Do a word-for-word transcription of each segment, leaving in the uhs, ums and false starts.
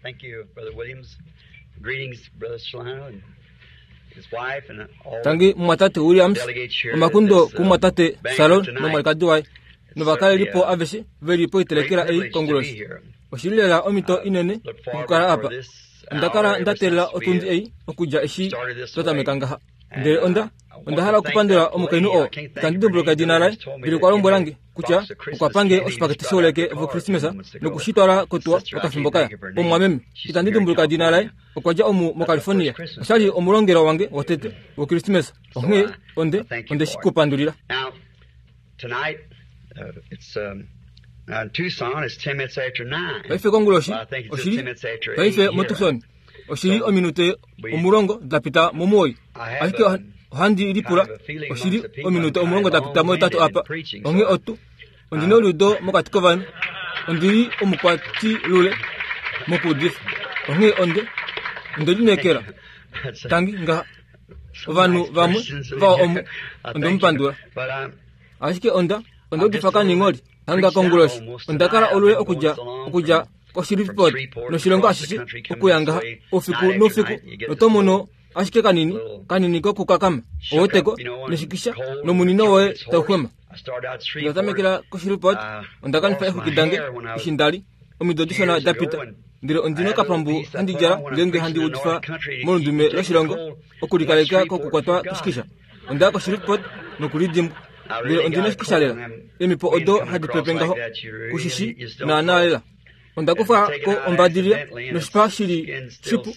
Thank you, Brother Williams. Greetings, Brother Solano and his wife and all Tangi mumwatate Williams, omakundo kumwatate Salon nomwalikadi waye novakalelipo aveshe veli poitelekela ei konguloshi. Oshili lela omhito inene okukala apa. Onda kala nda teelela otundi ei okudja eshi twa tameka ngaha. Ndele onda onda hala okupandula omukainhu oo itandi dimbuluka edina laye, ndele okwa lombwela nge kutya okwa pange oshipakete shouleke vOkrismesa nokushitwala kotuwa okafimbo kaya. Omumwameme itandi dimbuluka edina laye, okwa dja omu moCalifornia. Oshali omulongelwa wange wotete wOkrismesa, onghee onde onde shi ku pandulila. Now, tonight, uh, it's um, now in Tucson, it's ten minutes after nine. Paife konguloshi Well, I think it's just oshili ten minutes after eight paife here. moTucson oshili ominute omulongo da pita mumuwoi, ashike ohandi lipula oshili ominute omulongo da pita muhetatu apa. Onghee otu ondina oludo mokati kovanhu, ondili omukwatilule mokuudifa, onghee onde onde lineekela tangi ngaha ovanhu vamwe vawa omu onde mupandula, But um, ashike onda onda udifa kaningholi hanga konguloshi. Onda kala olule okudja okudja koShreveport noshilongo ashishe okuya ngaha oufiku noufiku, noto mono ashike kanini kanini kokukakama oweteko neshikisha nomunino woye tauxwema. I started out Onda Shreveport. tamekela koShreveport, onda kanifa exwiki dange eshi ndali omido dishona da pita, ndele ondina okapambu handi djala ngeenge handi udifa molundume loshilongo okulikaleka kokukwatwa koshikisha. Onda ya koShreveport nokulidimbwa, ndele ondina oshikisha lela. Eemipo odo hadi pepe ngaho kushishi naana lela. Onda kufa ko ombadilila noshipa shili shipu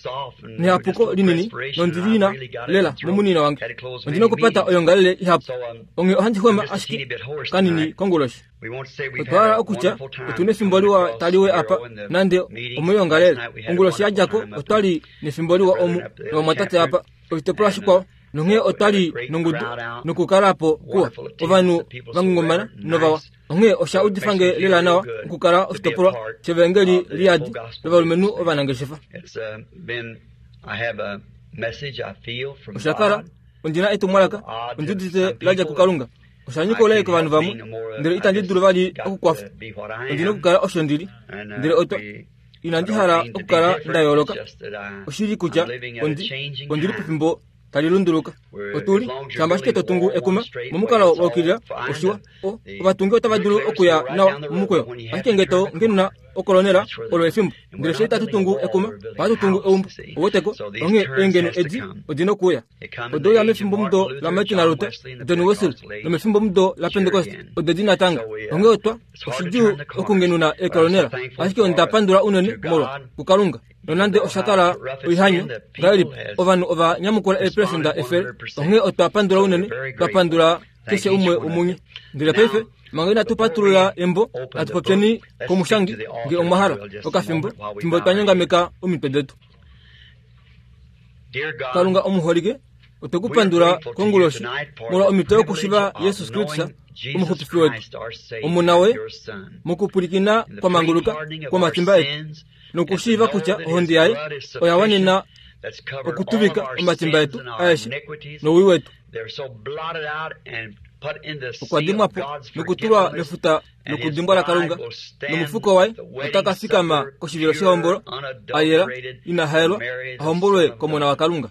nehapuko linini nondilina lela momunino wange. Ondina okupata oyongalele ihapu, onghee ohandi xwema ashike kanini konguloshi. We want to say we've Otwa hala had a okutya wonderful time otuna efimbo liwa taliwe apa nande omoyongalele. Onguloshi yadjako otwali nefimbo liwa omu novamwatate apa oshitopolwa shikwao, nonghee otwali nongudu nokukalapo kuwa ovanhu vangungumana novawa. Onghee osha udifa nge lela nawa okukala oshitopolwa shevangeli liyadi lovalumenhu ovanangeshefa. It's uh, been, I have a message I feel from Osha kala God. ondina etumwalaka ondi udite ladja kuKalunga. Osha nyika oulai kovanhu vamwe, ndele itandi dulu vali okukwafa. Ondina okukala osho ndili, ndele otwa inandi hala okukala nda yooloka. Oshili kutya ondi ondili pefimbo tali lunduluka. Otuli shamba ashike to tungu ekuma momukalo wa ukilila oshiwa, o ovatungi otava dulu okuya nawa momukweyo, ashike nge to ngenuna okolonela olo efimbo. Ndele fye itatu tungu ekuma, ohatu tungu eumbo. Oweteko, onghee eengeno edi odina okuuya. Odeuya mefimbomudo laMartin Luther, John Wesley, nomefimbomudo laPentecost ode di natango. Onghee otwa oshidjuu okungenuna eekolonela, ashike onda pandula unene molwa kuKalunga. Nonande osha kala oihanyo ngahelipi, ovanhu ova nyamukula eeperesenda efele, onghee otwa pandula unene, twa pandula keshe umwe womunye. Ndele paife manga inatu patulula embo, natu popyeni komushangi nge omwa hala okafimbo fimbo twa nyongameka omitwe detu. Dear God, Kalunga omuholike, otwe ku pandula konguloshi molwa omhito yokushiva Jesus Kristus omuxupifi wetu, omuna we mokupwilikina kwa manguluka kwomatimba etu, nokushiiva kutya ohonde yaye oya wanena okutuvika omatimba etu aeshe nowii wetu. Okwa dimwa po nokutulwa mefuta lokudimbwa laKalunga, nomufuko waye ota ka fikama koshivilo shehombolo a yela ina haelwa a hombolwe komona waKalunga.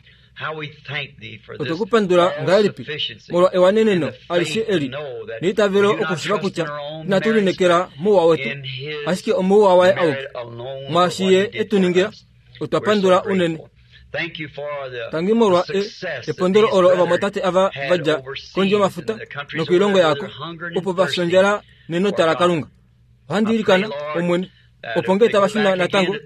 Otwe ku pandula ngahelipi molwa ewaneneno alishe eli neitavelo okushiva kutya inatu lineekela mouwa wetu, ashike omouwa waye auke. Mwaashi ye e tu ningila, otwa pandula unene. Tangi molwa e, epondolo olo ovamwatate ava va dja kondje yomafuta nokoilongo yako, opo va fya ondjala nenota laKalunga. Ohandi ilikana, Omwene, opo nge tava shuna natango,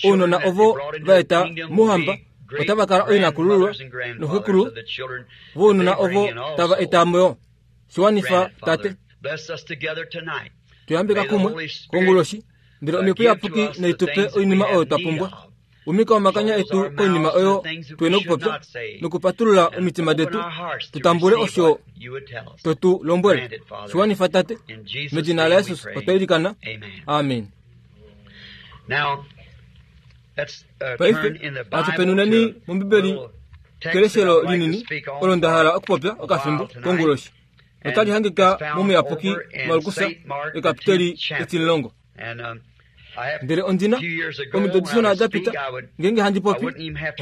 ounona ovo va eta mouhamba otava kala ooinakulululwa noxekulu vounona ovo tava eta mo yo. Shiwanifa, Tate. Tuyambeka kumwe konguloshi, ndele omhepo iyapuki naitupe oinima oyo twa pumbwa. Umika omakanya etu koinima oyo tuena okupopya nokupatulula omitima detu tutambule osho to tu lombwele. Shiwanifa, Tate. Medina laJesus otwa ilikana. Amen. Now, let's uh, Paife turn in the natu Bible penuneni to mombibeli a little text keleshelo that I'd like to linini speak on olo nda hala for okupopya a okafimbo while tonight. konguloshi. Otali hangika It's found momuyapuki over in Markusa Saint Mark, the ekapiteli tenth chapter. etililongo. And um, Ndele ondina omido dishona da pita ngeenge handi popi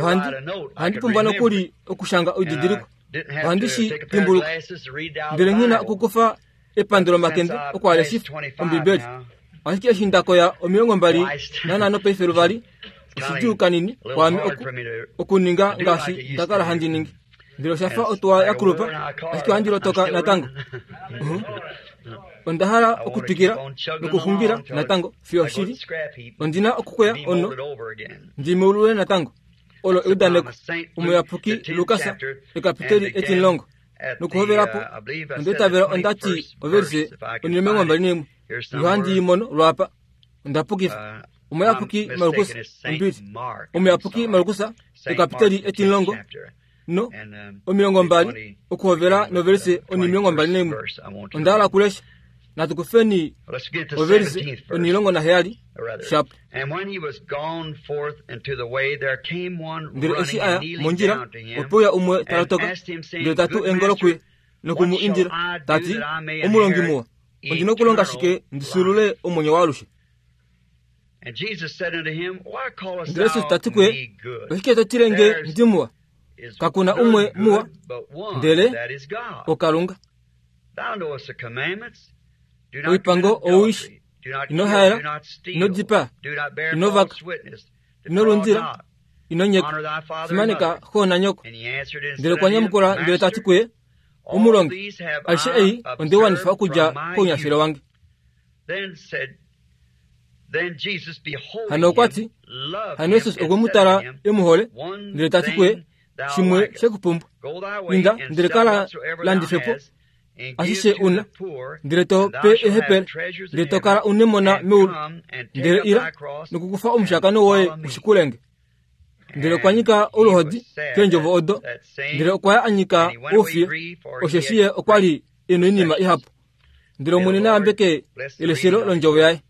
ohandi ohandi pumbwa nokuli okushanga oididiliko ohandi shi dimbuluka. Ndele nghina okukufa epando lomakende okwaaleshifa Ombibeli. Ashike eshi ndakoya omilongo mbali nanhano paife luvali oshidjuu kanini kwaame okuninga ngaashi ndakala handi ningi. Ndele oshafa otuwa ya kulupa ashike ohandi lotoka natango. Onda hala okutwikila nokuxungila natango fiyo shili ondina okukweya ono ndimeulule natango. Olo eudaneko omuyapuki Lukas ekapiteli etimulongo nokuhovelapo ondeitavela ondati overise onimilongo mbali naimwe nohandi imono lwapa ondapukifa. Omuyapuki Markus ombili omuyapuki Markus ekapiteli etimulongo no omilongo mbali okuhovela noverise onimilongo mbali naimwe. Onda hala okulesha. Natukufeni overise onilongo naheyali shapo. Ndele eshi aya mondjila opeuya umwe talotoka ndele tatu engolo kuye nokumu indila tati, omulongi muwa, ondina okulonga shike ndisulule omwenyo waalushe? Ndele Jesus tati kuye, oshike to tile nge ndi muwa? Kakuna umwe muwa ndele oKalunga. Oipango ouishi, ino haela, ino dipaa, ino vaka, ino lundila, ino nyeka, fimaneka xo nanyoko. Ndele okwa nyamukula ndele tati kuye, omulongi, aishe ei ondewanifa okudja kounyashelo wange. Hano okwa ti, hano Jesus okwe mu tala e mu hole, ndele tati kuye, shimwe shekupumbwa, inda ndele kala landifepo ashishe una, ndele to pe ehepele, ndele to kala unemona meulu, ndele ila nokukufa omushakano woye ushikulenge. Ndele okwa nyika oluhodi keendjovo odo, ndele okwa ya a nyika oufiye, osheshi ye okwa li e noinima ihapu. Ndele Omwene na yambeke eleshelo londjovo yaye.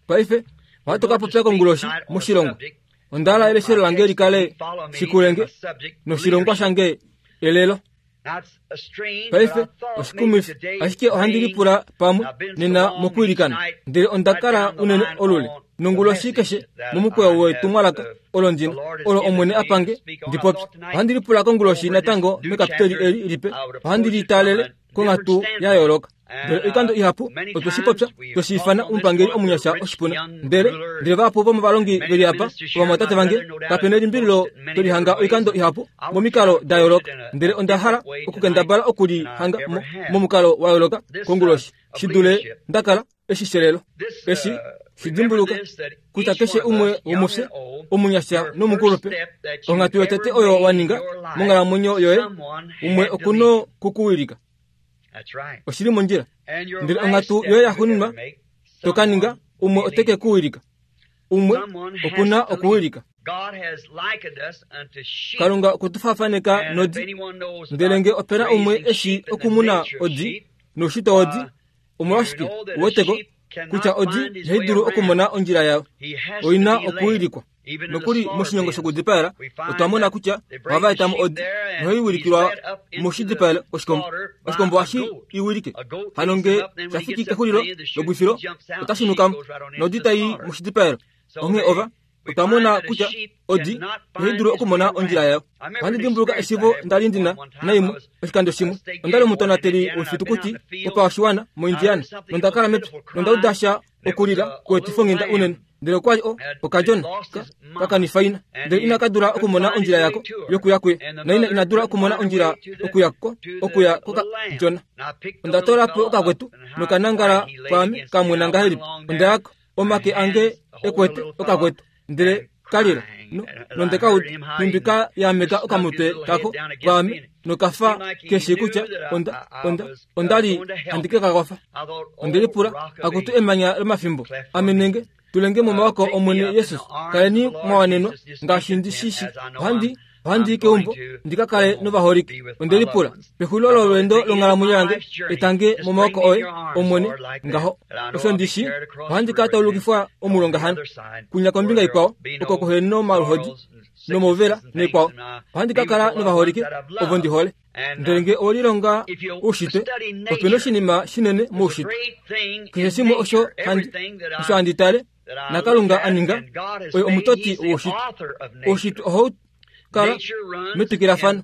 Paife ohatu ka popya konguloshi moshilongo. Onda hala eleshelo lange likale shikulenge noshilongwa shange elelo. Paife oshikumifi, ashike ohandi lipula pamwe nena mokwiilikana. Ndele onda kala unene olule nonguloshi keshe momukweyo wetumwalaka olo ndina olo Omwene apange ndipopye. Ohandi lipula konguloshi natango mekapiteli eli lipe ohandi litalele konghatu ya yooloka. Ndele oikando ihapu otwe shi popya tweshi ifana omupangeli omunyasha oshipuna. Ndele ndele vahapu vomovalongi veli apa ovamwatate vange kapena elimbililo tolihanga oikando ihapu momikalo da yooloka. Ndele onda hala okukendabala okulihanga momukalo wa yooloka konguloshi shidule ndakala eshi shelelo. Eshi shidimbuluka kutya keshe umwe womufye omunyasha nomukulupe onghatu yotete oyo waninga monghalamwenyo yoye umwe okuno kukuwilika. Oshili mondjila. Ndele onghatu yoye yaxuuninwa tokaninga umwe oteke kuwilika. Umwe okuna okuwilika. Kalunga okutufaafaneka nodi. Ndele nge opena umwe eshi okumuna odi noushitwa wodi, omolwashike uweteko kutya odi ihai dulu okumona ondjila yayo, oina okuwilikwa. Nokuli moshinyongo shokudipaela otwa mona kutya ohava etamo odi nohai wilikilwa moshidipaelo koshikombo. Oshikombo ohashi iwilike. Hano nge shafiki kexulilo lobwifilo otashi nukamo nodi tai moshidipaelo. Onghee ova otwa mona kutya odi ihai dulu okumona ondjila yayo. Ohandi dimbuluka eshivo ndali ndina naimwe oshikando shimwe. Ondali omutonateli wefitukuti wopashiwana moIndiana nonda kala mepya nonda uda sha okulila kweetifonghinda unene. Ndele okwali o okadjona kakanifa ina, ndele ina kadula okumona ondjila yako yokuya kuye, naina ina dula okumona ondjila okuya ko okuya kokadjona. Onda tola po okakwetu nokanangala kwaame kamwena ngahelipi. Onda yako omake ange ekwete okakwetu ndele kalila no nonde kauda nhumbi ka yameka okamutwe kako kwaame nokafa keshi kutya onda onda ondali handi ke kakwafa. Onde lipula akutu emanya lomafimbo ame nenge tulenge momawako Omwene Jesus, kaleni mwawanenwa ngaashi ndi shishi. Ohandi ohandi i keumbo ndikakale novaholike. Onde lipula pexulilo lolweendo longhalamwenyo yange etange momawako oye Omwene ngaho osho ndishi ohandi ka taulukifwa omulonga hano kunya kombinga ikwao oko kuhena omaluhodi nomouvela neikwao. Ohandi ka kala novaholike ovo ndi hole. Ndele nge owelilonga oushitwe, opena oshinima shinene moushitwe. Keshe shimwe osho handi osho handi tale naKalunga a ninga, oye omutoti woushitwe. Oushitwe ohau kala metwikilafano.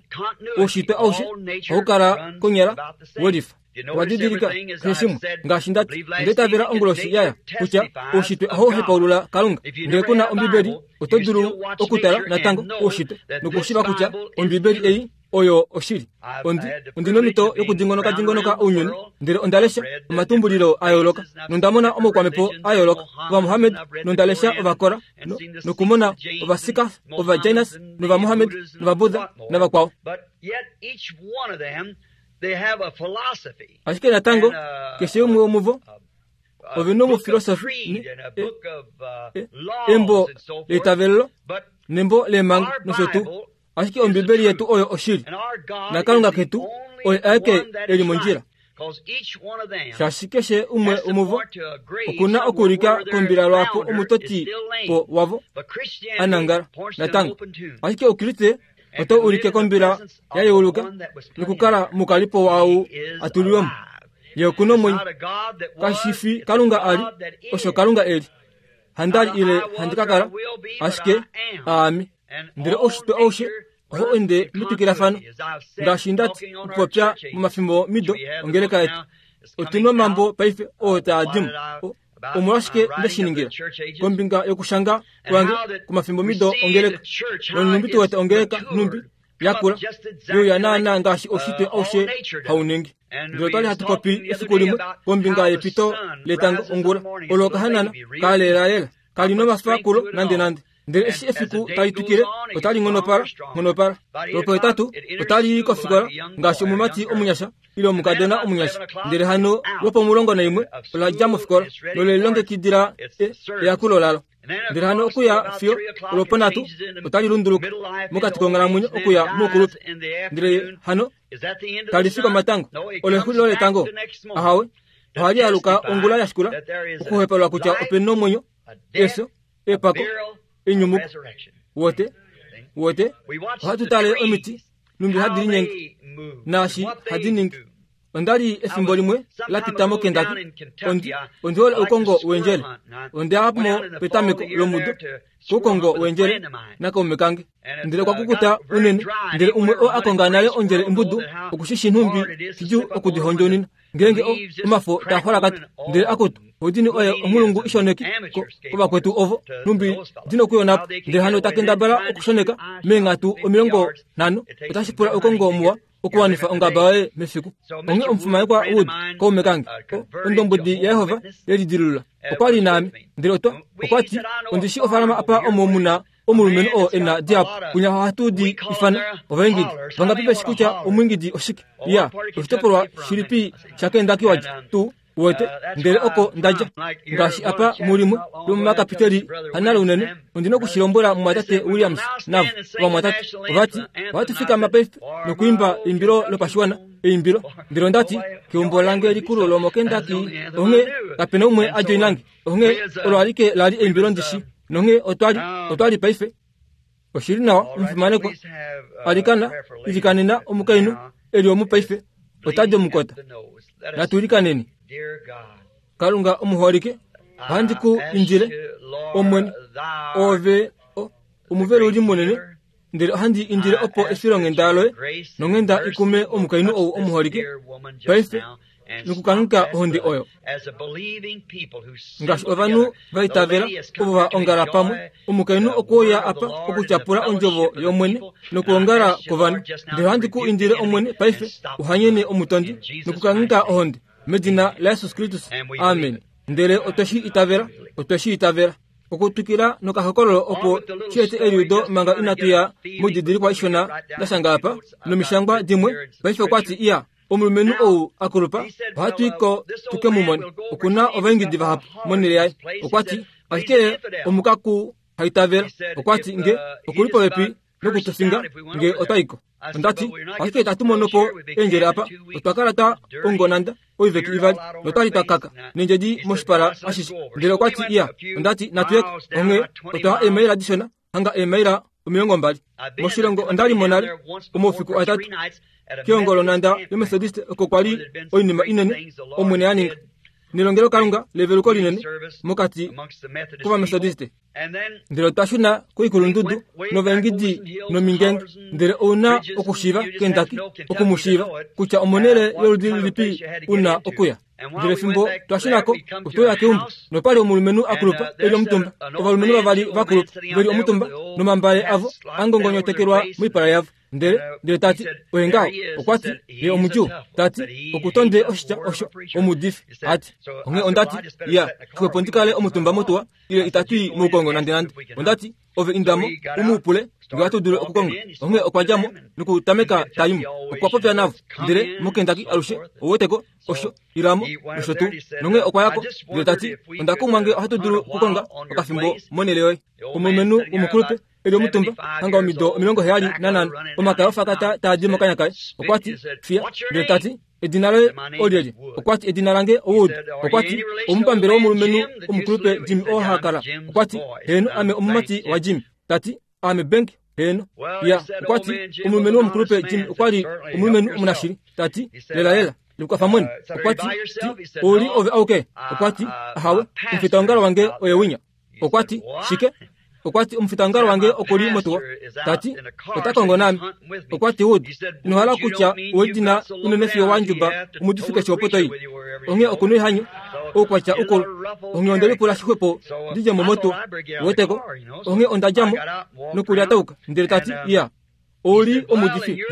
Oushitwe aushe ohau kala konyala welifa. Owadidilika keshe shimwe ngaashi ndati ondaitavela onguloshi yaya kutya oushitwe ohau hepaulula Kalunga. Ngele kuna Ombibeli, oto dulu okutala natango oushitwe nokushiiva kutya Ombibeli ei oyo oshili. Ondi ondina omhito yokudingonoka dingonoka ounyuni, ndele ondalesha omatumbulilo a yooloka nondamona omaukwamhepo a yooloka Ovamohammed, nondalesha Ovakora nokumona Ovasika, Ovajainas nOvamohammed nOvabudha navakwao. Ashike natango keshe umwe womuvo ove nomufilosofi, embo leitavelelo nembo leemhango nosho tuu. Ashike Ombibeli yetu oyo oshili, naKalunga ketu oye aeke eli mondjila. Shaashi keshe umwe womuvo okuna okuulika kombila lwaapo omutoti po wavo anangala natango. Ashike Oukriste oto ulike kombila ya yeuluka nokukala mukalipo waau atulilwemo. Ye okuna omwenyo. Kashi fi Kalunga ali, osho Kalunga eli. Handali ile handi ka kala, ashike aame. Ndele oushitwe aushe ohau ende metwikilafano. Ngaashi ndati okupopya momafimbo mido ongeleka yetu, otuna omambo paife oo taa dimo. Omolwashike ndeshiningila kombinga yokushanga kwange komafimbo mido ongeleka, nonhumbi tu wete ongeleka nhumbi yakula youya naana ngaashi oushitwe aushe hauningi. Ndele otwali hatu popi efiku limwe kombinga yepito letango ongula, olo okahanana kalelalela kali nomafakulo nande nande. Ndele eshi efiku tali twikile otali nghonopala nghonopala. Lwopohetatu otali i kofikola ngaashi omumati omunyasha ile omukadona omunyasha. Ndele hano lwopomulongo naimwe ola dja mofikola nolelilongekidila eyakulo lalo. Ndele hano okuya fiyo olwoponhatu otali lunduluka mokati konghalamwenyo okuya moukulupe. Ndele hano tali fi komatango olo exulilo letango. Ahawe, ohali aluka ongula ya shikula okuhepalwa kutya opena omwenyo, efyo, epako, enyumuko. Wote wote ohatu tale omiti numbi hadi linyenge naashi hadi ningi. Ondali efimbo limwe la pita moKentucky. Ondi ondi hole oukongo wendjele. Onde mo petameko lomudo koukongo wendjele nakaume kange. Ndele okwa kukuta unene, ndele umwe oo a konga nale ondjele imbudu okushishi nhumbi shidjuu okudihondjounina ngeenge omafo taa xwalakata. Ndele akutu odini oye omulungu ishoneki kovakwetu ovo nhumbi dina okuyonapo. Ndele hano takendabala okushoneka meenghatu omilongo nhano. Otashi pula oukongo muwa okuwanifa ongaba yoye mefiku. Onghee omufumanekwa Wood kaume kange, ondombwedi yaYehova yelidilulula, okwali naame. Ndele otwa okwati ondishi ofaalama apa omo muna omulumenhu oo ena dihapu kunya ohatu di ifana ovaingidi. Vangapi veshi kutya omwiingidi oshike? Ya, oshitopolwa shilipi shaKentucky wadja tuu wete? Ndele oko ndadja. Ngaashi apa mulimwe lomomakapiteli hanale unene, ondina okushilombwela mumwatate Williams navo ovamwatate. Ovati ohatu fikama paife nokuimba eimbilo lopashiwana, eimbilo. Ndele ondati keumbo lange likulu lomoKentucky, onghee kapena umwe a joinange. Onghee olo alike lali eimbilo ndishi. Nonghee otwali otwali paife. Oshili nawa omufimanekwa alikana ilikanena omukainhu eli omupaife otadi omukota. Natuilikaneni. Kalunga omuholike, ohandi ku indile Omwene, ove omuveluli munene, ndele ohandi indile opo efilonghenda loye nonghenda ikume omukainhu ou omuholike paife nokukanhuka ohonde oyo. Ngaashi ovanhu vaitavela ovo va ongala pamwe, omukainhu okuuya apa okutyapula ondjovo yOmwene nokuongala kwovanhu. Ndele ohandi ku indile Omwene paife uhanyene omutondi nokukanhuka ohonde medina laJesus Kristus. Amen. Ndele otweshi itavela, otweshi itavela. Okutwikila nokahokololo opo shiete eliudo manga inatu ya moididilikwa ishona ndashanga apa nomishangwa dimwe. Paife okwati iya omulumenhu ou akulupa ohatu iko tuke mu mone. Okuna ovaingidi vahapu monhele yaye. Okwati ashike omukaku haitavela. Okwati nge okuli popepi nokutufinga nge otwaiko. Ondati ashike itatu mono po eendjele apa. Otwa kala twa ongonanda oiveki ivali notwali twa kaka nendjedi moshipala ashishe. Ndele okwati iya ondati natuyeko. Onghee otwa eemaila dishona hanga eemaila omilongo mbali moshilongo onda li monale omaufiku atatu keongolonanda yomethodist oko kwali oinima inene Omwene a ninga nelongelokalunga leveluko linene mokati kovamethodiste ndele otwa shuna koikulundudu novaengidi nomingenge ndele ouna okushiiva Kentucky okumushiiva kutya omonele yoludi lilipi una okuya ndele fimbo twa shunako otwauya keumbo nopali omulumenhu akulupa eli omutumba ovalumenhu vavali vakulupa veli omutumba nomambale avo angongonyotekelwa moipala yavo ndele ndele tati oye ngaho okwati ye omudjuu tati okutonde oshitya osho omudifi ati onghee ondati ya xwepo ndikale omutumba motuwa ile itatui moukongo nande nande ondati ove indamo umuupule nge atu dulu okukonga onghee okwa djamo nokutameka taimo okwa popya navo ndele moKentucky alushe oweteko osho ilamo nosho tuu nonghee okwa yako ndele tati ondakumwa nge ohatu dulu okukonga okafimbo monele yoye omulumenhu womukulupe eli omutumba hanga omido omilongo heyali nanhano omakaya ofakata taadi mokanya kaye okwati fiya ndele tati edina loye olyelye okwati edina lange Wood okwati omupambele womulumenhu omukulupe Jimmy oo hakala okwati heeno ame omumati wa Jimmy tati ame Bank heeno ya okwati omulumenhu womukulupe Jimmy okwali omulumenhu omunashili tati lela lela likwafa mwene okwati ti ouli ove auke okwati ahawe omufitaongalo wange oye winya okwati shike okwati omufitaongalo wange okuli motuwa tati ota kongo nami okwati Wood inohala kutya owedina unene fiyo wandjuba omudifi keshe opo toyi onghee okuna oihanyo oukwatya ukulu onghee onde lipula xixwepo ndidje mo motuwa weteko onghee ondadjamo nokulyatauka ndele tati ya ouli omudifi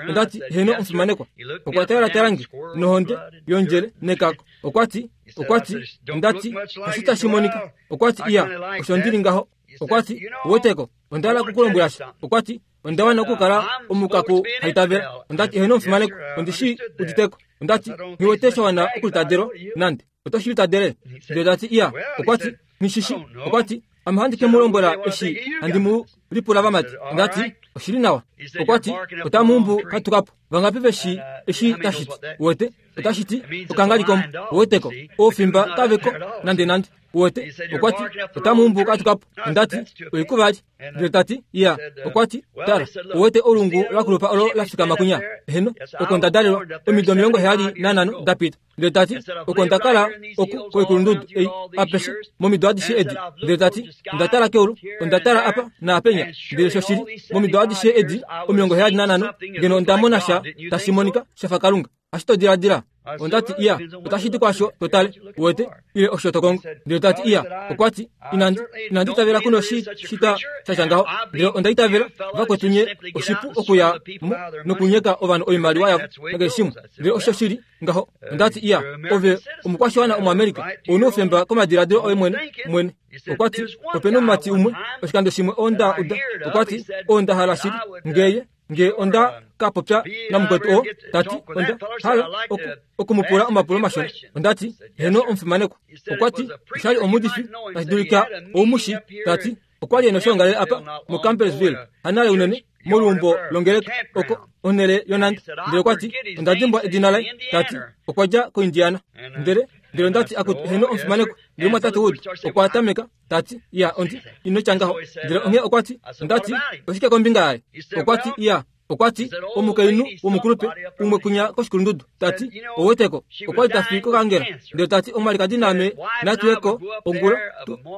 ondati heno omufimanekwa okwa talatala nohonde yondjele nekako okwati okwati ondati oshi tashi monika okwati iya osho ndili ngaho okwati weteko ondala kukulombwela sha okwati ondawana okukala omukaku haitavela ondati heno omufimanekwa ondishi uditeko ondati nghiwete shawana okulitadelwa nande otoshi litadele ndele tati iya okwati nishishi okwati ame handi ke mu lombwela eshi handi mu lipula vamati ondati oshili nawa okwati otamuumbu katukapo vangapi veshi eshi tashiti wete otashiti okangalikombo weteko oofimba kaveko nande nande wete okwati otamuumbu katukapo ondati oikuvali ndele tati iya okwati tala owete olungu lakulupa olo lafikama kunya heno oko ndadalelwa omido omilongo heyali nanhano dapita ndele tati oko ndakala oku koikulundudu ei apeshe momido adishe edi ndele tati ondatala keulu ondatala apa naapenya ndele shoshili momido adishe edi omilongo heyali nanhano ngeno ondamona sha tashi monika shafa Kalunga ashitodiladila ondati iya otashiti kwasho totale wete ile osho tokongo ndele tati iya okwati inandi inandi itavela kuno shi shita shasha ngaho ndele onda itavela vakwetu nye oshipu okuya mo nokunyeka ovanhu oimaliwa yavo nakeshe shimwe ndele osho shili ngaho ondati iya ove omukwashiwana omuAmerika ouna oufemba komadiladilo oye mwene mwene okwati opena omumati umwe oshikando shimwe onda uda okwati onda hala shili ngeye nge onda kapopya namukwetu oo tati onda hala oku okumupula omapulo mashona ondati heno omufimanekwa okwati oshali omudifi tashi dulika oumushi tati okwali ena oshongalele apa moCampbellsville hanale unene moluumbo longeleka oko onhele yonanda ndele okwati onda dimbwa edina laye tati okwa dja koIndiana ndele ndele ondati akuti heno omufimanekwa ndele mwatate Wood okwa tameka tati iya ondi ino tya ngaho ndele onghee okwati ondati oshike kombinga yaye okwati iya okwati omukainhu womukulupe umwe kunya koshikulundudu tati oweteko okwali tafi kokangela ndele tati omwalikadi naame natuyeko ongula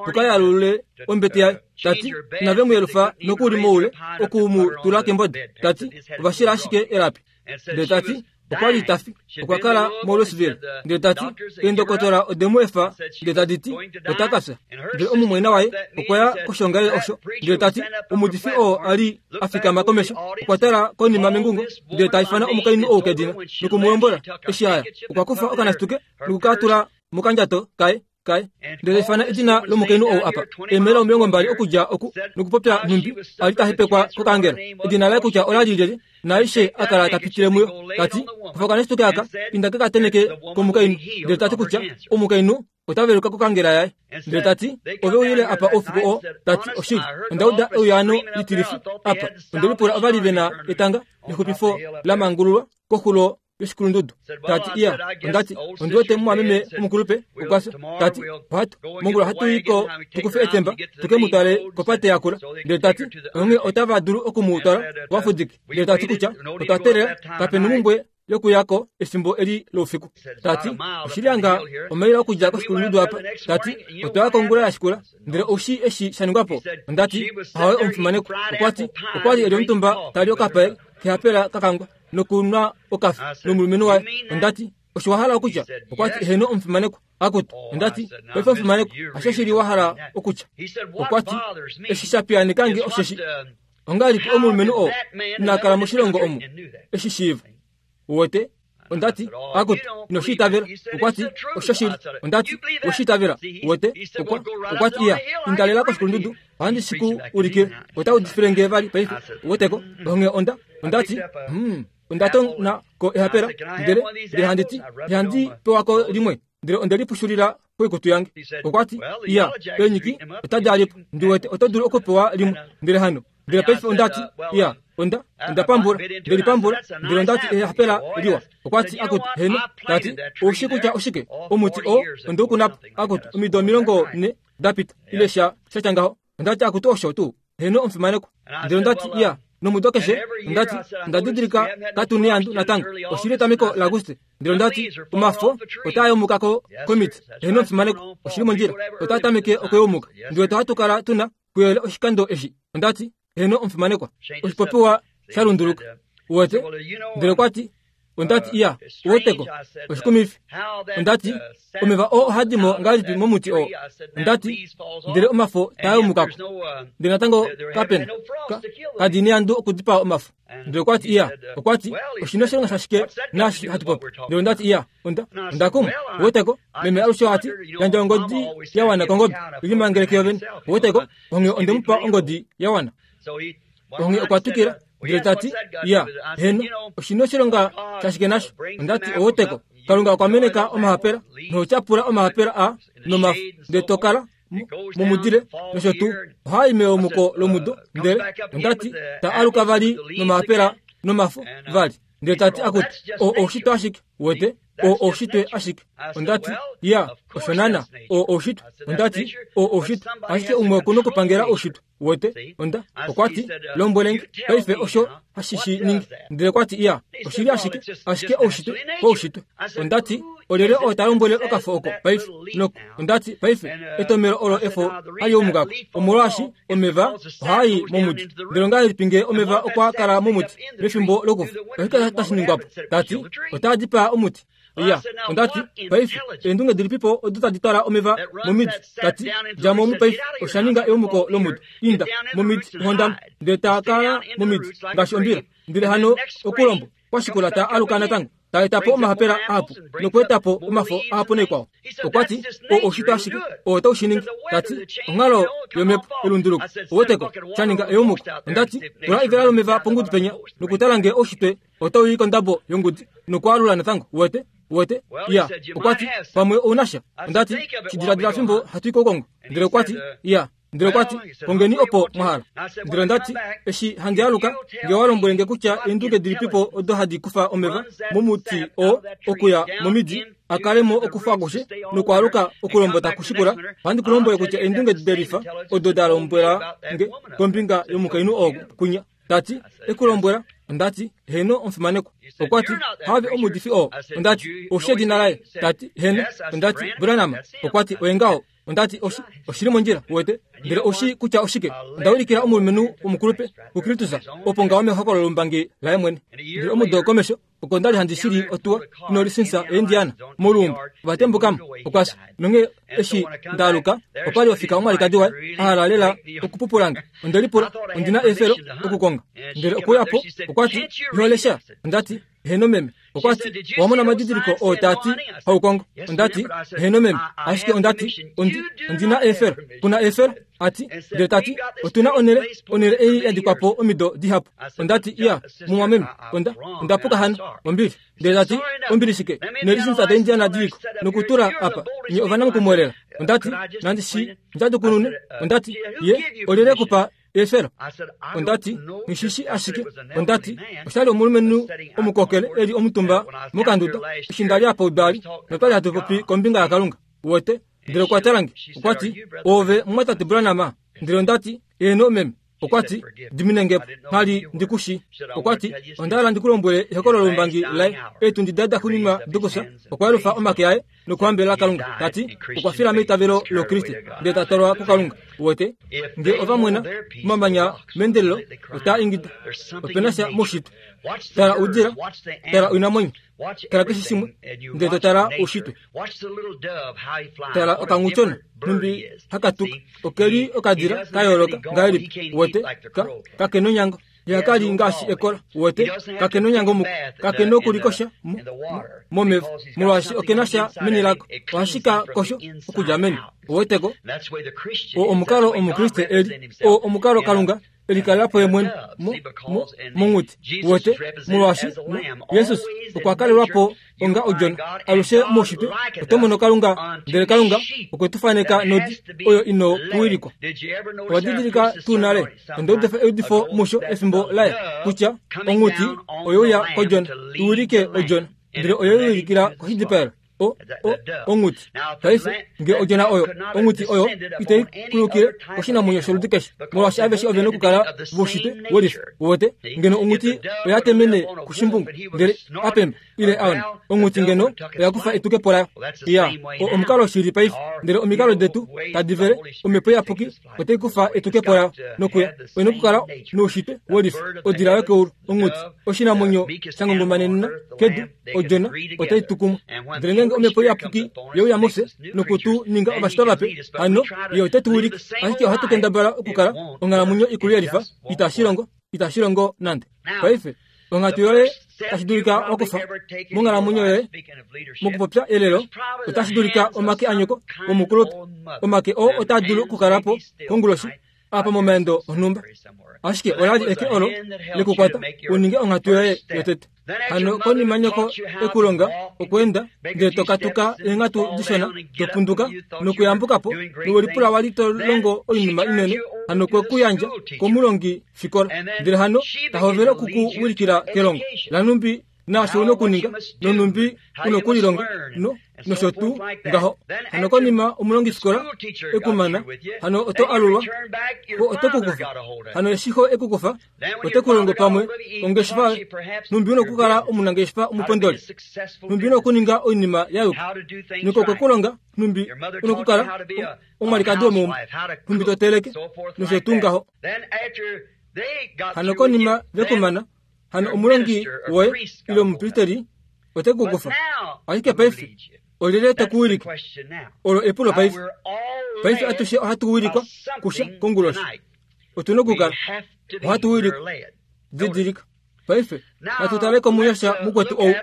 tukayalule ombete yaye tati inave mu yelufa nokuli moule oku mu tula kembode tati ovashila ashike elapi ndele tati okwali tafi okwa kala moLouisville ndele tati eendokotola odemu efa ndele tadi ti ota kafya ndele omumwaina waye okwa ya koshongalele osho ndele tati omudifi oo ali afikama komesho okwa tala konima mengungo ndele ta ifana omukainhu ou kedina nokumulombwela eshi aya okwa kufa okanasituke nokukatula mokandjato kaye kaye ndele ifana edina lomukainhu ou apa eemela omilongo mbali okudja oku nokupopya nhumbi ali tahepekwa kokangela edina laye kutya olali lyelye naaishe akala tapitile muyo tati kufa okanasituke aka inda kekateneke komukainhu ndele tati kutya omukainhu otaveluka kokangela yaye ndele tati ove uyile apa oufiku oo tati oshili ondauda euyaano litilifi apa ondelipula ovali vena etanga lexupifo lamangululwa koxulo yoshikulundudu. Tati iya, ondati ondiwete mumwameme omukulupe okwafya. Tati ohatu mongula hatu iko tukufe etemba tuke mutwale kopate yakula. Ndele tati onge otava dulu okumutwala wafudike. Ndele tati kutya otwa teelela kapena omumbwe yokuyako efimbo eli loufiku. Tati oshili anga omaila okudja koshikulundudu apa. Tati otwaya kongula yashikula ndele oushi eshi shaningwapo. Ondati ahawe omufimaneko. Okwati okwali eli omutumba tali okapae kehapela kakangwa nokunwa okafi nomulumenhu waye. Ondati osho wahala okutya? Okwati eheno omufimaneko. Akutu ondati paife omufimaneko asho shili wahala okutya. Okwati eshi shapiyaanikange osheshi ongahelipi omulumenhu oo inakala moshilongo omu eshi shiiva. Uwete? Ondati akutu inoshitavela. Okwati osho shili. Ondati oshitavela. Uwete? Okwa okwati iya indalela koshikulundudu ohandi shiku ulikile ota udifile nge vali paife. Uweteko? Onge onda ondati hmm ondatona ko ehapela ndele ndele handiti handi pewako limwe ndele ondelipushulila koikutu yange. Okwati iya enyiki otadi alipo ndiwete oto dulu okupewa limwe ndele hano ndele paife ondati iya onda ondapambula ndelipambula ndele ondati ehapela liwa. Okwati akutu heno. Tati oushi kutya oshike omuti o ondoukunapo akutu omido omilongo ne dapita ile sha shatya ngaho. Ondati akutu osho tuu heno omufimaneko. Ndele ondati iya nomudo keshe ondati ondadidilika katu neandu natango oshili etameko laAguste. Ndele ondati omafo otaayomukako komiti. Heno omufimaneko oshili mondjila otatameke okuyomuka. Ndiwete ohatu kala tuna kuyele oshikando eshi. Ondati heno omufimanekwa oshipopiwa shalunduluka. Uwete? Ndele okwati ondati iya uweteko oshikumifi. Ondati omeva oo ohadimo ngahelipi momuti oo. Ondati ndele omafo taayomukako ndele natango kapena kadi neandu okudipaa omafo. Ndele okwati iya okwati oshina oshilonga shashike naashi hatu popi. Ndele ondati iya onda ondakumwa. Uweteko? Meme alushe ati yandja ongodi yawana kongobe ilimangeleke yovene. Uweteko? Onge ondemupa ongodi yawana. Onge okwatukila ndele tati iya heno oshina oshilonga shashike nasho. Ondati oweteko Kalunga okwameneka omahapela notyapula omahapela a nomafo ndele tokala momudile nosho tuu ohai meyomuko lomudo. Ndele ondati ta aluka vali nomahapela nomafo vali. Ndele tati akuti o oushitwe ashike. Uwete? O oushitwe ashike. Ondati iya osho nana o oushitwe. Ondati o oushitwe ashike umwe okuna okupangela oushitwe. Uwete? Onda okwati lombwelenge paife osho hashishi ningi. Ndele okwati iya oshili ashike ashike oushitwe koushitwe. Ondati olyelye oo ta lombwele okafo oko paife noko. Ondati paife etomelo olo efo haliyoomukako omolwaashi omeva ohaai momuti. Ndele ongahelipi ngee omeva okwa kala momuti mefimbo lokufa oshike tashi ningwapo? Tati otaa dipaa omuti. Iya ondati paife eendunge dilipipo odo tadi twala omeva momidi. Tati djamo omu paife oshaninga eyomuko lomudo. Inda momidi hondama ndele taa kala momidi ngaashi ombila. Ndele hano okulombo kwashikula ta aluka natango taetapo omahapela ahapu nokuetapo omafo ahapu naikwao. Okwati o oushitwe ashike oo taushiningi. Tati onghalo yomhepo elunduluko. Uweteko? Shaninga eyomuko. Ondati tula ivela lomeva pongudu penya nokutala ngee oushitwe otauyi kondabo yongudi nokwaalula natango. Uwete? Uwete? Iya okwati pamwe ounasha. Ondati shidiladila fimbo hatu i koukongo. Ndele okwati iya ndele okwati kongeni opo mwahala. Ndele ondati eshi handi aluka nge walombwelenge kutya eendunge dilipipo odo hadi kufa omeva momuti oo okuya momidi akalemo okufa akushe nokwaaluka okulombota kushikula, ohandi kulombwele kutya eendunge delifa odo dalombwela nge kombinga yomukainhu oo kunya. Tati ekulombwela. Ondati heno omufimanekwa. Okwati have omuudifi oo. Ondati oushi edina laye. Tati heno. Ondati Branham. Okwati oye ngaho. Ondati oshi oshili mondjila. Uwete? Ndele oushi kutya oshike. Ondaulikila omulumenhu womukulupe kuKristus opo ngaho mehokololo lombangi laye mwene. Ndele omudo komesho oko ndali handi shili otuwa inolisinsa eIndiana moluumbo ovatembukamo okwasha nonge eshi ndaaluka opali ofika omwalikadi waye ahala lela okupupulange. Ondelipula ondina efelo okukonga. Ndele okuyapo okwati iholesha. Ondati heno meme. Okwati wamona omadidiliko oo taati haukongo. Ondati heno meme. Ashike ondati ondi ondina efelo. Kuna efelo ati ndele tati otuna onele onele ei yadikwapo omido dihapu. Ondati iya mumwameme. Onda ondapuka hano ombili. Ndele tati ombili shike nelisinsa daIndiana diliko nokutula apa nye ovanamukumwelela. Ondati nandi shi ndjadukunune. Ondati ye olyelye kupa Efelo ondati ngishishi ashike ondati oshali omulumenhu omukokele eli omutumba mokanduda eshi ndali apa udali notwali hatu popi kombinga yaKalunga wete ndele okwa talange okwati ove mumwatate Branham ndele ondati eno meme okwati diminengepo nghali ndikushi okwati ondahala ndikulombwele ehokololo lombangi laye eetundi dada xuninwa dokusa okwa omake aye nokuhambelela Kalunga tati okwa fila meitavelo loKriste ndele ta twalwa kuKalunga wete nge ovamwena omamanya mendelelo otaa ingida opena sha moushitwe tala oudila tala oinamwenyo tala keshe shimwe ndele to tala oushitwe tala okanghutyona numbi hakatuka okeli okadila kayooloka ngahelipi wete ka kakena onyango ihakali ngaashi ekola wete kakena onyango muko kakena okulikosha momeva molwaashi okena sha meni lako ohashi ka kosho okudja meni oweteko o omukalo omukriste eli o omukalo Kalunga elikalelapo ye mwene monghuti wete molwaashi Yesus okwa kalelwapo onga odjona alushe moushitwe oto mono Kalunga ndele Kalunga okwe tu faneka nodi oyo ino kuwilikwa owa didilika tuu nale onda udifa eudifo musho efimbo laye kutya onghuti oyeuya kodjona iwilike odjona ndele oyo iwilikila koshidipaelo o o onghuti paife nge odjona oyo onghuti oyo itai kulukile oshinamwenyo sholudi keshe molwaashi aveshe ovena okukala voushitwe welifa wete ngeno onghuti oya temene kushimbungu ndele apembe ile aona onghuti ngeno oya kufa etukepo layo iya omukalo shili paife ndele omikalo detu tadi vele omhepo iyapuki otai kufa etukepo layo nokuya oina okukala noushitwe welifa odila yokeulu onghuti oshinamwenyo shangongomanenena kedu odjona otai tukumwa ndele ngenge omhepo iyapuki yeuya mufye nokutu ninga ovashitwa vape hano ye ote tu wilike ashike ohatu kendabala okukala onghalamwenyo ikulu yelifa itashi longo itashi longo nande paife onghatu yoye tashi dulika wakufa monghalamwenyo yoye mokupopya elelo otashi dulika omake anyoko omukulupe omake oo otaa dulu okukalapo konguloshi apa momaendo onhumba ashike olali eke olo lekukwata uninge onghatu yoye yotete hano konima nyoko ekulonga okweenda ndele tokatuka eenghatu dishona topunduka nokuyambukapo nowelipula wali to longo oinima inene hano kwe kuyandja komulongi fikola ndele hano tahovele okukuwilikila kelongo lanumbi naasho una okuninga nonumbi una okulilonga no nosho tuu ngaho hano konima omulongifikola ekumana hano oto alulwa ko oto kukufa hano eshiho ekukufa ote kulongo pamwe ongeshefa numbi una okukala omunangeshefa omupondoli numbi una okuninga oinima yayuka niko kwe kulonga numbi una okukala omwalikadi womeumbo numbi toteleke nosho tuu ngaho hano konima vekumana hano omulongi woye ile omupristeri ote kukufa ashike paife olyelye tekuwilike olo epulo paife paife atushe ohatu wilikwa kusha konguloshi otuna okukala ohatu wilikwa didilika paife natu taleko munyasha mukwetu ou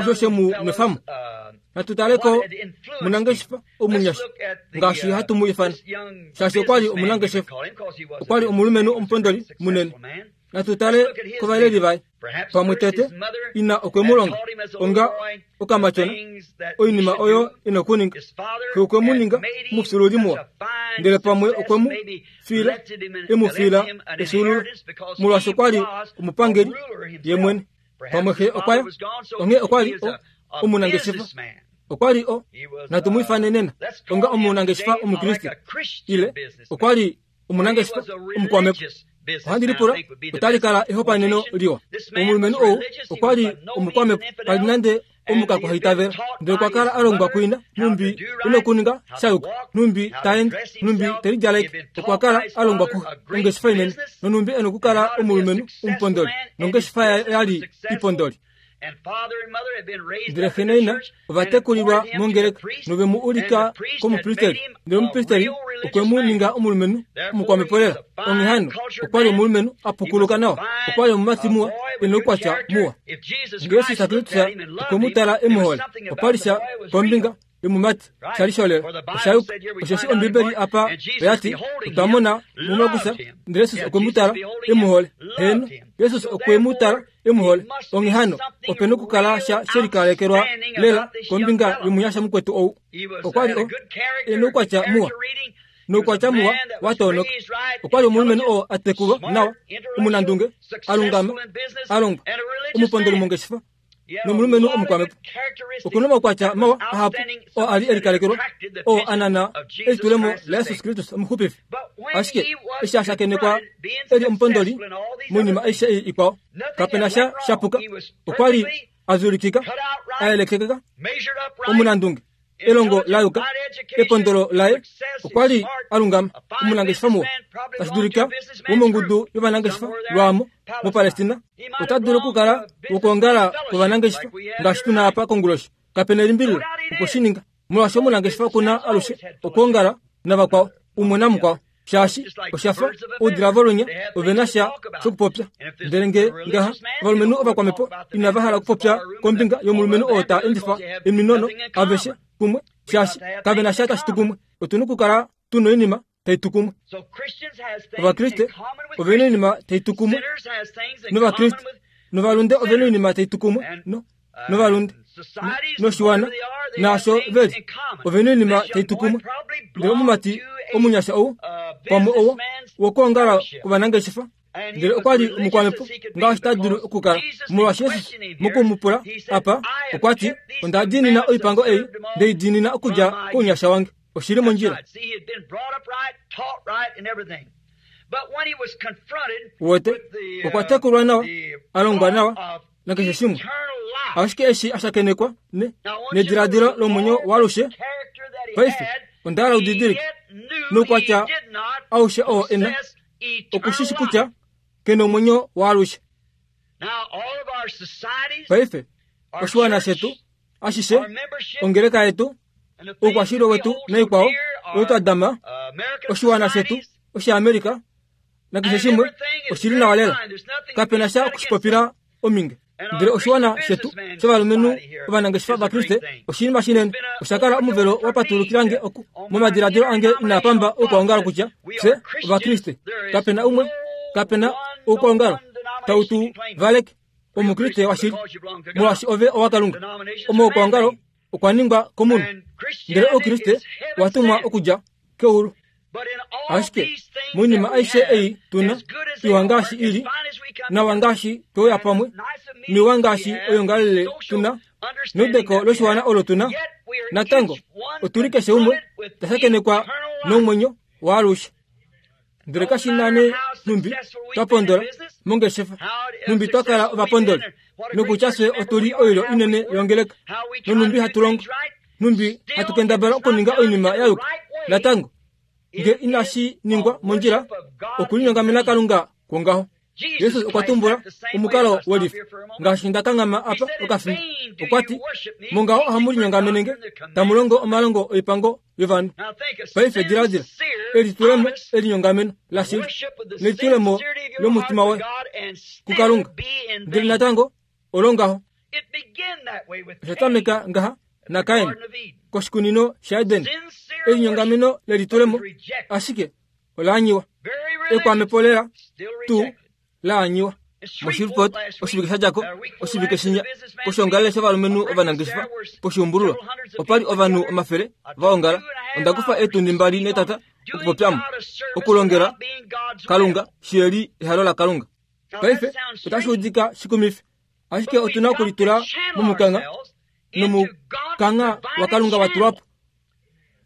osho she mu nwefamu natu taleko munangeshefa omunyasha ngaashi hatu mu ifana shaashi okwali omunangeshefa okwali omulumenhu omupondoli munene natu tale kovaleli vaye pamwe tete ina okwe mu longa onga okamatyona oinima oyo ina okuninga xe okwe mu ninga omufyuululi muwa ndele pamwe okwe mu fiila emu fiila efyuululo molwaashi okwali omupangeli ye mwene pamwe xe okwaya onghee okwali omunangeshefa okwali o natu mu ifane nena onga omunangeshefa omukriste ile okwali omunangeshefa omukwamepo ohandi lipula otali kala ehopaeneno liwa omulumenhu ou okwali omukwamepo kali nande omukakuhaitavela ndele okwa kala a longwa kuina numbi ina okuninga shayuka numbi taende numbi telidjaleke okwa kala a longwa kuxe ongeshefa inene nonumbi ena okukala omulumenhu omupondoli nongeshefa yali ipondoli ndele xe naina ovatekulilwa mongeleka novemu ulika komupristeri ndele omupristeri okwe mu ninga omulumenhu omukwamepo lela onghee hano okwali omulumenhu apukuluka nawa okwali omumati muwa ena oukwatya muwa nge Yesus Kristus okwe mu tala emuhole opali sha kombinga yomumati shali sholela oshayuka osheshi Ombibeli apa oyati otwa mona mumakusa ndele Yesus okwe mu tala emuhole heno Yesus okwe mu tala emuhole onghee hano opena okukala sha shelikalekelwa lela kombinga yomunyasha mukwetu ou okwali o ena oukwatya muwa Noukwatya muwa wa toonoka. Okwa li omulumenhu oo a tekulwa nawa, omunandunge, a lungama, a longwa, omupondoli mongeshefa nomulumenhu omukwamhepo. Okuna omaukwatya mawa ahapu oo a li e likalekelwa, oo a nana elitulemo laJesus Kristus omuxupifi. Ashike eshi a shakenekwa e li omupondoli moinima aishe ei ikwao, kapena sha shapuka. Okwa li a zulikika, a yelekeka, omunandunge, elongo la yuka, epondolo laye, okwa li a lungama, omunangeshefa muwa, tashi dulika womongudu yovanangeshefa lwaamo moPalestina. Ota dulu okukala wokwoongala kwovanangeshefa ngaashi tuna apa konguloshi. Kapena elimbililo okwe shi ninga, molwaashi omunangeshefa okuna alushe okwoongala navakwao, umwe namukwao, shaashi oshafa oudila volunya ove na sha shokupopya. Ndele nge ngaha ovalumenhu ovakwamhepo inava hala okupopya kombinga yomulumenhu oo ta endifa eminono aveshe kumwe, shaashi kave na sha tashi tu kumwe. Otuna okukala tuna oinima tai tu kumwe. Ovakriste ove na oinima tai tu kumwe novakriste, novalunde ove na oinima tai tu kumwe no novalunde noshiwana naasho veli ove na oinima tai tu kumwe. Ndele omumati omunyasha ou pamwe owo wokwoongala kwovanangeshefa, ndele okwa li omukwamhepo ngaashi ta dulu okukala, molwaashi Jesus mokumupula apa okwa ti, onda diinina oipango ei, ndei diinina okudja kounyasha wange. Oshili mondjila. Wote okwa tekulwa nawa, a longwa nawa nakeshe shimwe, ashike eshi a shakenekwa ne nediladilo lomwenyo waalushe. Paife onda hala udidilike noukwatya aushe oo e na, okushishi kutya ke nomwenyo waalushe. Paife oshiwana shetu ashishe, ongeleka yetu, oukwashilyo wetu naikwao oyo twa dama, oshiwana shetu oshiAmerika nakeshe shimwe oshili nawa lela, kapena sha okushipopila ominge. Ndele oshiwana shetu shovalumenhu ovanangeshefa vaKriste oshinima shinene. Osha kala omuvelo wa patulukilange oku momadiladilo ange inaa pamba oukwaongalo kutya fye ovakriste. Kapena umwe, kapena oukwaongalo tau tu valeke omukriste washili, molwaashi ove owaKalunga. Omaukwaongalo okwa ningwa komunhu, ndele oukriste owa tumwa okudja keulu. Ashike moinima aishe ei tuna, iwa ngaashi ili, nawa ngaashi tweuya pamwe, miwa ngaashi oyongalele tuna, neudeko loshiwana olo tuna, natango otuli keshe umwe ta shakenekwa nomwenyo waalushe. Ndele kashi na nee nhumbi twa pondola mongeshefa, nhumbi twa kala ovapondoli, nokutya fye otuli oilyo inene yongeleka, nonhumbi hatu longo, nhumbi hatu kendabala okuninga oinima ya yuka, natango nge inashi ningwa mondjila, okulinyongamena Kalunga kwongaho. Jesus okwa tumbula omukalo welifa ngaashi nda kanghama apa okafimbo. Okwa ti, mongaho ohamu linyongamenenge tamu longo omalongo oipango yovanhu. Paife diladila elitulemo elinyongameno lashili nelitulemo lomutima woye kuKalunga, ndele natango olongaho. Osha tameka ngaha naKain koshikunino shaEden, elinyongameno lelitulemo, ashike olaanyiwa. Ekwamepo lela tuu laanyiwa. MoShreveport oshivike sha djako, oshivike shinya, koshoongalele shovalumenhu ovanangeshefa poshiumbululwa, opa li ovanhu omafele va ongala. Onda kufa eetundi mbali netata okupopyamo okulongela Kalunga shiyeli ehalo laKalunga. Paife otashi udika shikumifi, ashike otuna okulitula momukangha, nomukangha waKalunga wa tulwa po,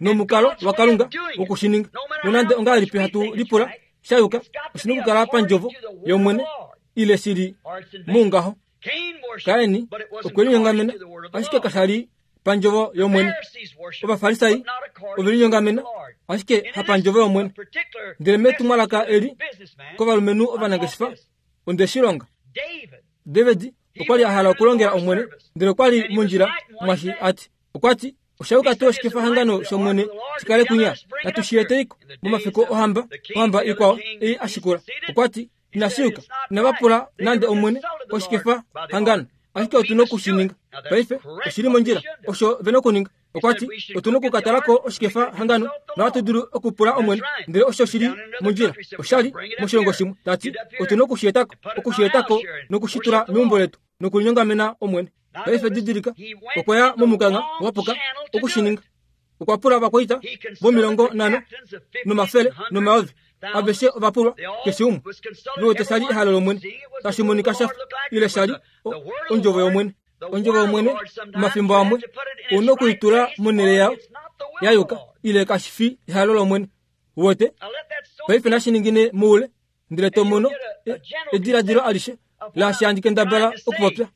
nomukalo waKalunga wokushininga. Nonande ongahelipi hatu lipula sha yuka, oshina okukala pandjovo yOmwene ile shili moungaho. Kaini okwe linyongamena, ashike kasha li pandjovo yOmwene. Ovafarisai ove linyongamena, ashike hapandjovo yOmwene. Ndele metumwalaka eli kovalumenhu ovanangeshefa onde shi longa. David okwa li a hala okulongela Omwene, ndele okwa li mondjila mwashi ati. Okwa ti, osha yuka tuu oshikefahangano shOmwene shi kale kunya, natu shi eteiko momafiku ohamba, ohamba ikwao ei ashikula. Okwa ti, inashi yuka, inava pula nande Omwene koshikefahangano, ashike otuna okushininga. Paife oshili mondjila, osho vena okuninga. Okwa ti, otuna okukatalako oshikefahangano nohatu dulu okupula Omwene, ndele osho shili mondjila. Oshali moshilongo shimwe, tati otuna okushietako, okushietako nokushitula meumbo letu nokulinyongamena Omwene. Paife didilika, okwa ya momukangha wapuka okushininga. Okwa pula ovakwaita vomilongo nhano nomafele nomayovi aveshe ova pulwa keshe umwe vewete shali ehalo lOmwene tashi monika shafa ile shali ondjovo yOmwene. Ondjovo yOmwene omafimbo amwe ouna okuitula monhele yayo ya yuka ile kashi fi ehalo lOmwene. Wete paife nashi ningine moule ndele to mono ediladilo alishe laashi handi kendabala okupopya.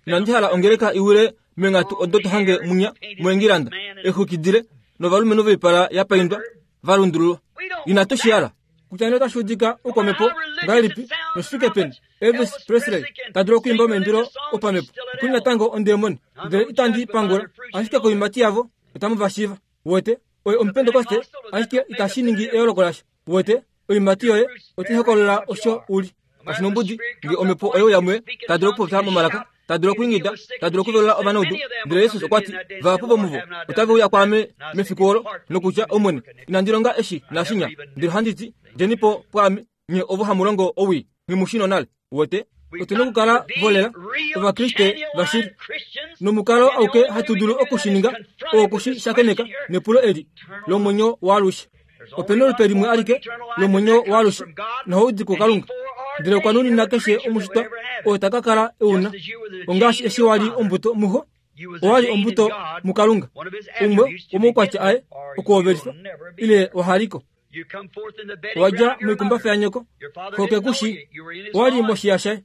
Inandi hala ongeleka iwile meenghatu odo to hange munya moEngilanda exwikidile novalumenhu voipala ya paindwa va lundululwa. Inatu shi hala. Kutya nee otashi udika oukwamhepo ngahelipi noshifike peni Elvis Presley ta dulu okwiimba omaimbilo opamhepo okuli natango ondemoni, ndele itandi pangula, ashike koiimati yavo otamu va shiiva. Wete oye omupentekoste, ashike itashi ningi eyooloko lasha. Wete oiimati yoye otai hokolola osho uli. Kashi nombudi nge omhepo oye uya muye, ta dulu okupopya momalaka, ta dulu okwiingida, ta dulu okuvelula ovanaudu. Ndele Jesus okwa ti, vahapu vomuvo otave uya kwaame mefiku olo nokutya, Omwene, inandi longa eshi naashinya. Ndele ohandi ti, djeni po pwaame, nye ovo hamu longo owii, nghi nonale. Wete otuna okukala volela ovakriste vashili nomukalo auke hatu dulu okushininga oo okushi shakeneka nepulo eli lomwenyo waalushe. Opena olupe limwe alike lomwenyo waalushe nohaudi kuKalunga, ndele okwa nunina keshe omushitwa oo ta ka kala euna. Ongaashi eshi wali ombuto muho, owali ombuto muKalunga, umwe womoukwatya aye okuhovelifa ile wahaliko. Owadja moikumbafa yanyoko, xo kekushi, owali moshiya shaye.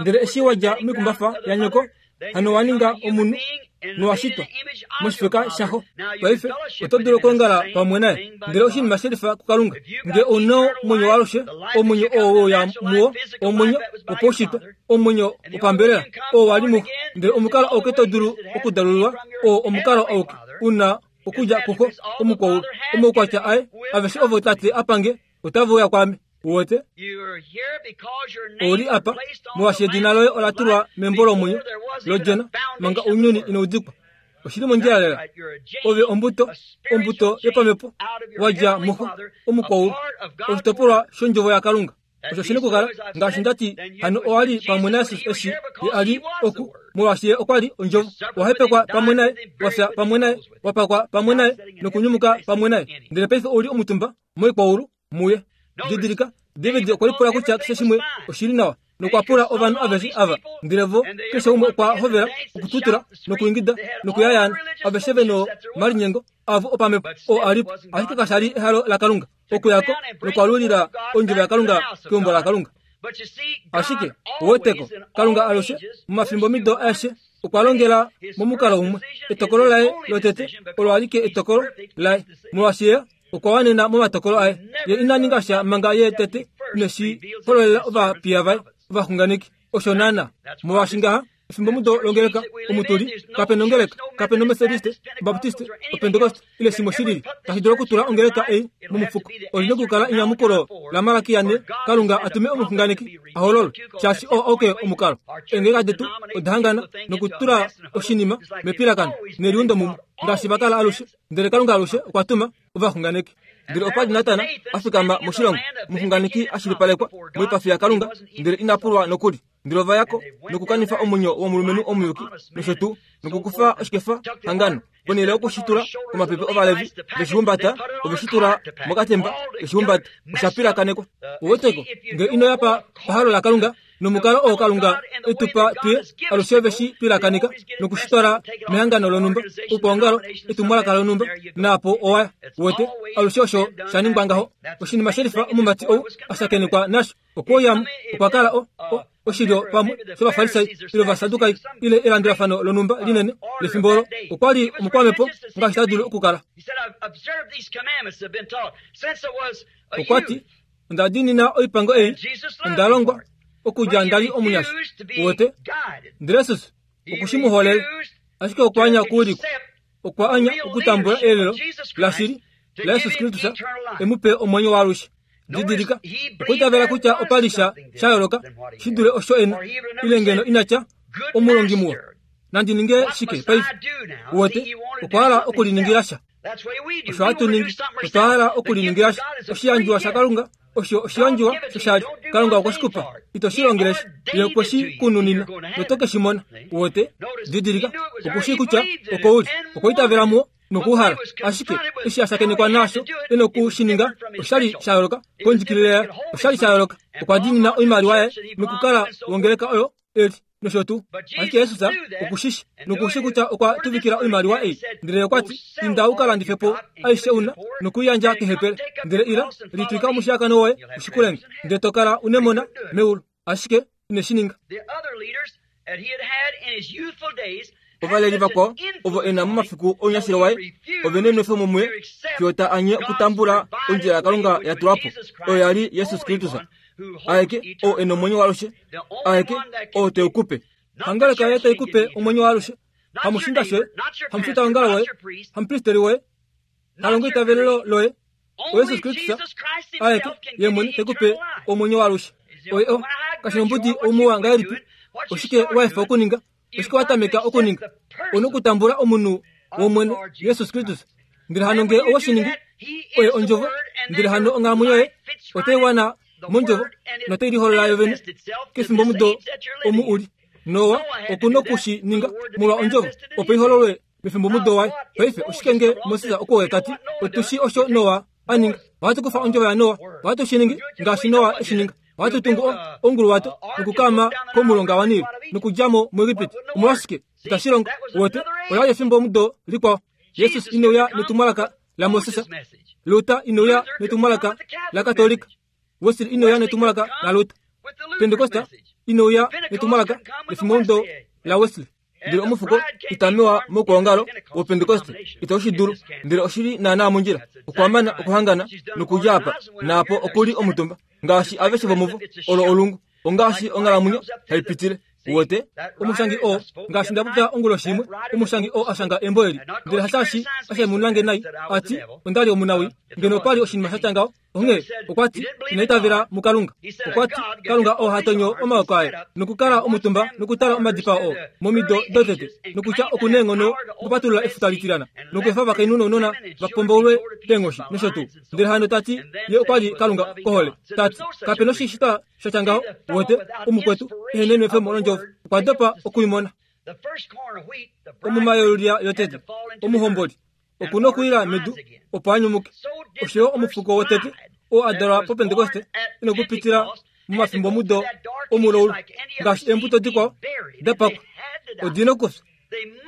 Ndele eshi wadja moikumbafa yanyoko, hano wa ninga omunhu nowashitwa moshifeka shaxo. Paife oto dulu okwoongala pamwe naye, ndele oshinima shelifa kuKalunga. Nge ouna omwenyo waalushe, omwenyo oo weuya muwo, omwenyo wopaushitwa, omwenyo wopambelela oo wali muxo, ndele omukalo auke to dulu okudalululwa oo omukalo auke una okudja kuxo omukwaulu. Omaukwatya aye aveshe ovo tate apange otave uya kwaame. Uwete ouli apa molwaashi edina loye ola tulwa membo lomwenyo lodjona manga ounyuni inaudikwa. Oshili mondjila lela. Ove ombuto, ombuto yopamhepo wadja muxo omukwaulu, oshitopolwa shondjovo yaKalunga. Osho shina okukala ngaashi ndati hano owali pamwe naJesus eshi ye a li oku, molwaashi ye okwa li ondjovo. Wahepekwa pamwe naye, wafya pamwe naye, wapakwa pamwe naye nokunyumuka pamwe naye, ndele paife ouli omutumba moikwaulu muye. Didilika, David okwa lipula kutya keshe shimwe oshili nawa nokwa pula ovanhu aveshe ava, ndele vo keshe umwe okwa hovela okututula nokuingida nokuyayaana, aveshe veno malinyengo avo opamhepo oo a lipo, ashike kasha li ehalo laKalunga okuyako nokwalulila ondjovo yaKalunga keumbo laKalunga. Ashike oweteko Kalunga alushe momafimbo mido aeshe okwa longela momukalo umwe. Etokolo laye lotete olo alike etokolo laye, molwaashi ye okwa wanena momatokolo aye. Ye ina ninga sha manga ye tete ineshi hololela ovapiya vaye ovaxunganeki. Osho naana molwaashi ngaha efimbo mudo longeleka omutuli kapena ongeleka, kapena omethodiste, obaptiste, opentekoste ile shimwe shilili tashi dulu okutula ongeleka ei momufuko. Olina okukala enyamukulo laMalaki yane, Kalunga atume omuxunganeki ahololwe, shaashi oo auke omukalo. Eengeleka detu oda hangana nokutula oshinima mepilakano neliundo mumwe ngaashi vakala alushe, ndele Kalunga alushe okwa tuma ovaxunganeki. Ndele opa li Natan a fikama moshilongo, omuxunganeki a shilipalekwa moipafi yaKalunga, ndele ina pulwa nokuli. Ndele ova yako nokukanifa omwenyo womulumenhu omuyuki nosho tuu, nokukufa oshikefa hangano ponhele yokushitula komapepe Ovalevi veshihumbata, oveshitula mokatemba veshihumbata, osha pilakanekwa. Oweteko nge ino ya pa pahalo laKalunga nomukalo oo Kalunga etupa tuye alushe veshi pilakaneka nokushitwala mehangano lonhumba, oukwaongalo, etumwalaka lonhumba, naapo owaya. Wete alushe osho sha ningwa ngaho. Oshinima shelifa omumati ou ashakenekwa nasho okwouyamo okwa kala o oshilyo pamwe shovafarisai ile ovasadukai ile elandulafano lonhumba linene lefimbo olo. Okwa li omukwamhepo ngaashi ta dulu okukala. Okwa ti, onda diinina oipango ei, onda longwa okudja nda li omunyasha. Uwete ndele Jesus okushi mu holele, ashike okwa anya okuulikwa. Okwa anya okutambula elelo lashili laJesus Kristus e mu pe omwenyo waalushe. Didilika, okwa itavela kutya opa li sha sha yooloka shi dule osho ena, ile ngeno ina tya omulongi muwa, nandi ninge shike paife? Uwete okwa hala okuliningila sha. Osho hatu ningi, otwa hala okuliningila sha. Oshiyandjiwa shaKalunga Osho oshiyandjiwa shoshali Kalunga okwe shi kupa. Ito shi longele sha. Ye okwe shi kununina noto ke shi mona. Uwete? Didilika, oku shii kutya oko uli. Okwa itavela muwo nokuuhala. Ashike eshi a shakenekwa nasho e noku shi ninga, oshali sha yooloka kondjikilile yaye. Oshali sha yooloka. Okwa diinina oimaliwa yaye nokukala wongeleka oyo eli nosho tuu. Ashike Jesus oku shi shi noku shi kutya okwa tuvikila oimaliwa ei. Ndele okwa ti, inda u ka landife po aishe una nokuyandja kehepele. Ndele ila litwika omushiyakano woye ushikulenge, ndele to kala unemona meulu. Ashike ine shi ninga. Ovaleli vakwao ovo e na momafiku ounyashilo waye ove nenwefemo muye fiyo ta anye okutambula ondjila yaKalunga ya tulwa po, oyo ya li Jesus Kristus. Aeke oo e nomwenyo waalushe, aeke oo te u kupe. Hangeleka yaye tai kupe omwenyo waalushe, hamushinda shoye, hamufitaongalo woye, hamupristeri woye, halongo itavelelo loye. OYesus Kristus aeke ye mwene te kupe omwenyo waalushe. Oye o kashinombudi oumuwa ngahelipi, oshike wa efa okuninga, oshike wa tameka okuninga? Ona okutambula omunhu wOmwene Jesus Kristus. Ndele hano ngee owe shi ningi, oye ondjovo, ndele hano onghalamwenyo yoye otai wana mondjovo notai liholola yo vene kefimbo mudo omu uli. Noa oku noku shi ninga molwa ondjovo opo ihololwe mefimbo mudo waye. Paife oshike nge Moses okwe ta ti, otu shi osho Noa a ninga. Ohatu kufa ondjovo yaNoa, ohatu shi ningi ngaashi Noa e shi ninga. Ohatu tungu onguluwato nokukaama komulonga waNil nokudja mo muEgipiti. Omolwashike itashi longo? Wote ola li efimbo mudo likwao. Jesus ine uya netumwalaka laMoses. Luther ine uya netumwalaka laKatolika. Wesley ine uya netumwalaka laLuther. Pentecosta ine uya netumwalaka lefimbo mudo la Wesley. Ndele omufuko itamewa mokwoongalo woPentecoste ito shi dulu, ndele oshili naanaa mondjila okwamana okuhangana nokudja apa naapo okuli omutumba ngaashi aveshe vomuvo olo olungu ongaashi onghalamwenyo haipitile. Uwete omushangi oo ngaashi nda popya onguloshi imwe, omushangi oo ashanga embo eli, ndele hasaashi ashemunange nai ati ondali omunawi ngeno opali oshinima sha tya ngaho. Onghee okwa ti ina itavela muKalunga. Okwa ti Kalunga oo ha tonyo omaoko aye nokukala omutumba nokutala omadipao oo momido dotete, nokutya oku neenghono okupatulula efuta litilana nokuefa ovakainhu nounona va pombaulwe keenghoshi nosho tuu. Ndele hano ta ti ye okwa li Kalunga kohole. Ta ti kape noshishitwa sha tya ngaho. Uwete omukwetu ehe nenwefemo londjovo okwa dopa okuimona. Omuma yolulya yotete omuhomboli oku nokuila medu opo a nyumuke. Oshoyo omufuko wotete oo a dalwa poPentekoste e nokupitila momafimbo mudo omuloulu ngaashi eembuto dikwao da pakwa. Odi nokufya,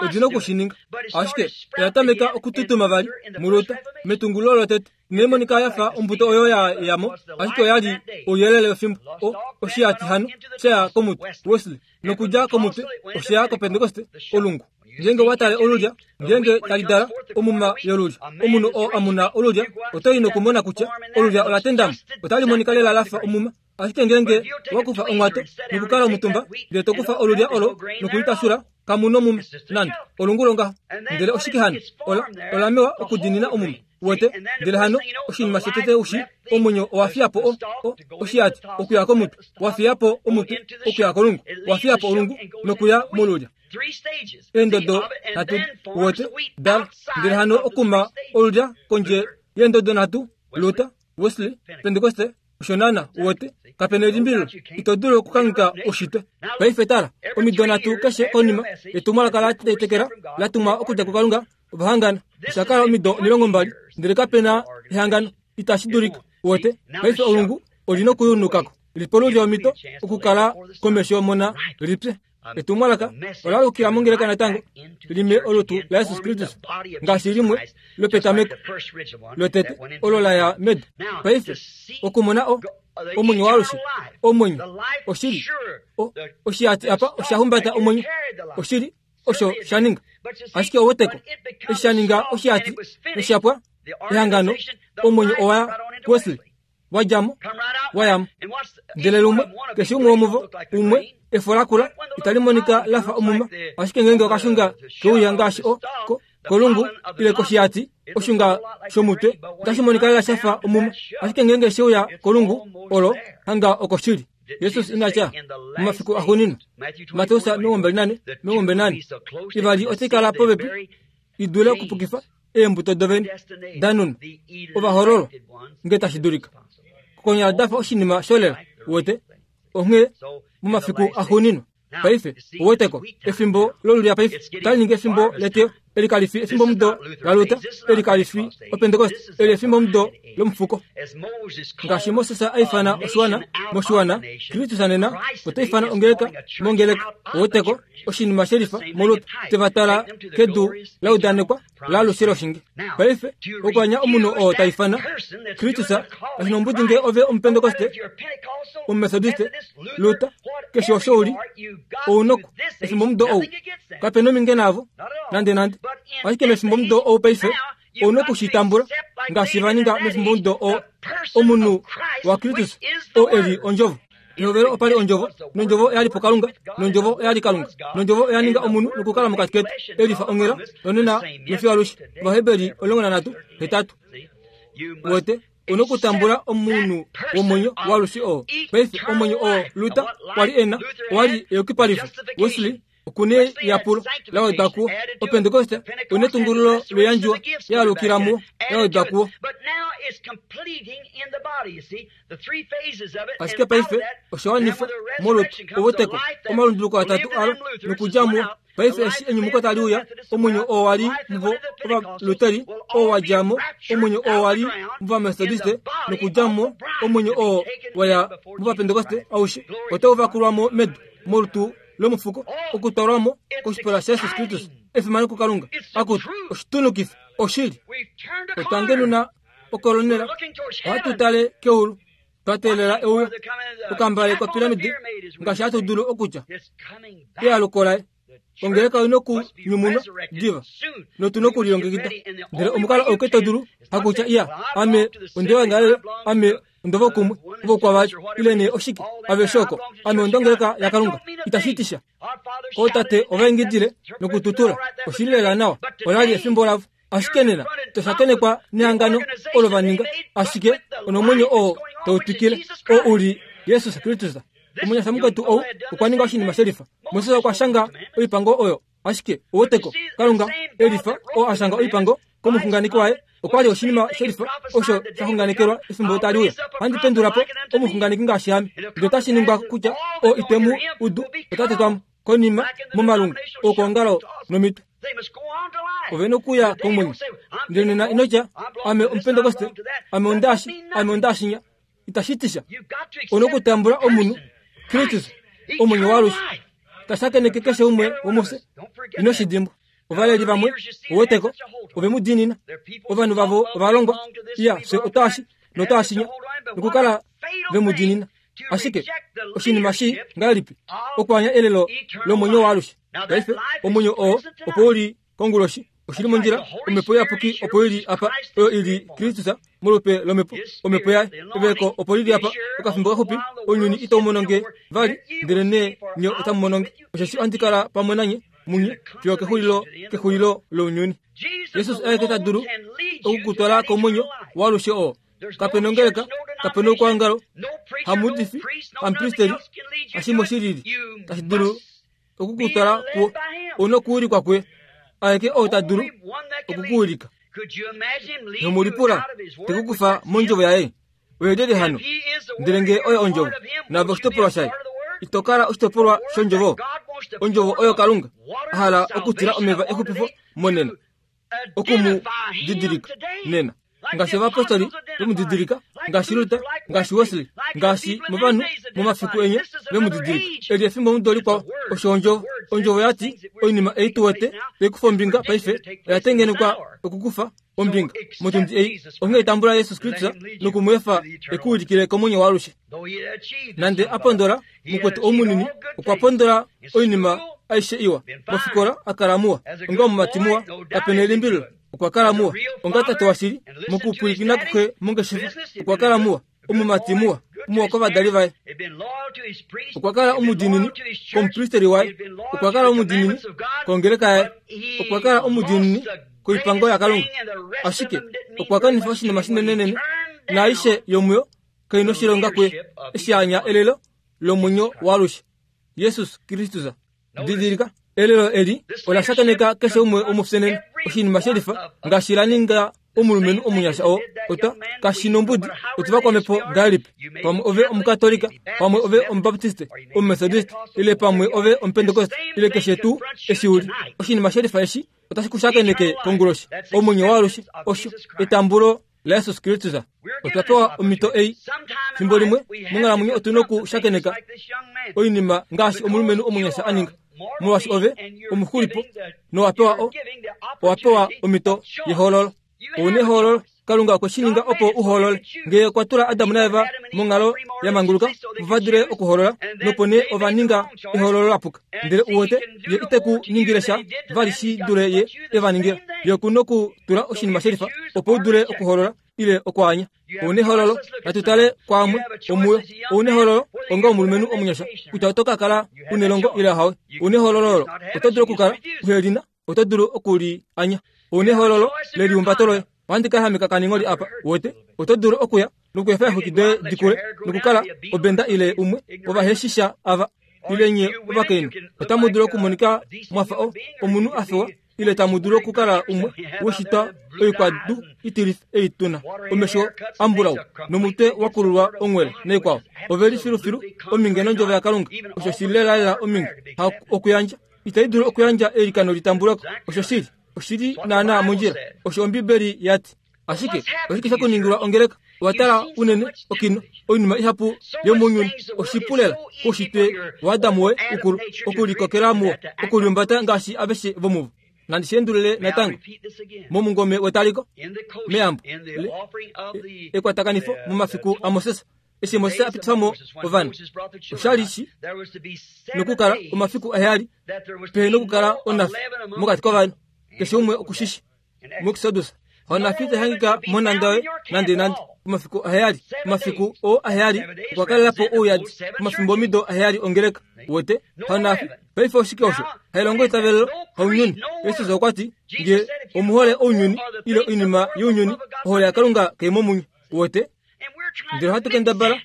odi noku shi ninga. Ashike oya tameka okututuma vali muLuther metungululo lotete. Inai monika ya fa ombuto oyo ya yamo, ashike oya li ouyelele wefimbo. O oshiyati hano shaya komutwe Wesley, nokudja komutwe osheya koPentekoste olungu. Ngeenge wa tale olulya, ngeenge tali dala omuma yolulya, omunhu oo amuna olulya otai nokumona kutya olulya ola tendamo, otali monika lela lafa omuma. Ashike ngeenge wa kufa onghwato nokukala omutumba, ndele to kufa olulya olo nokulitashula, kamu nomuma nande olungu longaho. Ndele oshike hano? Ola olamewa okudiinina omuma. Uwete? Ndele hano oshinima shotete ushi, omwenyo owa fiya po o, o, oshiyati okuya komutwe, wa fiya po omutwe okuya kolungu, wa fiya po olungu nokuya molulya. Eendodo nhatu uwete dala. Ndele hano okuma olulya kondje yeendodo nhatu, Luther, Wesley, Pentecoste, osho naana. Uwete? Kape nelimbililo, ito dulu okukangheka oshitwe. Paife tala, omido nhatu keshe konima yetumwalaka la tetekela la tumwa okudja kuKalunga, ova hangana. Osha kala omido omilongo mbali, ndele kape na ehangano. Itashi dulika. Uwete? Paife olungu oli nokuyunukako lipe olulya omhito okukala komesho mona lipye. Etumwalaka ola lukila mongeleka natango lime olutu laJesus Kristus ngaashi limwe lopetameko lotete olo la ya medu. Paife okumona o omwenyo waalushe, omwenyo oshili o oshiyati apa osha humbata omwenyo oshili osho sha ninga. Ashike oweteko eshi sha ninga oshiyati noshapwa ehangano, omwenyo owa Wesley wadjamo wayamo. Ndele lumwe keshe umwe womuvo umwe efo lakula itali monika lafa omuma, ashike ngeenge okashunga keuya ngaashi o ko kolungu ile koshiyati oshunga shomutwe otashi monika lela shafa omuma, ashike ngeenge sheuya kolungu olo hanga okoshili. Jesus ina tya momafiku axuuninwa, Mateus omilongo mbali nane omilongo mbali nane, ivali otai kala popepi i dule okupukifa eembuto dovene da nunwa ovahoololwa nge tashi dulika. Konyala dafa oshinima sholela wete onghee momafiku axuuninwa paife oweteko efimbo lolulia paife otali ningi efimbo leteyo eli kalifi efimbo mudo laLuther eli kalifi opentekoste eli efimbo mudo lomufuko ngaashi Moses a ifana oshiwana moshiwana Kristus nena ota ifana ongeleka mongeleka oweteko oshinima shelifa molutu tevatala kedu laudanekwa laalushe loshinge paife okwanya omunhu oo ta ifana Kristus ashinombudi nge ove omupentekoste omumethodiste Luther keshe osho uli ounoko efimbo mudo ou kapena ominge navo nande nande ashike mefimbo mudo ou paife ouna okushitambula ngaashi va ninga mefimbo mudo oo omunhu waKristus oo eli ondjovo Ehovelo opali ondjovo nondjovo oyali pokalunga nondjovo oyali kalunga nondjovo oya ninga omunhu nokukala mokati ketu elifa onghela nonena nofiyo alushe Ovaheberi omulongo nanhatu hetatu wete una okutambula omunhu womwenyo waalushe oo paife omwenyo oo Luther kwali ena owali eyukipalifo Wesley okune yapulo lawedwa kuwo opentekoste one etungululo loyandjiwa yaalukila muwo yawedwa kuwo ashike paife oshawanifwa molutu oweteko omalunduluko atatu alo nokudja muwo paife eshi enyumuko tali uya omwenyo oo wali muvo ovaluteri oo wadja mo omwenyo oo wali muvamethodiste nokudja mo omwenyo oo waya muvapentekoste aushe otau vakulwamo medu molutu lomufuko okutwalwamo koshipala shaJesus Kristus efimano kuKalunga akutu oshitunukifa oshili otwangenuna okolonela ohatu tale keulu twa teelela euyo okambale kopiramidi ngaashi hatu dulu okutya ealuko laye ongeleka oina okunyumunwa diva notuna okulilongekida ndele omukalo ouke to dulu hakutya iya ame ondewangalele ame ondovokumwe ovokwavali ile nee oshike aveshe oko ame ondongeleka yakalunga itashi ootate ovaingidile nokututula oshili lela nawa olali efimbo lavo ashike nena toshakenekwa nehangano olo va ninga ashike onomwenyo oo tautwikile oo uli Jesus Kristus omunyasha mukwetu ou okwa ninga oshinima shelifa Moses okwa shanga oipango oyo ashike oweteko Kalunga elifa oo a shanga oipango komuxunganeki waye okwali oshinima shelifa osho shaxunganekelwa efimbo tali uya handi pendula po omuxunganeki ngaashi ame ndele otashi ningwa kutya oo itemu udu ota tetwamo konima momalungu okwoongalo nomitwe ovena okuya komwenyo ndele nena inotya ame omupentekoste ame ondaashi ame ondaashinya itashi tisha ona okutambula omunhu Kristus omwenyo waalushe tashakeneke keshe umwe womufye ino shidimbwa ovaleli vamwe oweteko ove mu diinina ovanhu vavo ovalongwa iya fye otaashi notaashinya nokukala ve mu diinina ashike oshinima shi ngahelipi okwanya elelo lomwenyo waalushe paife omwenyo oo opo uli konguloshi oshili mondjila omhepo iyapuki opo ili apa oyo ili Kristus molupe lomhepo omhepo yaye eveko opo lili apa okafimbo kaxupi ounyuni itau mononge vali ndele nee nye otamu mononge osheshi ohandi kala pamwe nanye munye fiyo kexulilo kexulilo lounyuni Jesus aeke ta dulu okukutwala komwenyo waalushe oo kapena ongeleka kapena oukwaongalo hamuudifi hamupristeri hashimwe shilili tashi dulu okukutwala kuwo ouna okuulikwa kuye aeke oo ta dulu okukuulika nomulipula tekukufa mondjovo yaye oyelele hano ndele nge oyo ondjovo nave oshitopolwa shaye itokala oshitopolwa shondjovo ondjovo oyo Kalunga ahala okutila omeva exupifo monena okumu didilika nena ngaashi ovapostoli vemudidilika ngaashi Luther ngaashi Wesley ngaashi movanhu momafiku enye vemudidilika eli efimbo mudo likwao osho ondjovo ondjovo yati oinima ei tuwete taikufa ombinga paife oya tengenekwa okukufa ombinga motundi ei onghee tambula Jesus Kristus nokumweefa ekuulikile komwenyo waalushe nande a pondola mukwetu oumunini okwa pondola oinima aishe iwa mofikola akala muwa onga omumati muwa kapena elimbililo okwa kala muwa onga tate washili mokupwilikina kuxe mongeshefa okwa kala muwa omumati muwa muwa kovadali vaye okwa kala omudiinini komupristeri waye okwa kala omudiinini kongeleka yaye okwa kala omudiinini koipango yaKalunga ashike okwa kanifa oshinima shinenenene naaishe yomuyo kaina oshilonga kuye eshi anya elelo lomwenyo waalushe Jesus Kristus didilika elelo eli ola shakeneka keshe umwe womufye nena oshinima shelifa ngaashi la ninga Omulumenhu omunyasha oo ota kashi nombudi otuva kwamhepo ngahelipi, pamwe ove omukatolika, pamwe ove omubaptiste, omumethodist, ile pamwe ove omupentekoste, ile keshe tuu eshi uli. Oshinima shelifa eshi otashi ku shakeneke konguloshi. Omwenyo waalushe osho etambulo laJesus Kristus. Otwa pewa omhito ei. Fimbo limwe monghalamwenyo otu nokushakeneka oinima ngaashi omulumenhu omunyasha a ninga. Molwaashi ove omuxulipo nowa pewa o owa pewa omhito yehoololo. Ouna ehoololo. Kalunga okwe shi ninga opo u hoolole. Ngee okwa tula Adam naEva monghalo ya manguluka opo va dule okuhoolola, nopo nee ova ninga ehoololo la puka. Ndele u wete, ye ite ku ningile sha vali shi dule ye e va ningila. Ye oku nokutula oshinima shelifa opo u dule okuhoolola ile okwaanya. Ouna ehoololo. Natu tale kwaamwe omuyo. Ouna ehoololo onga omulumenhu omunyasha kutya oto ka kala u nelongo ile hawe. Ouna ehoololo olo oto dulu okukala uhe li na, oto dulu okuli anya. Ouna ehoololo lelihumbato loye. Ohandi ka hameka kaningoli apa, wete, oto dulu okuya nokuefa eexwiki doye dikule nokukala obenda ile umwe wovaheshisha ava ile nye ovakainhu. Otamu dulu okumonika mwafa o omunhu a fewa, ile tamu dulu okukala umwe weshitwa oikwadu itilifa ei tuna, omesho ambulau nomutwe wa kululwa ongwele naikwao. Ove li filufilu ominge nondjovo yaKalunga. Osho shi lelalela ominge ha okuyandja. Itai dulu okuyandja eilikano litambulwako. Osho shili. Oshili naana mondjila. Osho Ombibeli ya ti. Ashike oshike sha kuningilwa ongeleka? Owa tala unene okino oinima ihapu yomounyuni. Oshipu lela koushitwe waAdam woye ukulu okulikokela muwo, okuliumbata ngaashi aveshe vomuvo. Nandi shi endulule natango momungome wetaliko meyambo ekwatakanifo momafiku aMoses. Eshi Moses a pitifa mo ovanhu, oshali shi nokukala omafiku aheyali pehe nokukala onafi mokati kovanhu. Keshe umwe okushishi muExodus. Onafi itahangika monhanda yoye nande nande. Omafiku aheyali, omafiku oo aheyali okwa kalela po ouyadi omafimbomido aheyali ongeleka. Wete onafi paife oshike osho hailongo itavelelo haunyuni. Jesus okwa ti nge omuhole ounyuni ile oinima younyuni, ohole yaKalunga kai momunye. Wete ndele ohatu kendabala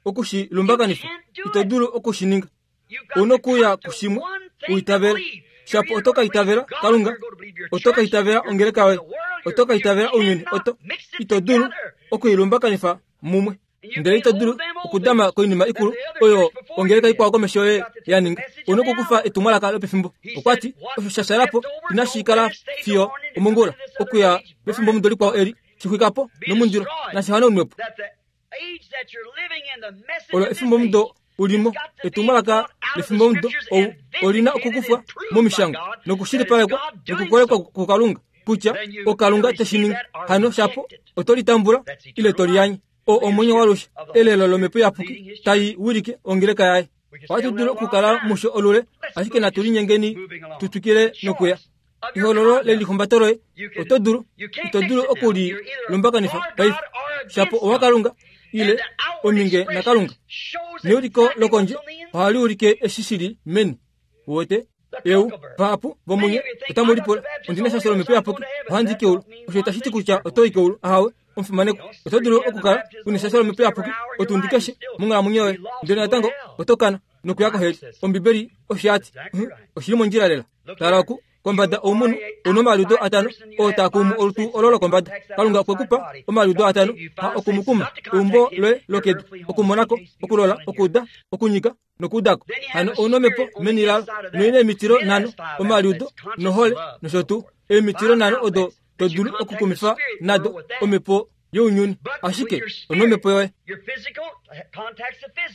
okushi lumbakanifa. Ito dulu okushininga. Ouna okuya kushimwe uitavela. Shapo oto ka itavela Kalunga, oto ka itavela ongeleka yoye, oto ka itavela ounyuni. Oto ito dulu okuilumbakanifa mumwe. Ndele ito dulu okudama koinima ikulu oyo ongeleka ikwao komesho yoye ya ninga. Ouna okukufa etumwalaka lopefimbo. Okwa ti osho sha shalapo inashi kala fiyo omongula okuya pefimbo mudo likwao eli shixwikapo nomundilo nashi hanaunwepo. Olo efimbo mudo ulimo etumwalaka lefimbo mudo ou olina okukufwa momishangwa nokushilipalekwa nokukolekwa kuKalunga kutya oKalunga teshi ningi. Hano shapo oto litambula ile to liyanye. O omwenyo walushe elelo lomhepo iyapuki tai wilike ongeleka yaye. Ohatu dulu okukala musho olule, ashike natu linyengeni tu twikile nokuya. Ehoololo lelihumbato loye oto dulu ito dulu okulilumbakanifa paife. Shapo owaKalunga ile ominge naKalunga. Neuliko lokondje ohali ulike eshi shili meni. Wete eu vahapu vomunye otamu lipula ondina shasho lomhepo iyapuki ohandi keulu. Osho itashi ti kutya oto i keulu. Ahawe omufimaneko. Oto dulu okukala una shasho lomhepo iyapuki otundi keshe monghalamwenyo yoye, ndele natango oto kana nokuya koheli. Ombibeli osho ya ti. Oshili mondjila lela. Tala oku kombada oumunhu ouna omaliudo atano oo taa kumu olutu olo lokombada. Kalunga okwe kupa omaliudo atano ha okumukuma eumbo loye lokedu, okumonako, okulola, okuuda, okunyika nokuudako. Hano ouna omhepo meni lalo noina emitilo nhano, omaliudo nohole nosho tuu. Emitilo nhano odo to dulu okukumifa nado omhepo younyuni, ashike ouna omhepo yoye.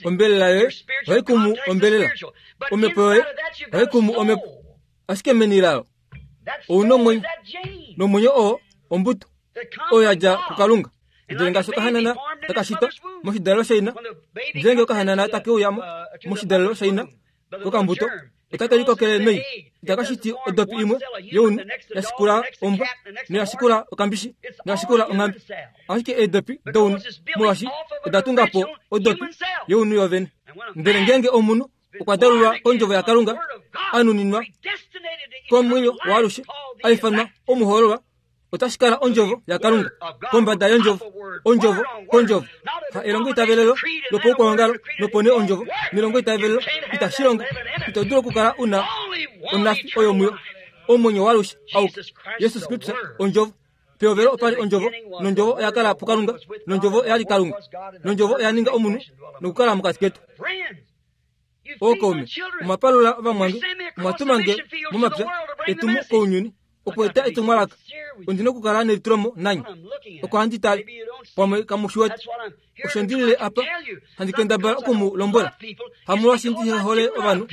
Ombelela yoye ohai kumu ombelela, omhepo yoye ohai kumu omhepo, ashike meni lalo ouna omwenyo, nomwenyo oo ombuto oyo ya dja kuKalunga. Ndele ngaashi okahanana taka shitwa moshidalelo shaina, ngeenge okahanana take uya mo moshidalelo shaina kokambuto, otake likokele mei. Itaka shiti odopi imwe younhu ya shikula ombwa, noya shikula okambishi, noya shikula onghambe. Ashike eedopi dounhu molwaashi oda tunga po odopi younhu yovene. Ndele ngeenge omunhu okwa dalulwa kondjovo yaKalunga, a nuninwa komwenyo waalushe, a ifanwa omuhoololwa, otashi kala ondjovo yaKalunga kombada yondjovo, ondjovo kondjovo. Ha elongo itavelelo lopaukwaongalo nopo nee ondjovo nelongo itavelelo itashi longo. Ito dulu okukala una onafi oyo muyo. Omwenyo waalushe auke Jesus Kristus ondjovo. Pehovelo opa li ondjovo, nondjovo oya kala puKalunga, nondjovo oya li Kalunga, nondjovo oya ninga omunhu nokukala mokati ketu. Ookaume, omwapalula ovamwange, omwatuma nge momapya etumo kounyuni okueta etumwalaka. Ondi na okukala nelitulomo nanye oko handi tale pamwe kamu shi wete. Osho ndilile apa handi kendabala oku mu lombwela. Hamolwaashi ndi hole ovanhu,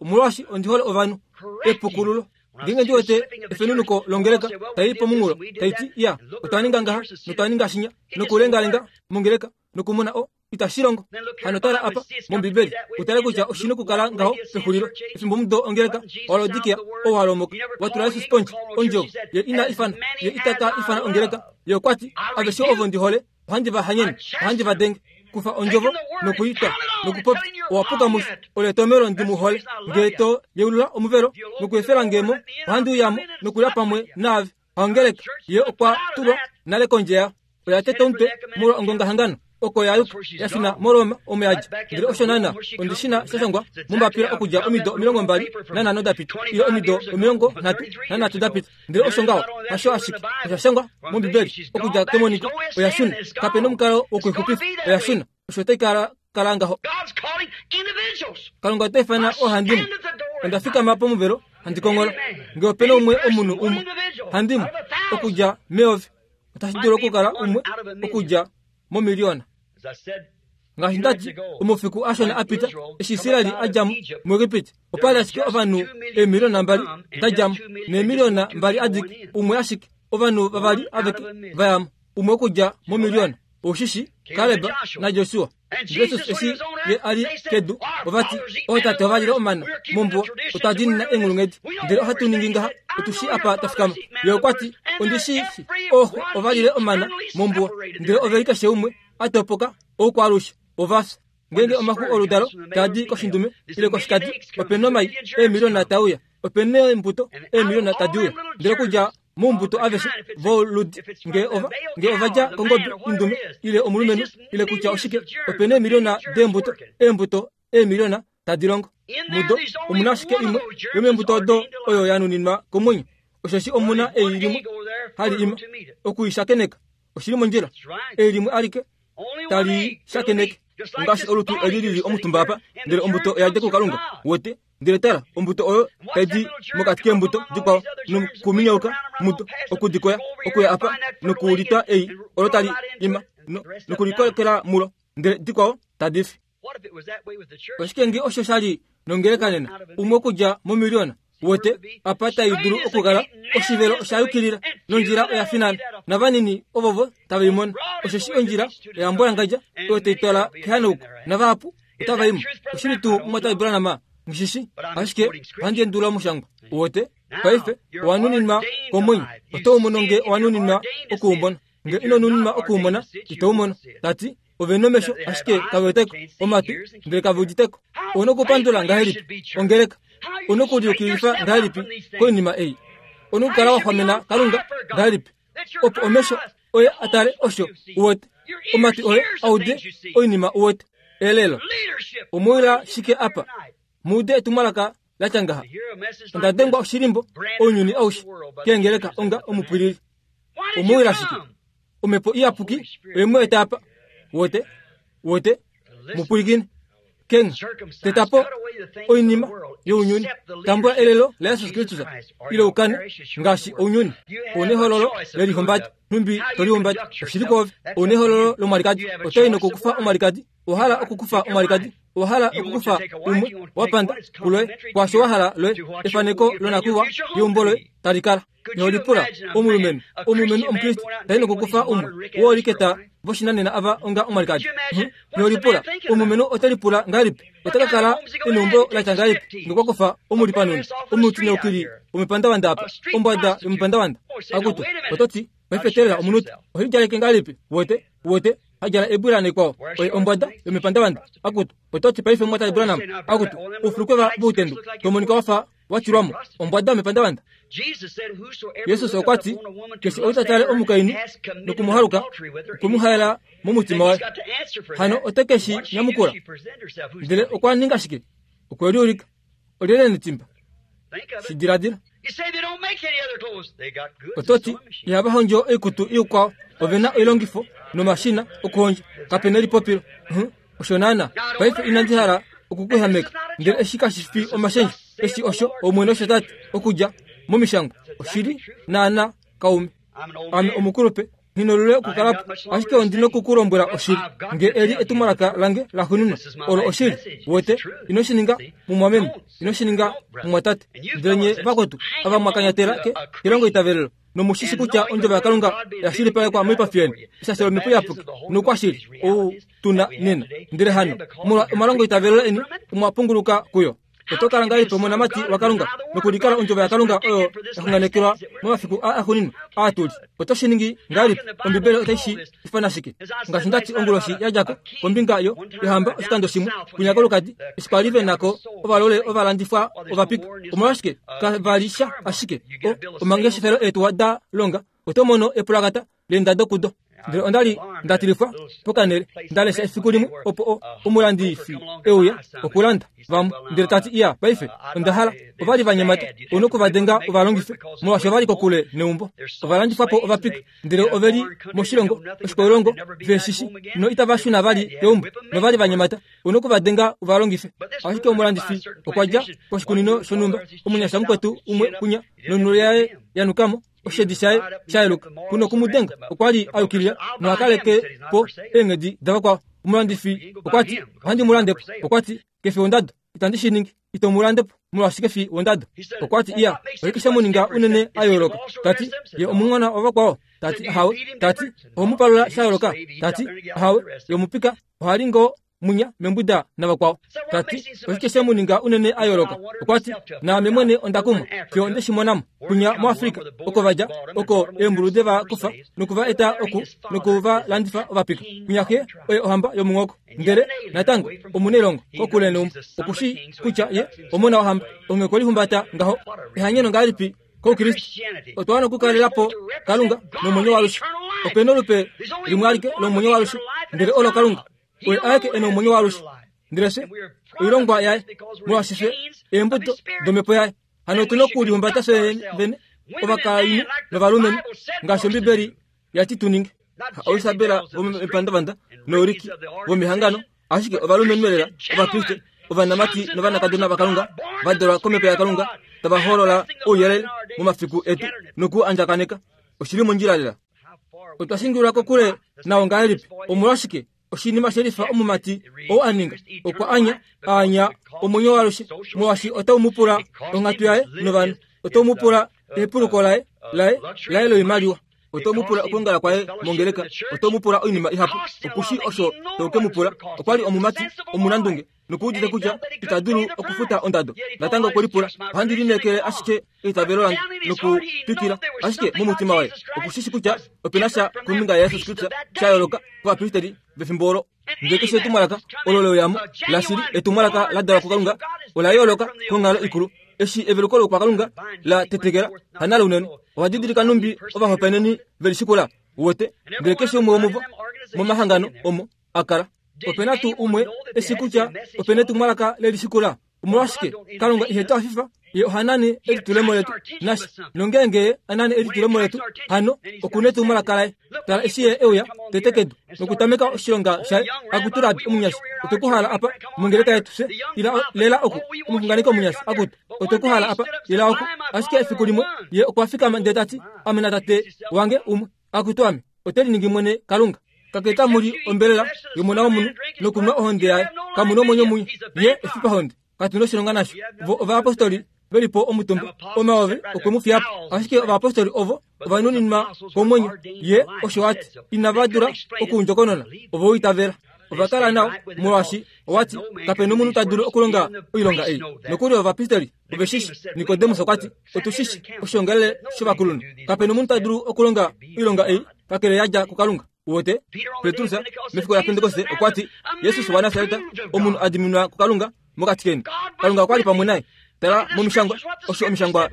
omolwaashi ondi hole ovanhu. Epukululo. Ngeenge ndi wete efenunuko longeleka tai pomunghulo tai ti ya otwa ninga ngaha notwa ninga shinya nokulengalenga mongeleka nokumona o itashi longo. Hano tala apa mOmbibeli utale kutya oshi na okukala ngaho pexulilo efimbo mudo ongeleka waLaodikia ou wa lomoka wa tula Jesus pondje ondjovo ye ina ifana ye itaka ifana ongeleka. Ye okwa ti aveshe ovo ndi hole ohandi va hanyene ohandi va denge. Kufa ondjovo nokuitwa nokupopya owa puka musho. Olo etomelo ndi mu hole. Ngee to yeulula omuvelo nokuefela ngemo ohandi uyamo nokulya pamwe naave. Haongeleka ye okwa tulwa nale kondje yayo. Oya teta omutwe molwa ongongahangano oko ya yuka ya shuna moRoma omo ya dja. Ndele osho naana ondi shi na sha shangwa mombapila okudja omido omilongo mbali nanhano da pita ile omido omilongo nhatu nanhatu da pita. Ndele osho ngaho hasho ashike osha shangwa mOmbibeli okudja kemoniko. Oya shuna, kape nomukalo wokuixupifa. Oya shuna, osho tai kala kala ngaho. Kalunga ota ifana oohandimwe. Onda fikama pomuvelo handi kongola. Ngee ope na umwe omunhu umwe handimwe okudja meyovi, otashi dulu okukala umwe okudja momiliona. Ngaashi ndati omafiku ashona a pita eshi Israeli a dja mo muEgipiti, opa li ashike ovanhu eemiliona mbali da dja mo neemiliona mbali adike, umwe ashike ovanhu vavali aveke va ya mo, umwe okudja momiliona. Oushishi Kaleb naJosua. Jesus eshi ye a li kedu ova ti ootate ova lile omana mombuwa, otwa diinina eenghulunghedi ndele ohatu ningi ngaha, otu shi apa twa fikama. Ye okwa ti ondi shi shi ooxo ova lile omana mombuwa ndele ove li keshe umwe a topoka oukwaalushe ova fya. Ngeenge omaxu oludalo taa di koshindume ile koshikadi, ope na omai eemiliona taa uya, ope na eembuto eemiliona tadi uya. Ndele okudja moumbuto aveshe voludi ngee ova ngee ova dja kongobe indume ile omulumenhu ile kutya oshike, ope na eemiliona deembuto, eembuto eemiliona tadi longo. Mudo omuna ashike imwe yomeembuto odo oyo ya nuninwa komwenyo, osheshi omuna ei limwe hali ima okuishakeneka. Oshili mondjila, ei limwe alike tali shakeneke. Ngaashi olutu eli lili omutumba apa, ndele ombuto oya dja kuKalunga wote. Ndele tala ombuto oyo tai di mokati keembuto dikwao nokuminyauka mudo okudikoya okuya apa nokulitwa ei olo tali ima nokulikokela mulo, ndele dikwao tadi fi. Oshike nge osho sha li nongeleka nena umwe okudja momiliona wote apa tai dulu okukala oshivelo osha yukilila nondjila oya finana navanini ovovo tava imona. Osheshi ondjila oya mbwalangadja oyo tai twala kehanauko navahapu otava imo. Oshili tuu mumwatate Branham ngishishi ashike ohandi endulula omushangwa wote. Paife owa nuninwa komwenyo, oto u mono nge owa nuninwa okuumona. Nge ino nuninwa okuumona ito u mono. Tati ove nomesho ashike kave weteko, omatwi ndele kave uditeko. Ouna okupandula ngahelipi ongeleka? Ouna okuliyukilifa ngahelipi koinima ei? Ouna okukala wa xwamena Kalunga ngahelipi opo omesho oye a tale osho u wete, omatwi oye a ude oinima u wete? Elelo omowila shike apa muude etumwalaka la tya ngaha? Onda dengwa oshilimbo ounyuni aushe keengeleka onga omupwilili. Omowila shike? Omhepo iyapuki oye mu eta apa. Wote wote mupwilikine kenga tetapo oinima younyuni, tambula elelo laJesus Kristus ile ukane ngaashi ounyuni. Ouna ehololo lelihombati nhumbi tolihombati oshili kwoove. Ouna ehololo lomwalikadi otai nokukufa omwalikadi. Owa hala okukufa omwalikadi, owa hala okukufa umwe wa panda kuloye kwaasho wa hala loye efaneko lonakuiwa yeumbo loye tali kala. Iho lipula omulumenhu omulumenhu Omukriste tai nokukufa umwe wooliketa voshinanena ava onga omwalikadi. Iho lipula omulumenhu ote lipula ngahelipi? Ota ka kala eneumbo la tya ngahelipi ngee okwa kufa omulipanuni omutineukili womepandavanda apa, ombwada yomepandavanda? Akutu, oto ti paife teelela omunute. Ohe lidjaleke ngahelipi? Wote wote hadjala ebwila naikwao oye ombwada yomepandavanda. Akutu, oto ti paife mumwatate Branham, akutu oufulukweva voutendu tomonika wafa wa tilwamo ombwada yomepandavanda. Jesus okwa ti keshe ou ta tale omukainhu nokumuhaluka okwe mu haela momutima waye. Hano ote ke shi nyamukula. Ndele okwa ninga shike? Okwe liulika. Olyelye netimba? Shi diladila. Ototi ihava hondjo oikutu ikwao, ove na oilongifo nomashina okuhondja, kape na elipopilo. Osho naana paife inandi hala okukuhameka, ndele eshi kashi fi omashendjo, eshi osho Omwene osho tati okudja momishangwa. Oshili naana kaume. Ame omukulupe, nghinolule okukalapo, ashike ondi nokukulombwela oshili. Nge eli etumwalaka lange laxuuninwa, olo oshili. Wete, ino shi ninga mumwameme, ino shi ninga mumwatate. Ndele nye vakwetu ava mwakanyatela ke kelongo itavelelo, nomushishi kutya ondjovo yaKalunga yashilipalekwa moipafi yeni, eshasho lomhepo iyapuki noukwashili ou tuna nena. Ndele hano molwa omalongo itavelelo eni omwa punguluka kuyo. Oto kala ngahelipi omonamati waKalunga nokulikala ondjovo yaKalunga oyo yaxunganekelwa momafiku aa axuuninwa aa tuli? Oto shi ningi ngahelipi? Ombibeli otai shi ifana shike? Ngaashi ndati onguloshi yadjako kombinga yo yohamba oshikando shimwe kwinya kolukadi, eshi kwali ve nako ovalole ovalandifwa ovapika. Omolwashike kavali sha ashike omangeshefelo eetuwa da longa, oto mono epulakata leendado kudo. Ndele onda li ndatilifwa pokanele, ndalesha efiku limwe opo omulandifi euya okulanda vamwe, ndele tati iya paife onda hala. Ovali vanyemata onokuvadenga ovalongife molwaashi ovali kokule neumbo. Ovalandifwapo ovapika, ndele oveli moshilongo oshikwailongo veshishi no itava shuna vali keumbo, novali vanyemata onokuvadenga ovalongife. Ashike omulandifi okwa dja koshikunino shonhumba, omunyasha mukwetu umwe kunya nonhulo yaye yanukamo, oshedi shaye shayeluka kuno kumudenga okwa li ayukilila nohakaleke po eenghedi davakwao. Omulandifi okwati ohandi mu landepo, okwati kefi wondado, itandi shi ningi, ito mu landepo molwaashi kefi wondado. Okwati iya oshike she mu ninga unene a yooloka? Tati ye omumwana wavakwao? Tati ahawe. Tati oho mu palula sha yooloka? Tati ahawe. Ye omupika ohali ngoo munya membuda navakwao. Tati oshike she mu ninga unene a yooloka? Okwati naame mwene onda kumwa fiyo onde shi monamo kunya muAfrika oko vadja oko eembulu deva kufa nokuva eta oku nokuva landifa ovapika. Kunya xe oye ohamba yomunghoko, ndele natango omunailongo kokule neumbo. Okushi kutya ye omona wohamba, onghee okwe lihumbata ngaho. Ehanyeno ngahelipi koukriste? Otwa wana okukalelapo Kalunga nomwenyo waalushe. Opena olupe limwe alike lomwenyo waalushe, ndele olo Kalunga. Oye aeke ena omwenyo waalushe, ndele fye oilongwa yaye, molwaashi fye eembuto domhepo yaye. Hano otuna okulihumbata fye vene ovakainhu novalumenhu ngaashi Ombibeli yati tu ninge. Haoisabela vomepandavanda nouriki vomehangano, ashike ovalumenhu elela Ovakriste, ovanamati novanakadona vaKalunga va dalwa komhepo yaKalunga, tava holola ouyelele momafiku etu noku andjakaneka. Oshili mondjila lela. Otwa shingilwa kokule nao ngahelipi? Omolwashike oshinima shelifa omumati ou a ninga? Okwa anya aanya omwenyo waalushe, molwaashi otau mu pula onghatu yaye novanhu, otau mu pula ehepuluko laye laye laye loimaliwa, otau mu pula okuongala kwaye mongeleka, otau mu pula oinima ihapu. Okushi osho tau ke mu pula. Okwa li omumati omunandunge nokuudite kutya ita dulu okufuta ondado. Natango okwe lipula, ohandi lineekele ashike eitavelo lange nokutwikila. Ashike momutima waye okushishi kutya opena sha kombinga yaJesus Kristus sha yooloka kovapristeri vefimbo olo. Ndele keshe etumwalaka olo leuyamo lashili, etumwalaka la dalwa kuKalunga, ola yooloka konghalo ikulu. Eshi eveluko lokwaKalunga la tetekela hanale unene, ova didilika numbi ovahopaeneni velishikula uwete. Ndele keshe umwe womuvo momahangano omo a kala, opena tuu umwe eshi kutya opena etumwalaka lelishikula. Omolwashike Kalunga ihe tu hafifa? Ye ohanane elitulemo letu nasha, nongeenge ye anane elitulemo letu, hano okuna etumwalaka laye. Tala eshi ye euya tete kedu nokutameka oshilonga shaye, akutu Rabi omunyasha, otwe ku hala apa mongeleka yetu fye. Ila lela oku, omuxunganeki omunyasha, akutu otwe ku hala apa, ila oku. Ashike efiku limwe ye okwa fikama ndele tati, ame natate wange umwe. Akutu ame, ote liningi mwene Kalunga. Kakele muli ombelela yomona womunhu nokunwa ohonde yaye, kamuna omwenyo munye. Ye efipahonde, katuna oshilonga nasho. Vo ovayapostoli velipo omutumba, omayovi okwe mu fiya po. Ashike ovayapostoli ovo ovanuninwa komwenyo, ye osho ati inava dula okuundjokonona, ovo itavela. Ova kala nao molwaashi owati kapena omunhu ta dulu okulonga oilonga ei. Nokuli ovapristeri oveshishi. Nikodemus okwati otushishi oshiongalele shovakulunhu, kapena omunhu ta dulu okulonga oilonga ei kakele yadja kuKalunga. Uwete Petrus mefiku la Pentekoste okwati Jesus waNasaret omunhu a diminwa kuKalunga mokati keni. Kalunga okwa li pamwe naye. Tala momishangwa osho omishangwa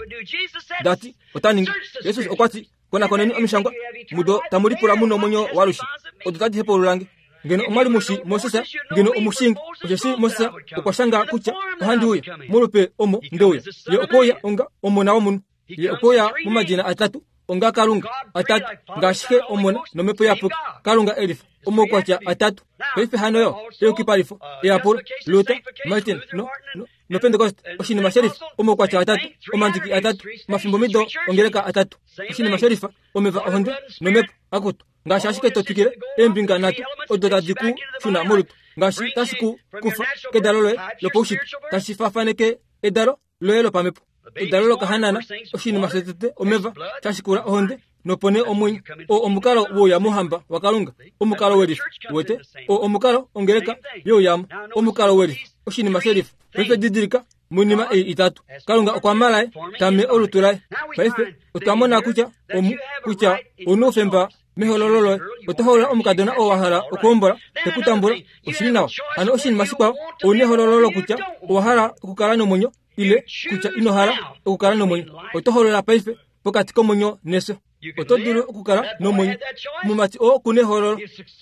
dati ota ningi. Jesus okwati konakoneni omishangwa mudo tamu lipula muno omwenyo waalushe, odo tadi hepululange. Ngeno omwali mushi Moses, ngeno omushingi, osheshi Moses okwa shanga kutya ohandi uya molupe omo ndeuya, ye okwauya onga omona womunhu. Ye okweya momadina atatu onga Kalunga atatu ngaashi Xe, Omona nomhepo Iyapuki. Kalunga elifa omaukwatya atatu. Paife hano yo eyukipalifo, eyapulo, Luther, Martin no no noPentecost oshinima shelifa omaukwatya atatu, omandiki atatu, omafimbomido ongeleka atatu. Oshinima shelifa omeva ohonde nomhepo akutu ngaashi ashike to twikile eembinga nhatu odo tadi ku shuna molutu ngaashi tashi ku kufa kedalo loye lopaushitwe tashi faafaneke edalo loye lopamhepo. Edalo lokahanana oshinima shotete omeva shashikula ohonde nopo nee omwenyo. O omukalo wouya mouhamba waKalunga, omukalo welifa wete. O omukalo ongeleka youyamo, omukalo welifa oshinima shelifa. Paife didilika moinima ei itatu Kalunga okwa malaye tame olutu laye. Paife otwa mona kutya omu kutya ouna oufemba mehololo loye. Oto hoolola omukadona oo wa hala okuhombola tekutambula oshili nawa. Hano oshinima shikwao ouna ehololo lokutya owa hala okukala nomwenyo ile kutya ino hala okukala nomwenyo. Oto hoolola paife pokati komwenyo nefyo. Oto dulu okukala nomwenyo. Omumati oo okuna ehololo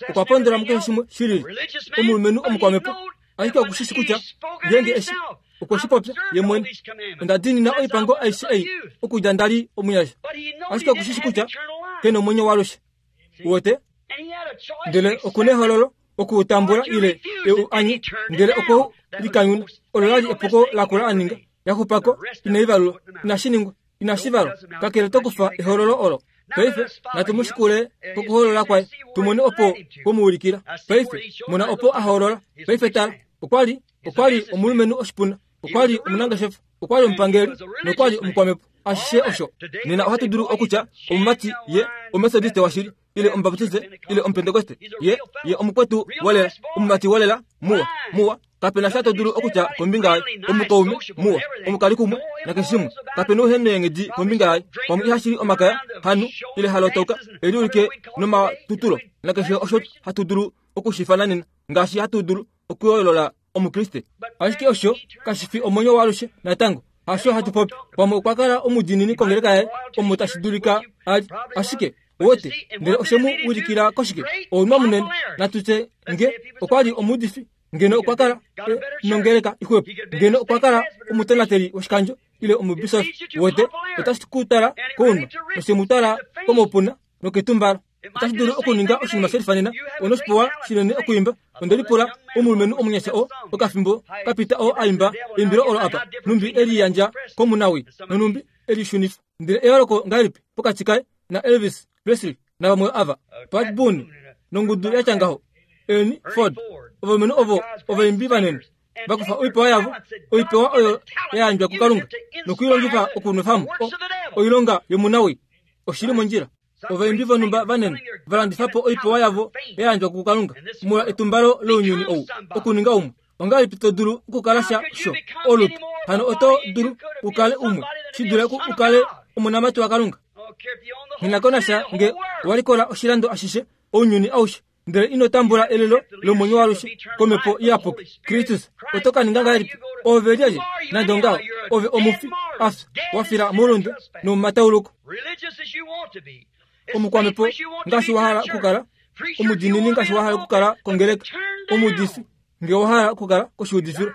okwa pondola mukeshe shimwe shilili. Omulumenhu omukwamhepo ashike okushishi kutya ngeenge eshi okwe shi popya ye mwene, onda diinina oipango aishe ei okudja ndali omunyasha. Ashike okushishi kutya kena omwenyo waalushe. Uwete? Ndele okuna ehololo okuutambula ile eu anye, ndele okweu likanyuna. Olo lali epuko lakula a ninga. Yaxupako inai valulwa, inashi ningwa, inashi valwa, kakele to kufa ehololo olo. Paife natu mu shikule kokuholola kwaye tumone opo kwomuulikila. Paife mona opo a hoolola. Paife tala, okwali okwali omulumenhu oshipuna, okwali omunangeshefa, okwali omupangeli nokwali omukwamhepo. Ashishe osho nena ohatu dulu okutya omumati ye omethodiste washili ile omubaptiste ile omupentekoste ye ye omukwetu wolela, omumati wolela muwa muwa. Kapena sha to dulu okutya kombinga yaye, omukaume muwa, omukalikumwe nakeshe shimwe. Kapena ouheneenghedi kombinga yaye, pamwe ihashili omakaya hanu ile halotoka eliulike nomatutulo nakeshe osho hatu dulu okushifana nena ngaashi hatu dulu okuyoolola omukriste. Ashike osho kashi fi omwenyo waalushe natango. Hasho hatu popi. Pamwe okwa kala omudiinini kongeleka yaye omo tashi dulika ali, ashike wote ndele oshe mu ulikila koshike? Ounwa munene. Natutye nge okwa li omuudifi, ngeno okwa kala nongeleka ixwepo, ngeno okwa kala omutonateli woshikandjo ile omubisofi wote, otashi ku tala kounwa noshe mu tala komaupuna noketumbalo. Otashi dulu okuninga oshinima shelifa nena. Onoshipewa shinene okuimba. Onde lipula omulumenhu omunyasha oo okafimbo kapita oo a imba eimbilo olo apa, numbi eliyandja komunawi nonumbi elishunifa. Ndele eyooloko ngahelipi pokati kaye na Elvis Presley navamwe ava, Pat Boone nongudu yatya ngaho, Ernie Ford, ovalumenhu ovo ovaimbi vanene vakufa oipewa yavo, oipewa oyo ya yandjwa kuKalunga nokuilongifa okunwefamo oilonga yomunawi. Oshili mondjila. Ovaimbi vonhumba vanene valandifa po oipewa yavo ya yandjwa kuKalunga molwa etumbalo lounyuni ou okuninga umwe. Ongahelipi to dulu okukala sha sho olutu? Hano oto dulu ukale umwe shi dule ukale omonamati waKalunga. Nghi nge walikola oshilando ashishe ounyuni aushe ndele ino tambula elelo lomwenyo waalushe komhepo iyapuki Kristus. Oto ka ninga ngahelipi? Ove lyelye? Nande ongaho ove omufi afya wafila moulunde nomomatauluko. Omukwamhepo ngaashi wa hala okukala, omudiinini ngaashi wa hala okukala kongeleka, omuudifi nge wa hala okukala koshiudifilo,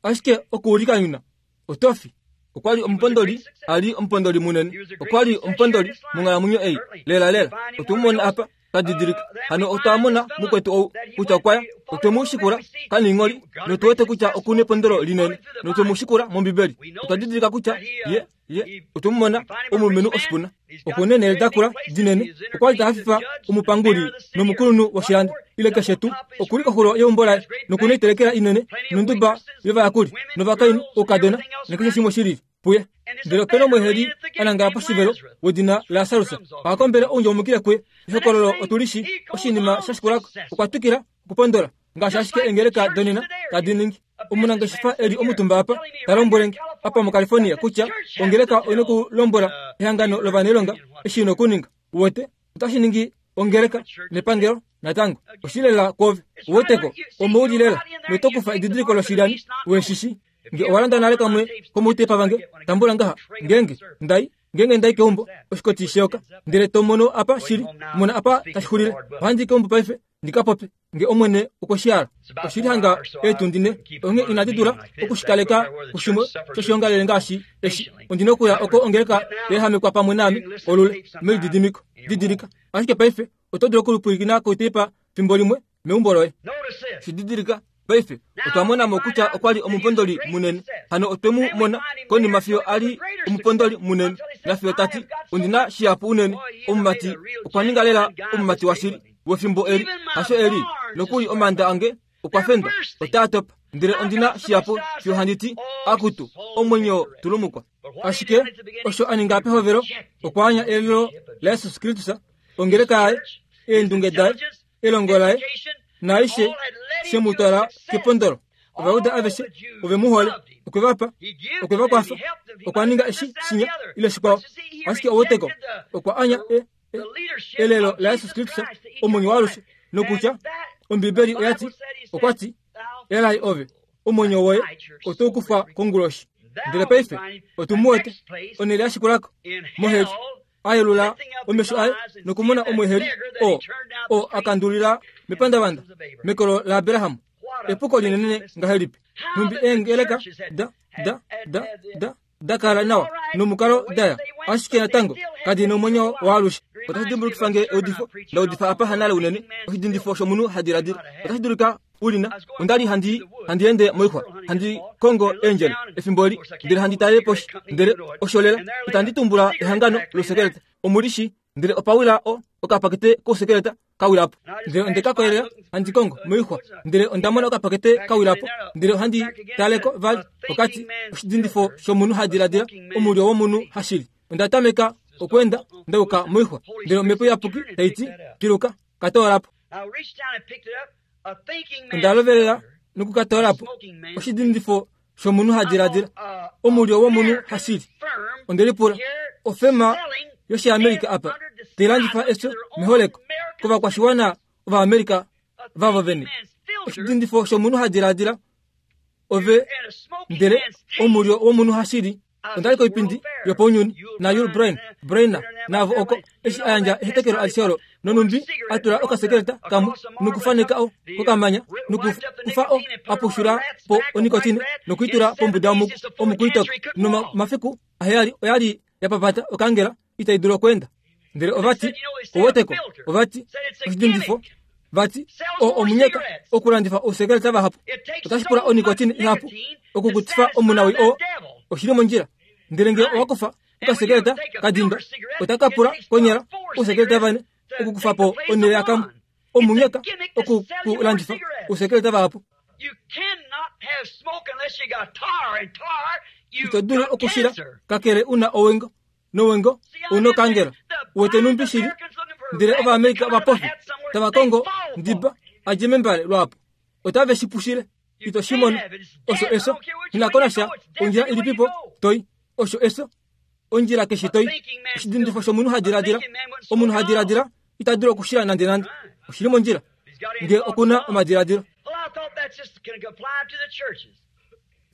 ashike okuulikanyuna oto fi. Okwali omupondoli, ali omupondoli munene, okwali omupondoli monghalamwenyo ei lela lela. Otwemumona apa tadidilika. Hano otwa mona mukwetu ou kutya okwaya, otwemu shikula kaningholi notuwete kutya okuna epondolo linene notwemu shikula mOmbibeli. Otwa didilika kutya ye ye otwemumona omulumenhu oshipuna, okuna eenhele dakula dinene, okwali tahafifa omupanguli nomukulunhu woshilando ile keshe tuu. Okuli koxulo yeumbo laye nokuna oitelekela inene nonduba yovayakuli novakainhu oukadona nakeshe shimwe shilili puye. Ndele opena omweeheli a nangala poshivelo wedina Lasarus ohakombele oundjaumukile kuye. Ehokololo otulishi oshinima sha shikulako. Okwa twikila okupondola ngaashi ashike eengeleka donena tadi ningi. Omunangeshefa eli omutumba apa ta lombwele apa muCalifornia kutya ongeleka oina okulombwela ehangano lovanailonga eshi ina okuninga. Uwete otashi ningi ongeleka nepangelo natango oshilela kwove. Uweteko omouli lela noto kufa edidiliko loshilyani weshishi. Nge owalanda nale kamwe komoutepa vange, tambula ngaha. Ngeenge ndai ngeenge ndai keumbo oshikoti sheyoka ndele to mono apa shili, mona apa tashi xulile. Ohandi keumbo paife Ndi ka popye nge omwene okwe shi hala. Oshili hanga eetundi onghee inandi dula okushikaleka kushimwe shoshiongalele ngaashi eshi. Ondina okuya oko ongeleka yehamekwa pamwe naame olule melididimiko. Didilika. Ashike paife oto dulu okulipwilikina koitepa fimbo limwe meumbo loye. Shididilika. Paife otwa mona mo kutya okwa li omupondoli munene. Hano otwe mu mona konima fiyo a li omupondoli munene. Nafiyo tati ondina shihapu unene. Omumati okwa ninga lela omumati washili wefimbo eli. Hasho eli nokuli omanda ange okwa fendwa otaa topa. Ndele ondina shihapu fiyo handi ti akutu omwenyo tulumukwa. Ashike osho a ninga pehovelo okwa anya elelo laJesus Kristus, ongeleka yaye, eendunge daye, elongo laye, naaishe she mu twala kepondolo. Ovayuda aveshe ove mu hole, okwe va pa, okwe va kwafa, okwa ninga eshi shinya ile shikwao. Ashike oweteko okwa anya e, e, elelo laJesus Kristus, omwenyo waalushe, nokutya Ombibeli oya ti, okwa ti, elai ove, omwenyo woye oto kufa konguloshi. Ndele paife otu mu wete onhele ya shikulako moheli, a yelula omesho aye nokumona omweheli o o akandulila mepandavanda mekolo laAbraham. Epuko linene ngahelipi! Nhumbi eengeleka da da da da da kala nawa nomukalo daya, ashike natango kadi nomwenyo waalushe. Otashi dimbulukifa nge eudifo ndaudifa apa hanale unene, oshidindifo shomunhu ha diladila. Otashi dulika ulina. Onda li handi handi ende moixwa, handi kongo eendjele efimbo eli, ndele handi talele poshi, ndele osholela itandi tumbula ehangano losekeleta omulishi, ndele opawila o okapakete kosekeleta kawilapo. Ndele onde ka koyelela handi kongo moixwa, ndele onda mona okapakete kawilapo, ndele ohandi taleko vali okati oshidindifo shomunhu ha diladila, omulyo womunhu hashili. Onda tameka okwenda ndauka moixwa, ndele omhepo iyapuki tai ti piluka katoolapo. Onda lovelela nokukatoolapo oshidindifo shomunhu ha diladila, omulyo womunhu hashili. Onde lipula ofema yoshiamerika apa tailandifa efyo meholeko kovakwashiwana Ovaamerica vavo vene. Oshidindifo shomunhu ha diladila ove, ndele omulyo womunhu hashili. Onda li koipindi yopaunyuni na Yul Brain Brainer navo oko eshi a yandja ehetekelo alishe olo, nonumbi a tula okasekeleta kamwe nokufaneka o kokamanya nokufa o apushula po onikotine nokuitula pombuda omukuitoko. Nomafiku aheyali oyali ya papata okangela itai dulu okweenda. Ndele ovati oweteko ovati oshidindifo vati o omunyeka okulandifa ousekeleta vahapu. Otashi pula onikotine ihapu okukutifa omunawi o oshili mondjila. Ndele nge owakufa okasekeleta kadinda otaka pula konyala ousekeleta vane okukufa po onhele yakamwe. Omunyeka okukulandifa ousekeleta vahapu. Ito dulu okushila kakele una owengo nowengo unokangela wete numbi shili. Ndele Ovaamerica ovapofi tava kongo ndiba adje membale lwapo otave shi pushile. Ito shi mono osho eso inakonasha ondjila ilipipo toi osho eso ondjila keshe toi. Oshidindifo shomunhu ha diladila, omunhu ha diladila ita dulu okushila nande nande. Oshili mondjila nge okuna omadiladilo.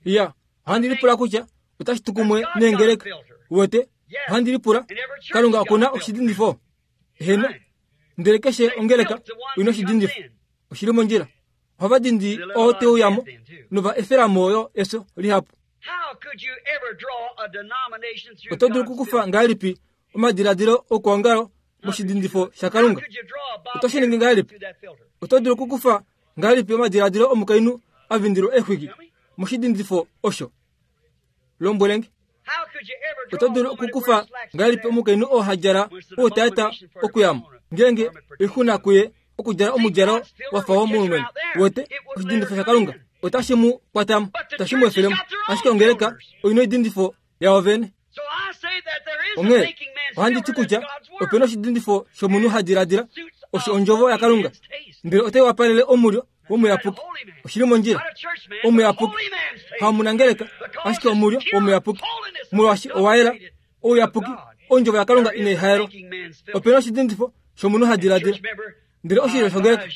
Ya ohandi lipula kutya otashi tukumwe neengeleka wete. Ohandi lipula Kalunga okuna oshidindifo heno, ndele keshe ongeleka oina oshidindifo. Oshili mondjila. Ohava dindi oo teuyamo nova efelamo yo efyo lihapu. Oto dulu okukufa ngahelipi omadiladilo okuongalo moshidindifo shaKalunga? Oto shi ningi ngahelipi? Oto dulu okukufa ngahelipi omadiladilo omukainhu a vindilwa exwiki moshidindifo osho? Lombwelenge. Oto dulu okukufa ngahelipi omukainhu oo ha djala outayata okuyamo ngeenge oixuna kuye okudjala omudjalo wafa womulumenhu? Wete oshidindifo shaKalunga otashi mu kwatamo, otashi mu efelemo. Ashike ongeleka oina oidindifo yawo vene. Onghee ohandi ti kutya opena oshidindifo shomunhu ha diladila osho ondjovo yaKalunga, ndele otai wapalele omulyo womuyapuki. Oshili mondjila. Omuyapuki hamunangeleka, ashike omulyo womuyapuki, molwaashi owayela ouyapuki. Ondjovo yaKalunga inai haelwa. Opena oshidindifo shomunhu ha diladila, ndele oshilyo shongeleka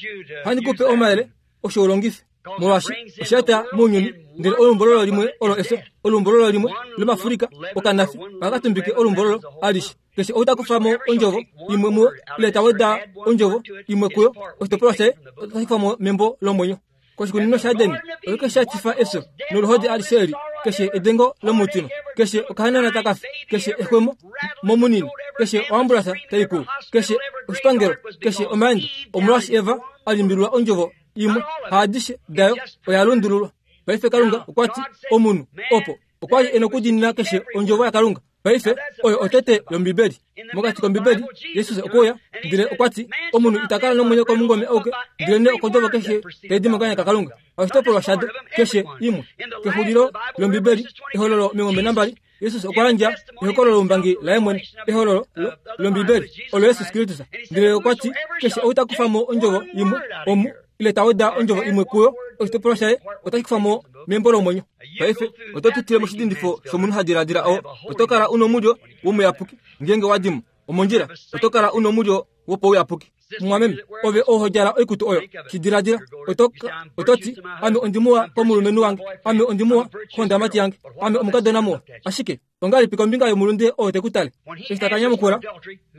ohandi kupe omayele osho ulongife, molwaashi osha eta mounyuni. Ndele olumbololo limwe olo efyo, olumbololo limwe lomafulika okanafi ohaka tumbike olumbololo alishe. Keshe ou ta kufa mo ondjovo imwe muyo ile ta weda ondjovo imwe kuyo, oshitopolwa shaye otashi kufwa mo membo lomwenyo. Koshikunino shaEden, oshike sha etifa efyo noluhodi alishe eli? Keshe edengo lomutima, keshe okahanana taka fi, keshe exwemo momunini, keshe oambulasa tai kuu, keshe oshipangelo, keshe omaendo, omolwaashi Eva a limbililwa ondjovo imwe, haadishe dayo oya lundululwa. Paife Kalunga okwa ti omunhu opo okwa li e nokudiinina keshe ondjovo yaKalunga. Paife oyo otete yOmbibeli. Mokati kOmbibeli, Jesus okwe uya ndele okwa ti omunhu ita kala nomwenyo komungome auke, ndelenee okondjovo keshe tai di mokanya kaKalunga. Oshitopolwa shado keshe imwe. Kexulilo lOmbibeli, ehololo omilongo nambali, Jesus okwa yandja ehokololo loumbangi laye mwene, ehololo lOmbibeli olo Jesus Kristus. Ndele okwa ti keshe ou ta kufa mo ondjovo imwe omu ile ta weda ondjovo imwe kuyo, oshitopolwa shaye otashi kufa mo membo lomwenyo. Paife oto pitile moshidindifo shomunhu ha diladila oo, oto kala u nomulyo womuyapuki ngeenge wa dimo omondjila, oto kala u nomulyo wopouyapuki. Mumwameme, ove ou ho djala oikutu oyo, shi diladila, oto ti ame ondimuwa komulumenhu wange, ame ondimuwa kondamati yange, ame omukadona muwa. Ashike ongahelipi kombinga yomulunde oo te ku tale? Eshi ta ka nyamukula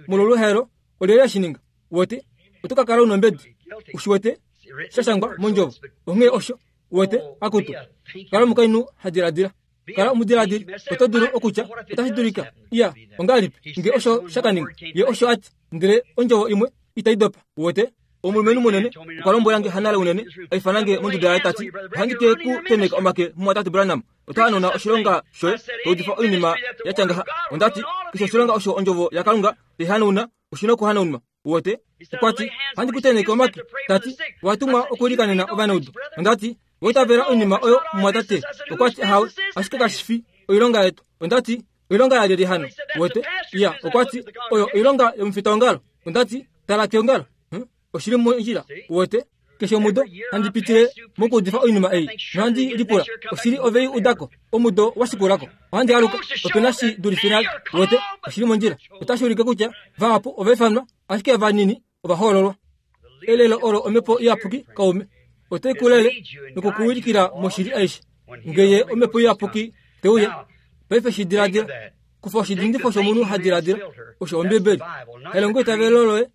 molwoluhaelo, olyelye eshi ninga? Uwete, oto ka kala u nombedi. Ushi wete sha shangwa mondjovo. Onghee osho uwete, akutu kala omukainhu ha diladila, kala omudiladili. Oto dulu okutya otashi dulika iya, ongahelipi nge osho sha ka ninga? Ye osho ati, ndele ondjovo imwe itai dopa. Uwete, omulumenhu munene okwa lombwela nge hanale unene, a ifana nge monduda yaye tati, ohandi ke ku tenheka omake mumwatate Branham, ota hanona oshilonga shoye to udifa oinima ya tya ngaha. Onda ti keshe oshilonga osho ondjovo yaKalunga tai hanauna oshi na okuhanaunwa. Uwete, okwa ti ohandi ku tenheke omake, tati owa tumwa okuilikanena ovanaudu. Onda ti owa itavela oinima oyo mumwatate? Okwa ti ahawe, ashike kashi fi oilonga yetu. Onda ti oilonga yalyelye hano? Uwete, iya, okwa ti oyo oilonga yomufitaongalo. Onda ti tala keongalo, oshili mondjila. Uwete, keshe omudo handi pitile mokuudifa oinima ei nohandi lipula oshili ovei udako omudo wa shikulako ohandi aluka ope na shi dulife nale. Uwete, oshili mondjila. Otashi ulike kutya vahapu ova ifanwa, ashike vanini ova hoololwa. Elelo olo omhepo iyapuki kaume otai kulele nokukuwilikila moshili aishe. Ngeye omhepo iyapuki te uya, paife shi diladila, kufa oshidindifo shomunhu ha diladila osho Ombibeli. Elongo itavelo loye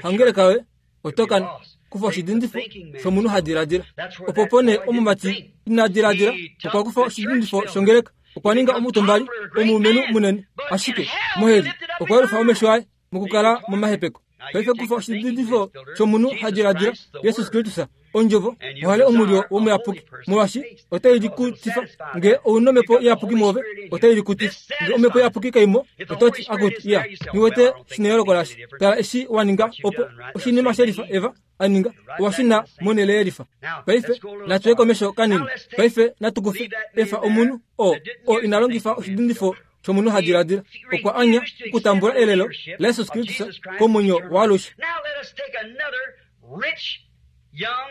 hangeleka yoye oto kana. Kufa oshidindifo shomunhu ha diladila. Opo pone omumati ina diladila okwa kufa oshidindifo shongeleka, okwa ninga omutombali omulumenhu munene, ashike moheli okwa yelufa omesho aye mokukala momahepeko. Paife kufa oshidindifo shomunhu ha diladila Jesus Kristus ondjovo ohale omulyo womuyapuki, molwaashi otai likutifa. Nge ou nomhepo iyapuki muove, otai likutifa. Nge omhepo iyapuki kaimo, oto ti akutu iya, niwete shineyooloko lasha. Tala eshi wa ninga opo oshinima shelifa Eva a ninga, owa shuna monhele yelifa. Paife natu ye komesho kanini. Paife natu kufe efa omunhu oo oo ina longifa oshidindifo shomunhu ha diladila, okwa anya okutambula elelo laJesus Kristus komwenyo waalushe.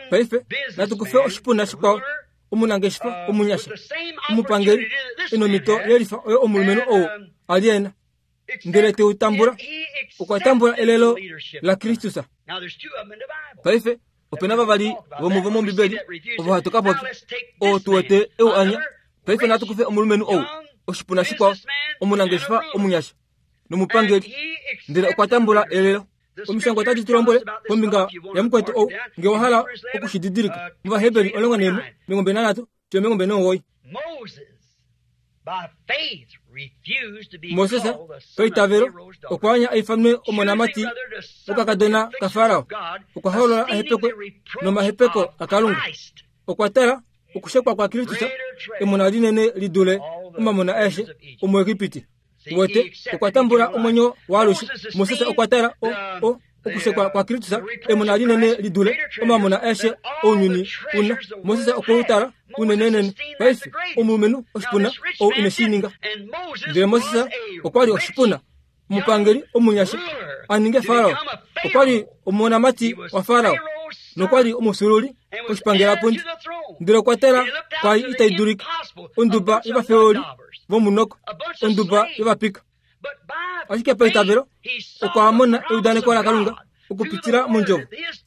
Paife natu kufe oshipuna shikwao, omunangeshefa omunyasha omupangeli enomito yelifa oyo omulumenhu ou a li ena, ndele teu tambula, okwa tambula elelo laKristus. Paife ope na vavali vomuvo mOmbibeli ovo hatu ka popya, oo tu wete eu anya. Paife natu kufe omulumenhu ou, oshipuna shikwao, omunangeshefa omunyasha nomupangeli, ndele okwa tambula elelo. Omishangwa otadi tu lombwele kombinga yamukwetu ou, nge wa hala okushididilika, mOvaheberi omulongo naimwe omilongo mbali nanhatu fiyo omilongo mbali nomugoyi. Moses paitavelo okwa anya a ifanwe omonamati wokakadona kaFarao, okwa hoolola a hepekwe nomahepeko aKalunga. Okwa tala okushekwa kwaKristus, emona linene li dule omamona aeshe omuEgipiti. Uwete, okwa tambula omwenyo waalushe. Moses okwa tala o o okushekwa kwaKristus, emona linene li dule omamona aeshe ounyuni una. Moses okwe u tala unenenene. Paife omulumenhu oshipuna ou ine shi ninga. Ndele Moses okwa li oshipuna, omupangeli omunyasha a ninge Farao. Okwa li omonamati waFarao nokwa li omufyuululi koshipangelapundi. Ndele okwa tala kwali itai dulika, onduba yovafeoli vomunoko, onduba yovapika. Ashike paitavelo okwa mona eudaneko laKalunga okupitila mondjovo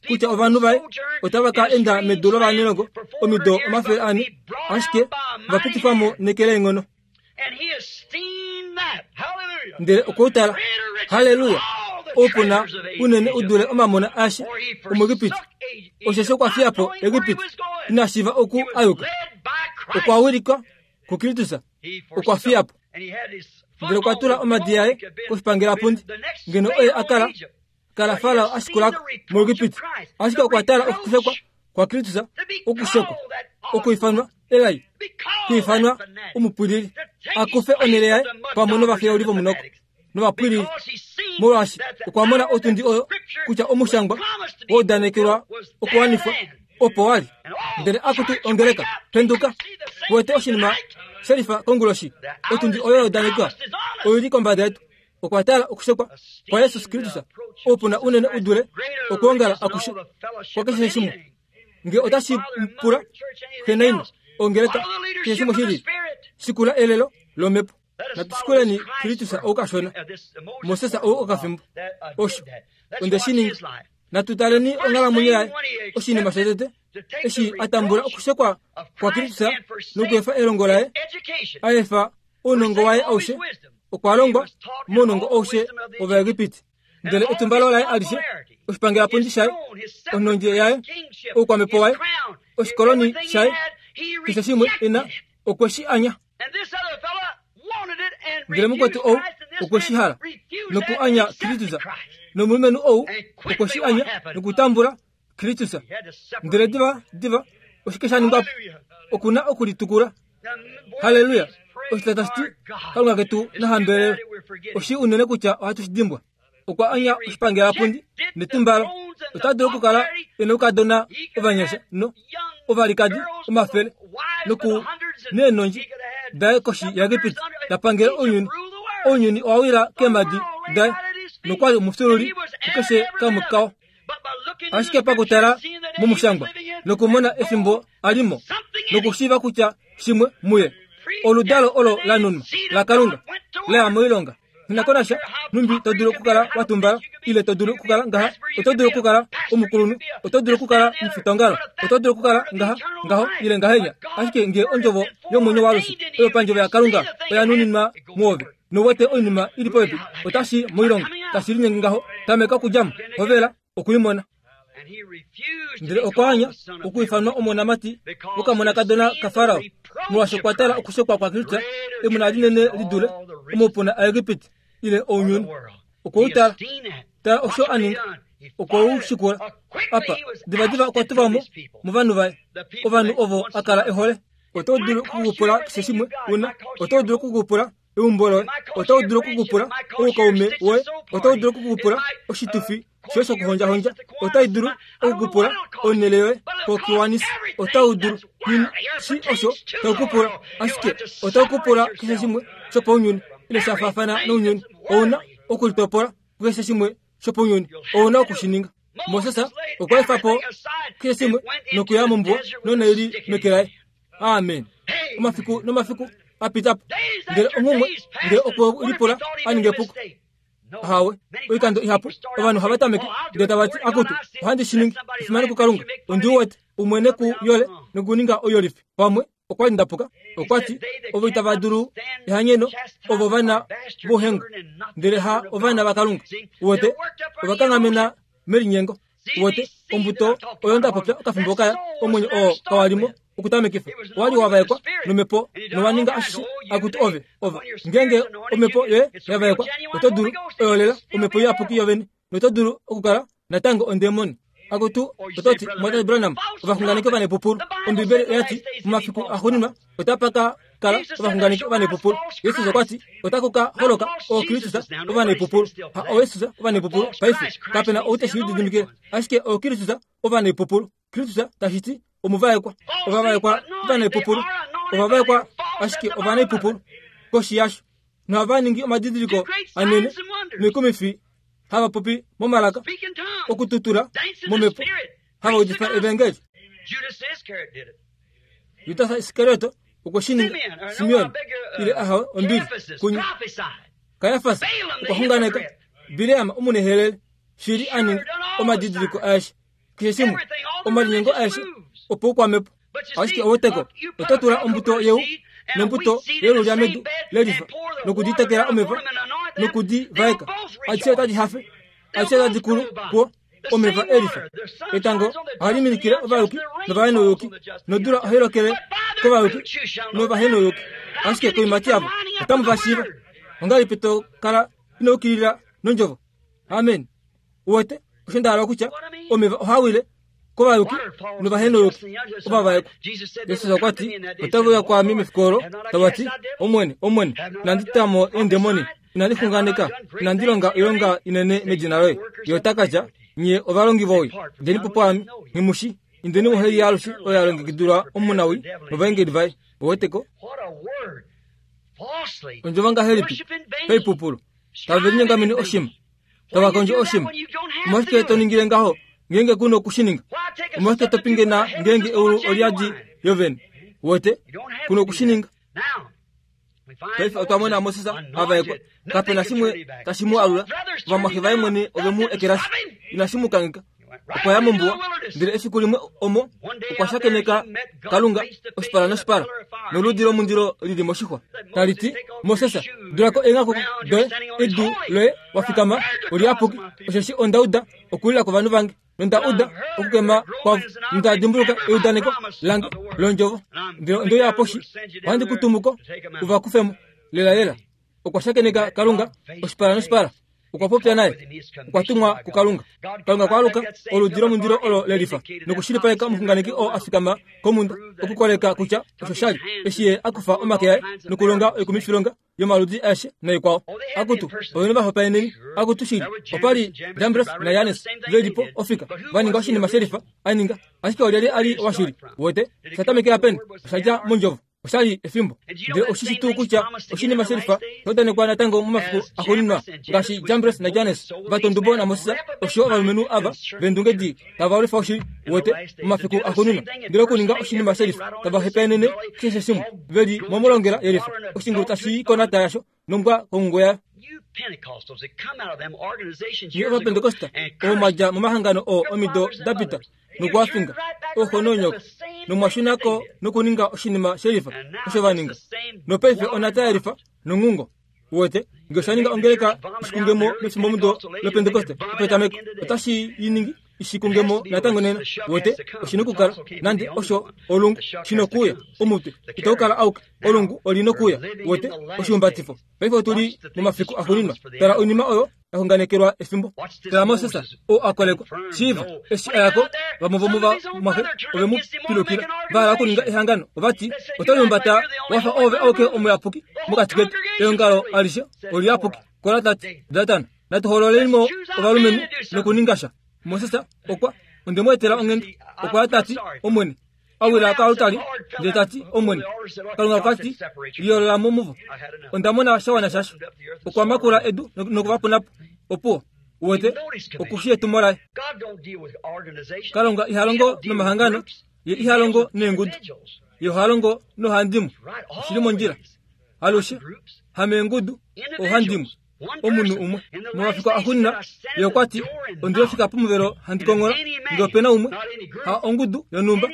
kutya ovanhu vaye otava ka enda medu lovanelongo omido omafele ane, ashike va pitifwa mo neke leenghono. Ndele okwe u tala, Haleluya! Oupuna unene u dule omamona aeshe omuEgipiti. Osheshi okwa fiya po Egipiti, ina shiiva oku ayuka. Okwa wilikwa kuKristus, okwa fiya po. Ndele okwa tula omadi aye koshipangelapundi, ngeno oye a kala kala Farao a shikulako muEgipiti. Ashike okwa tala okushekwa kwaKristus, okushekwa, okuifanwa elai, kuifanwa omupwilili, akufe onhele yaye pamwe novafeuli vomunoko novapwilili, molwaashi okwa mona otundi oyo kutya omushangwa waudanekelwa okuwanifwa opo wali. Ndele akutu ongeleka, penduka, wete oshinima shelifa konguloshi. Otundi oyo yaudanekwa oili kombada yetu. Okwa tala okushekwa kwa Jesus Kristus, oupuna unene u dule okwoongala akushe kwakeshe shimwe. Nge otashi pula xe naina ongeleka keshe shimwe shili, shikula elelo lomhepo. Natushikuleni Kristus oukashona, Moses ou okafimbo osho onde shi ninga. Natutaleni onghalamwenyo yaye, oshinima shotete eshi a tambula okushekwa kwaKristus nokuefa elongo laye, a efa ounongo waye aushe. Okwa longwa mounongo aushe wOvaegipiti. Ndele etumbalo laye alishe, oshipangelapundi shaye, onhondje yaye, oukwamhepo waye, oshikoloni shaye, keshe shimwe ena okwe shi anya. Ndele mukwetu ou okwe shi hala noku anya Kristus, nomulumenhu ou okwe shi anya nokutambula Kristus. Ndele diva diva oshike sha ningwa po? Okuna okulitukula. Haleluya! Oshita tashi ti Kalunga ketu nahambelelwe. Oshi unene kutya ohatu shi dimbwa. Okwa anya oshipangelapundi netumbalo. Ota dulu okukala e noukadona ovanyasha no ovalikadi omafele noku neenondji daye koshi yaEgipiti ta pangele ounyuni. Ounyuni owa wila keemhadi daye nokwali omufyuululi kukeshe kamwe kao. Ashike pakutala momushangwa nokumona efimbo alimo nokushiiva kutya shimwe muye oludalo olo la nunwa laKalunga laya moilonga. Ninakonasha numbi to dulu okukala wa tumbala, ile to dulu okukala ngaha, oto dulu okukala omukulunhu, oto dulu okukala omufitongalo, oto dulu okukala ngaha ngaho ile ngahenya. Ashike nge ondjovo yomwenyo waalushe oyo pandjovo yaKalunga oya nuninwa muove, nowete oinima ili popepi, otashi moilonga, tashi linyenge ngaho. Tameka okudjamo, hovela okuimona. Ndele okwa anya okuifanwa omonamati wokamonakadona kaFarao, molwaashi okwa tala okushekwa kwaKristus emona linene li dule omaupuna aEgipiti ile ounyuni. Okwe u tala, tala osho a ninga, okwe u shikula. Apa divadiva okwa tulwa mo movanhu vaye, ovanhu ovo a kala e hole. Oto dulu okukupula keshe shimwe una, oto dulu okukupula eumbo loye, oto dulu okukupula oukaume woye, oto dulu okukupula oshitufi shoye shokuhondjahondja, otai dulu okukupula onhele yoye kokiwanisi, otau dulu shi osho taukupula, ashike otaukupula keshe shimwe shopaunyuni ile sha faafana nounyuni. Ouna okulitopola kukeshe shimwe shopaunyuni, ouna okushininga. Moses okwa efa po keshe shimwe nokuya mombuwa nonaili meke laye. Amen. Omafiku nomafiku a pita po, ndele onghumwe ndele okwe lipula a ninge epuko. Ahawe, oikando ihapu ovanhu hava tameke ndele tava ti akutu ohandi shi ningi, efimano kuKalunga, ondi wete umwene ku yole nokuninga oyolifi. Pamwe okwa li ndapuka. Okwa ti ovo itava dulu ehanyeno ovo vana vohengo, ndele ha ovana vaKalunga. Wete ovakanghamena melinyengo. Wete ombuto oyo nda popya okafimbo kaya, omwenyo oo kawalimo okutamekifa owali wavaekwa nomhepo nowaninga ashishe akuti ove ova ngenge omhepo yoye yavaekwa, oto dulu oyolela omhepo iyapuki yovene, noto dulu okukala natango ondemoni. Akutu ototi Mwatate Branham ovaxunganeki ovanepupulu. Ombibeli oyati momafiku axuuninwa otapa ka kala ovaxunganeki ovanepupulu. Jesus okwa ti otaku ka holoka ooKristus ovanepupulu. Ha ooJesus ovanepupulu paife kapena ou teshi lididimikile, ashike ooKristus ovanepupulu. Kristus tashi ti omuvaekwa, ovavaekwa ovanepupulu, ovavaekwa ashike ovanepupulu koshi yasho, nohava ningi omadidiliko anene noikumifi, hava popi momalaka, okututula momhepo, hava udifa evangeli. Judas Iskarioto okwe shi ninga. Simeon ile ahawe ombili kunya. Kayafas okwa xunganeka. Bileam omunehelele shili a ninga omadidiliko aeshe, keshe shimwe, omalinyengo aeshe opo oukwamhepo. Ashike oweteko oto tula ombuto yeu Nombuto yelulya medu lelifa nokuditekela omeva nokudivaeka adishe otadi hafe adishe otadi kulu kuo omeva elifa. Etango ohali minikile ovayuki novahenouyuki nodula ohai lokele kovayuki novahenouyuki. Ashike koimati yavo otamu va shiiva. Ongahelipi to kala ino yukilila nondjovo? Amen. Uwete osho nda hala okutya omeva ohaa wile kovayuki novahenouyuki ovavaekwa. Jesus okwa ti otave uya kwaame mefiku olo tava ti Omwene, Omwene, inandi ta mo eendemoni, inandi xunganeka, inandi longa oilonga inene medina loye. Ye ota ka tya, nye ovalongi vowii, djeni po pwaame, nghi indeni moheli yaalushe oyo ya longekidilwa omunawii novaengeli vaye. Oweteko ondjovo ngahelipi paipupulu tave linyongamene oshima tava kondjo oshima. Omolwashike to ningile ngaho ngeenge ku nokushininga? Omolwashike to pingena ngeenge eulu olyadi yovene? Wete ku nokushininga. Paife otwa mona Moses avaekwa, kapena shimwe tashi mu alula. Ovamwaxe vaye mwene ove mu ekelashi, inashi mu kangheka. Okwa ya mombuwa, ndele efiku limwe omo okwa shakeneka Kalunga oshipala noshipala noludi lomundilo lili moshixwa tali ti, Moses, dulako eenghaku doye, edu loye wa fikama oliyapuki, osheshi onda uda okulila kwovanhu vange nonda uda okukema kwavo, nonda dimbuluka eudaneko lange londjovo, ndele onde uya poshi, ohandi ku tumu ko uva kufemo. Lelalela okwa shakeneka Kalunga oshipala noshipala, okwa popya naye, okwa tumwa kuKalunga. Kalunga okwa aluka oludi lomundilo olo lelifa nokushilipaleka omuxunganeki oo a fikama komunda okukoleka kutya osho shali eshi ye a kufa omake aye nokulonga oikumifilonga yomaludi aeshe naikwao. Akutu ovene vahopaeneni, akutu shili opali Jambres naJanes ve li po ofika va ninga oshinima shelifa a ninga, ashike olyelye a li washili? Wete osha tamekela peni? Osha dja mondjovo. Oshali efimbo. Ndele oshishi tuu kutya oshinima shelifa shaudanekwa natango momafiku axuuninwa ngaashi Jambres naJanes vatondubo naMoses osho ovalumenhu ava vendungedi tava lwifa oshili. Wete momafiku axuuninwa ndele okuninga oshinima shelifa tava hepaenene keshe shimwe ve li momolongela yelifa oshingulu tashi i konata yasho nombwa kongungo yayo. Nye Ovapentekosta ovo mwa dja momahangano oo omido da pita nokuwafinga ooxo noonyoko nomwashunako nokuninga oshinima shelifa osho va ninga. Nopaife onata yelifa nonghungo. Uwete nge osha ninga ongeleka ishikungemo mefimbomudo lopentekoste opetameko, otashi i ningi ishikungemo natango nena. Uwete oshina okukala nande osho olungu shinokuuya omutwe itau kala auke, olungu olinokuuya. Uwete oshihumbatifo. Paife otuli momafiku axuuninwa. Tala oinima oyo yaxunganekelwa efimbo. Tala Moses oo a kolekwa shiiva eshi a yako, vamwe vomovamwaxe ove mu pilukila va hala okuninga ehangano. Ovati oto lihumbata wafa oove auke omuyapuki mokati ketu, eongalo alishe oliyapuki. Kora tati, Datan, natu hoololeni ovalumenhu nokuninga sha. Moses okwa onde mu etela onghenda. Okwa ya tati, Omwene, a wila koalutali ndele tati, Omwene, Kalunga okwa ti, liyoolola mo muvo. Onda mona sha wana shasho. Okwa makula edu nokuvapuna po. Opuwo. Uwete okushi etumo laye. Kalunga iha longo nomahangano, ye iha longo neengudu, ye oha longo nohandimwe. Oshili mondjila alushe hameengudu ohandimwe omunhu umwe. Momafiku axuuninwa ye okwa ti, ondilofika pomuvelo handi kongola, nge opena umwe ha ongudu yonhumba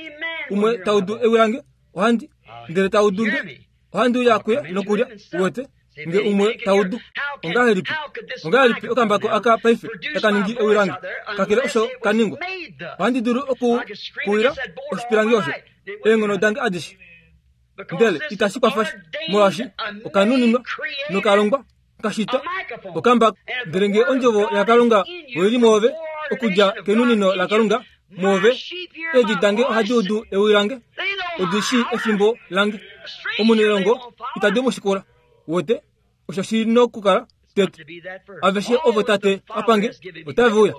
umwe taudu ewi lange ohandi ndele taudu nge ohandi uya kuye nokulya. Uwete nge umwe taudu. Ongahelipi ongahelipi okambako aka paife taka ningi ewi lange kakele osho kaningwa? Ohandi dulu okukuwila oshipilangi osho eenghono dange adishe, ndele itashi kwafa molwaashi okanuninwa nokalongwa kashitwa okambako. Ndele nge ondjovo yaKalunga oili mwoove okudja kenunino laKalunga mwoove, eedi dange ohadi udu ewi lange, odi shii efimbo lange. Omunelongo itadi mu shikula. Wete osho shi nokukala tete. Aveshe ovo tate apange otave uya,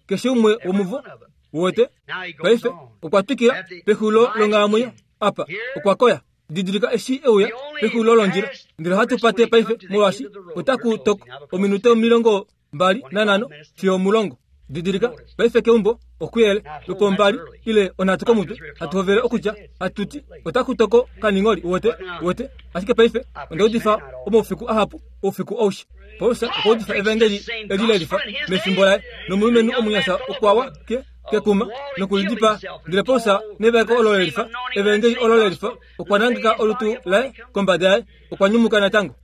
keshe umwe womuvo. Wete paife okwa twikila pexulilo longhalamwenyo apa okwa koya. Didilika eshi euya pexulilo londjila. Ndele ohatu pate paife molwaashi otaku toko ominute omilongo mbali nanhano fiyo omulongo. Didilika paife keumbo okuyele lwopombali ile onhatu komutwe hatu hovele okutya hatuti otaku toko kaningoli. Uwete uwete ashike paife onda udifa omaufiku ahapu oufiku aushe. Paulus okwa udifa evangeli eli lelifa mefimbo laye, nomulumenhu omunyasha okwa wa ke kekuma nokulidipa ndele Paulus nevaeko olo lelifa evangeli olo lelifa okwa nangeka olutu laye kombada yaye okwa nyumuka natango.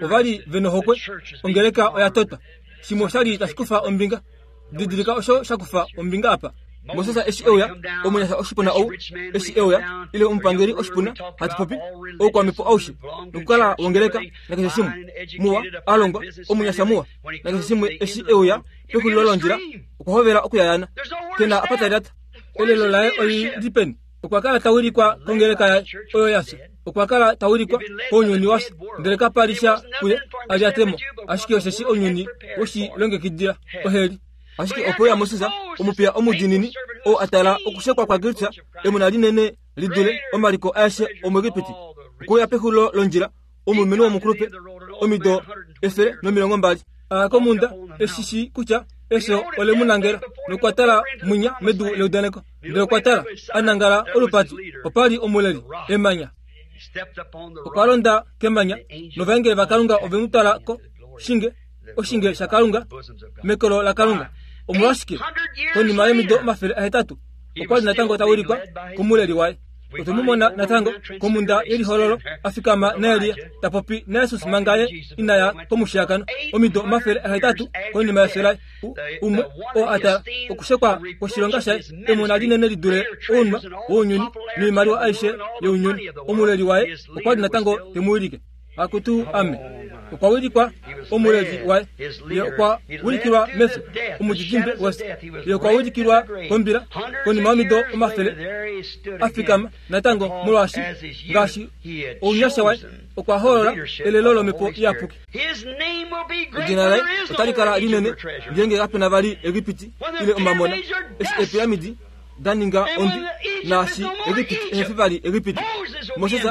Ovali venohokwe ongeleka oya tota shimwe oshali tashi kufa ombinga didilika osho shakufa ombinga apa. Moses eshi euya omunyasha oshipuna ou eshi euya ile omupangeli oshipuna hatu popi oukwamhepo aushe nokukala wongeleka nakeshe shimwe muwa alongwa omunyasha muwa nakeshe shimwe eshi euya pexulilo londjila okwa hovela okuyayana kena apa talilata elelo laye olili peni. Okwa kala tawilikwa kongeleka yaye oyo yafya okwa kala tawilikwa kounyuni wafya ndele kapali sha kuye alyatemo ashike osheshi ounyuni woshilongekidila oheli. Ashike opo ya Moses omupiya omudinini oo atala okushekwa kwa Kristus emona linene lidule omaliko aeshe omuEgipiti okuya pexulilo londjila omulumenhu womukulupe omido efele nomilongo mbali aya komunda eshishi kutya efyo ole mu nangela nokwa tala mwinya medu leudaneko ndele okwa tala anangala olupati opali omuleli emanya okwa londa kemanya novaengeli vaKalunga ove mu twala ko shinge oshinge shaKalunga mekolo laKalunga. Omolwashike konima yomido omafele ahetatu okwa li natango tawilikwa komuleli waye. Otwe mu mona natango komunda yelihololo afikama naElia tapopi naJesus manga ye inaya komushiyakano omido omafele ahetatu konima yefyo laye umwe oo atala okushekwa kwoshilonga shaye emona linene lidule ounwa wounyuni noimaliwa aishe younyuni. Omuleli waye okwa li natango temuwilike. Akutu ame okwa wilikwa omuleli waye ye okwa wilikilwa mefyo omudidimbe wefyo ye okwa wilikilwa kombila konima yomido omafele afikama natango molwaashi ngaashi ounyasha waye okwa hoolola elelo lomhepo iyapuki. Edina laye otali kala linene ngeenge kapena vali Egipiti ile omamona eshi eepiramidi da ninga ondwi naashi Egipiti ehefi vali Egipiti. Moses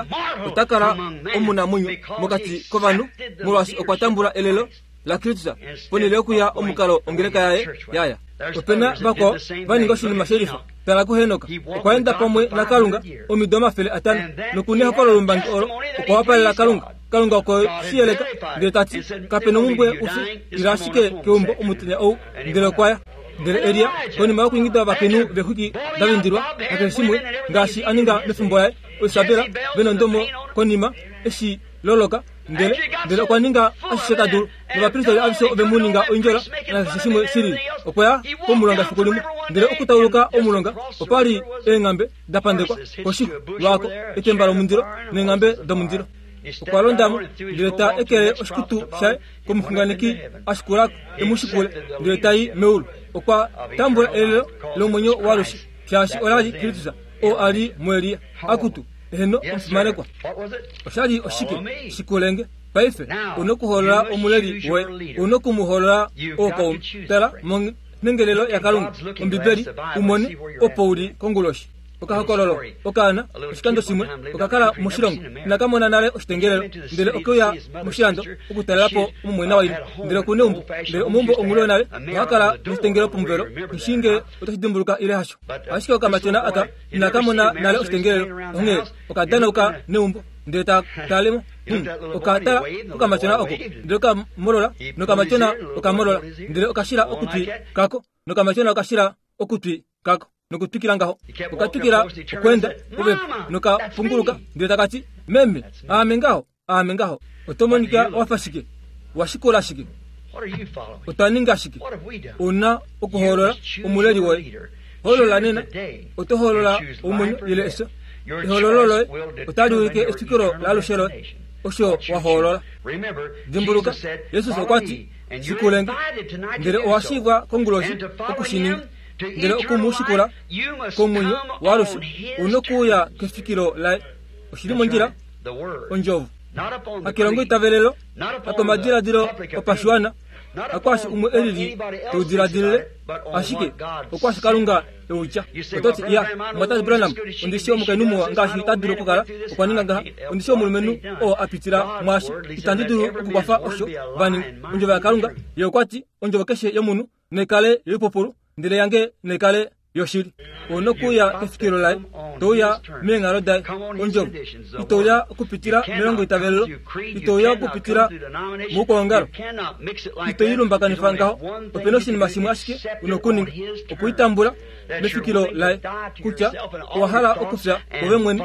ota kala omunamwenyo mokati kovanhu molwaashi okwa tambula elelo laKristus ponhele yokuya omukalo ongeleka yaye yaya. Opena vakwao va ninga oshinima shelifa. Tala kuHenok okwa enda pamwe naKalunga omido omafele atano nokunehokololo lombangi olo okwa wapalela Kalunga. Kalunga okwe shi yeleka ndele tati kapena omumbwe ufye ila ashike keumbo omutenya ou ndele okwaya. Ndele Elia konima yokuingida ovakainhu vexwiki da vindilwa nakeshe shimwe ngaashi a ninga mefimbo laye oIsabela venondomo konima eshi loloka ndele ndele okwa ninga ashishe ta dulu novapristeli aveshe ove mu ninga oindjola nakeshe shimwe shilili. Okwa ya komulonga efiku limwe ndele okutauluka omulonga opali eenghambe da pandekwa koshixwa lwako etemba lomundilo neenghambe domundilo. Okwa londamo ndele ta ekele oshikutu shaye komuxunganeki ashikulako emushikule ndele tai meulu. Okwa tambula elelo lomwenyo waalushe shaashi olali Kristus oo ali muElia. Akutu eheno omufimanekwa oshali oshike shikulenge paife una okuhoolola omuleli woye una okumuhoolola ookaume. Tala monhengelelo yaKalunga Ombibeli umone opo uli konguloshi. Okahokololo okaana oshikando shimwe okakala moshilongo inakamona nale oshitengelelo ndele okeuya moshilando okutalelapo omumwena waina ndele okuna eumbo ndele omaumbo ongulo nale ohakala noshitengelelo pomuvelo nishinge otashi dimbuluka ile hasho. Ashike okamatyona aka inakamona nale oshitengelelo onghee okadanauka neumbo ndele ta talemo okatala okamatyona oko ndele okamolola nokamatyona okamolola ndele okashila okutwi kako nokamatyona okashila okutwi kako nokutwikila ngaho okatwikila okwenda popepi nokapunguluka ndele takati meme aame ngaho aame ngaho. Oto monika wafa shike washikola shike otwa ninga shike. Una okuhoolola omuleli woye hoolola nena oto hoolola omwenyo ile efyo. Ehoololo loye otali ulike efikilo laalushe loye osho wahoolola. Dimbuluka Jesus okwa ti shikulenge ndele owashivwa konguloshi okushininga ndele okumushikula komwenyo waalushe una okuuya kefikilo laye. Oshili mondjila ondjovo hakelongo itavelelo hakomadiladilo opashiwana hakwaashi umwe elili teudiladilile ashike okwaashi Kalunga eutya. Ototi iya Mwatate Branham ondishi omukainhu muwa ngaashi ta dulu okukala okwa ninga ngaha ondishi omulumenhu oo apitila mwaashi itandi dulu okukwafa osho vaninga. Ondjovo yaKalunga ye okwa ti ondjovo keshe yomunhu naikale yoipupulu ndele yange naikale yoshili. Onokuya kefikilo laye, touya meenghalo daye, ondjovo. Itouya okupitila melongo itavelelo, itouya okupitila moukwangalo, itoilumbakanifa ngaho. Opena oshinima shimwe ashike unokuninga, okuitambula mefikilo laye, kutya owa hala okufya ove mwene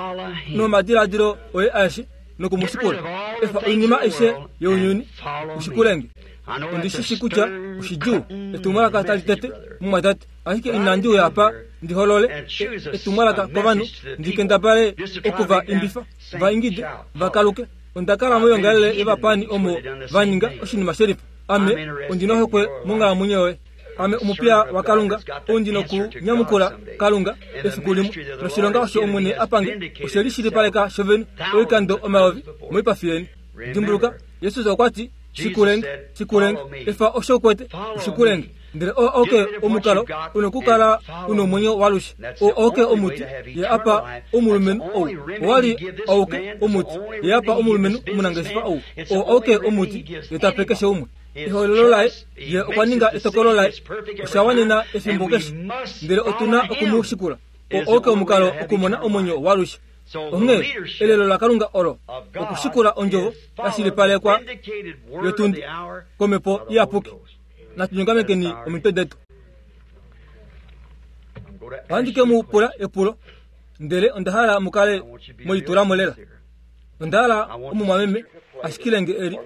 nomadiladilo oye aeshe nokumushikula. Efa oinima aishe younyuni ushikulenge. Ondishishi kutya oshidjuu etumwalaka tali tete mumwatate, ashike inandi uya apa ndiholole etumwalaka kovanhu, ndikendabale okuva imbifa va ingide vakaluke. Onda kala moyongalele yovapani omo va ninga oshinima shelifa. Ame ondinohokwe monghalamwenyo yoye. Ame omupiya waKalunga, ou ndinokunyamukula Kalunga efiku limwe noshilonga osho Omwene apange oshe lishilipaleka shovene oikando omayovi moipafi yeni. Dimbuluka, Jesus okwa ti, shikulenge, shikulenge, efa osho ukwete, ushikulenge. Ndele oo auke omukalo unokukala unomwenyo walushe. Oo auke omuti ye apa omulumenhu ou. Owali auke omuti ye apa omulumenhu omunangeshefa ou. Oo auke omuti ye tape keshe umwe. Ehoololo laye ye okwa ninga etokolo laye oshawanena efimbo keshe, ndele otuna okumushikula. Oo auke omukalo okumona omwenyo walushe. Onghee elelo laKalunga olo okushikula ondjovo yashilipalekwa yotundi komhepo iyapuki. Natunyongamekeni omitwe detu. Ohandi ke mu pula epulo, ndele onda hala mukale mwelitulamo lela. Onda hala omumwameme ashikilenge eli.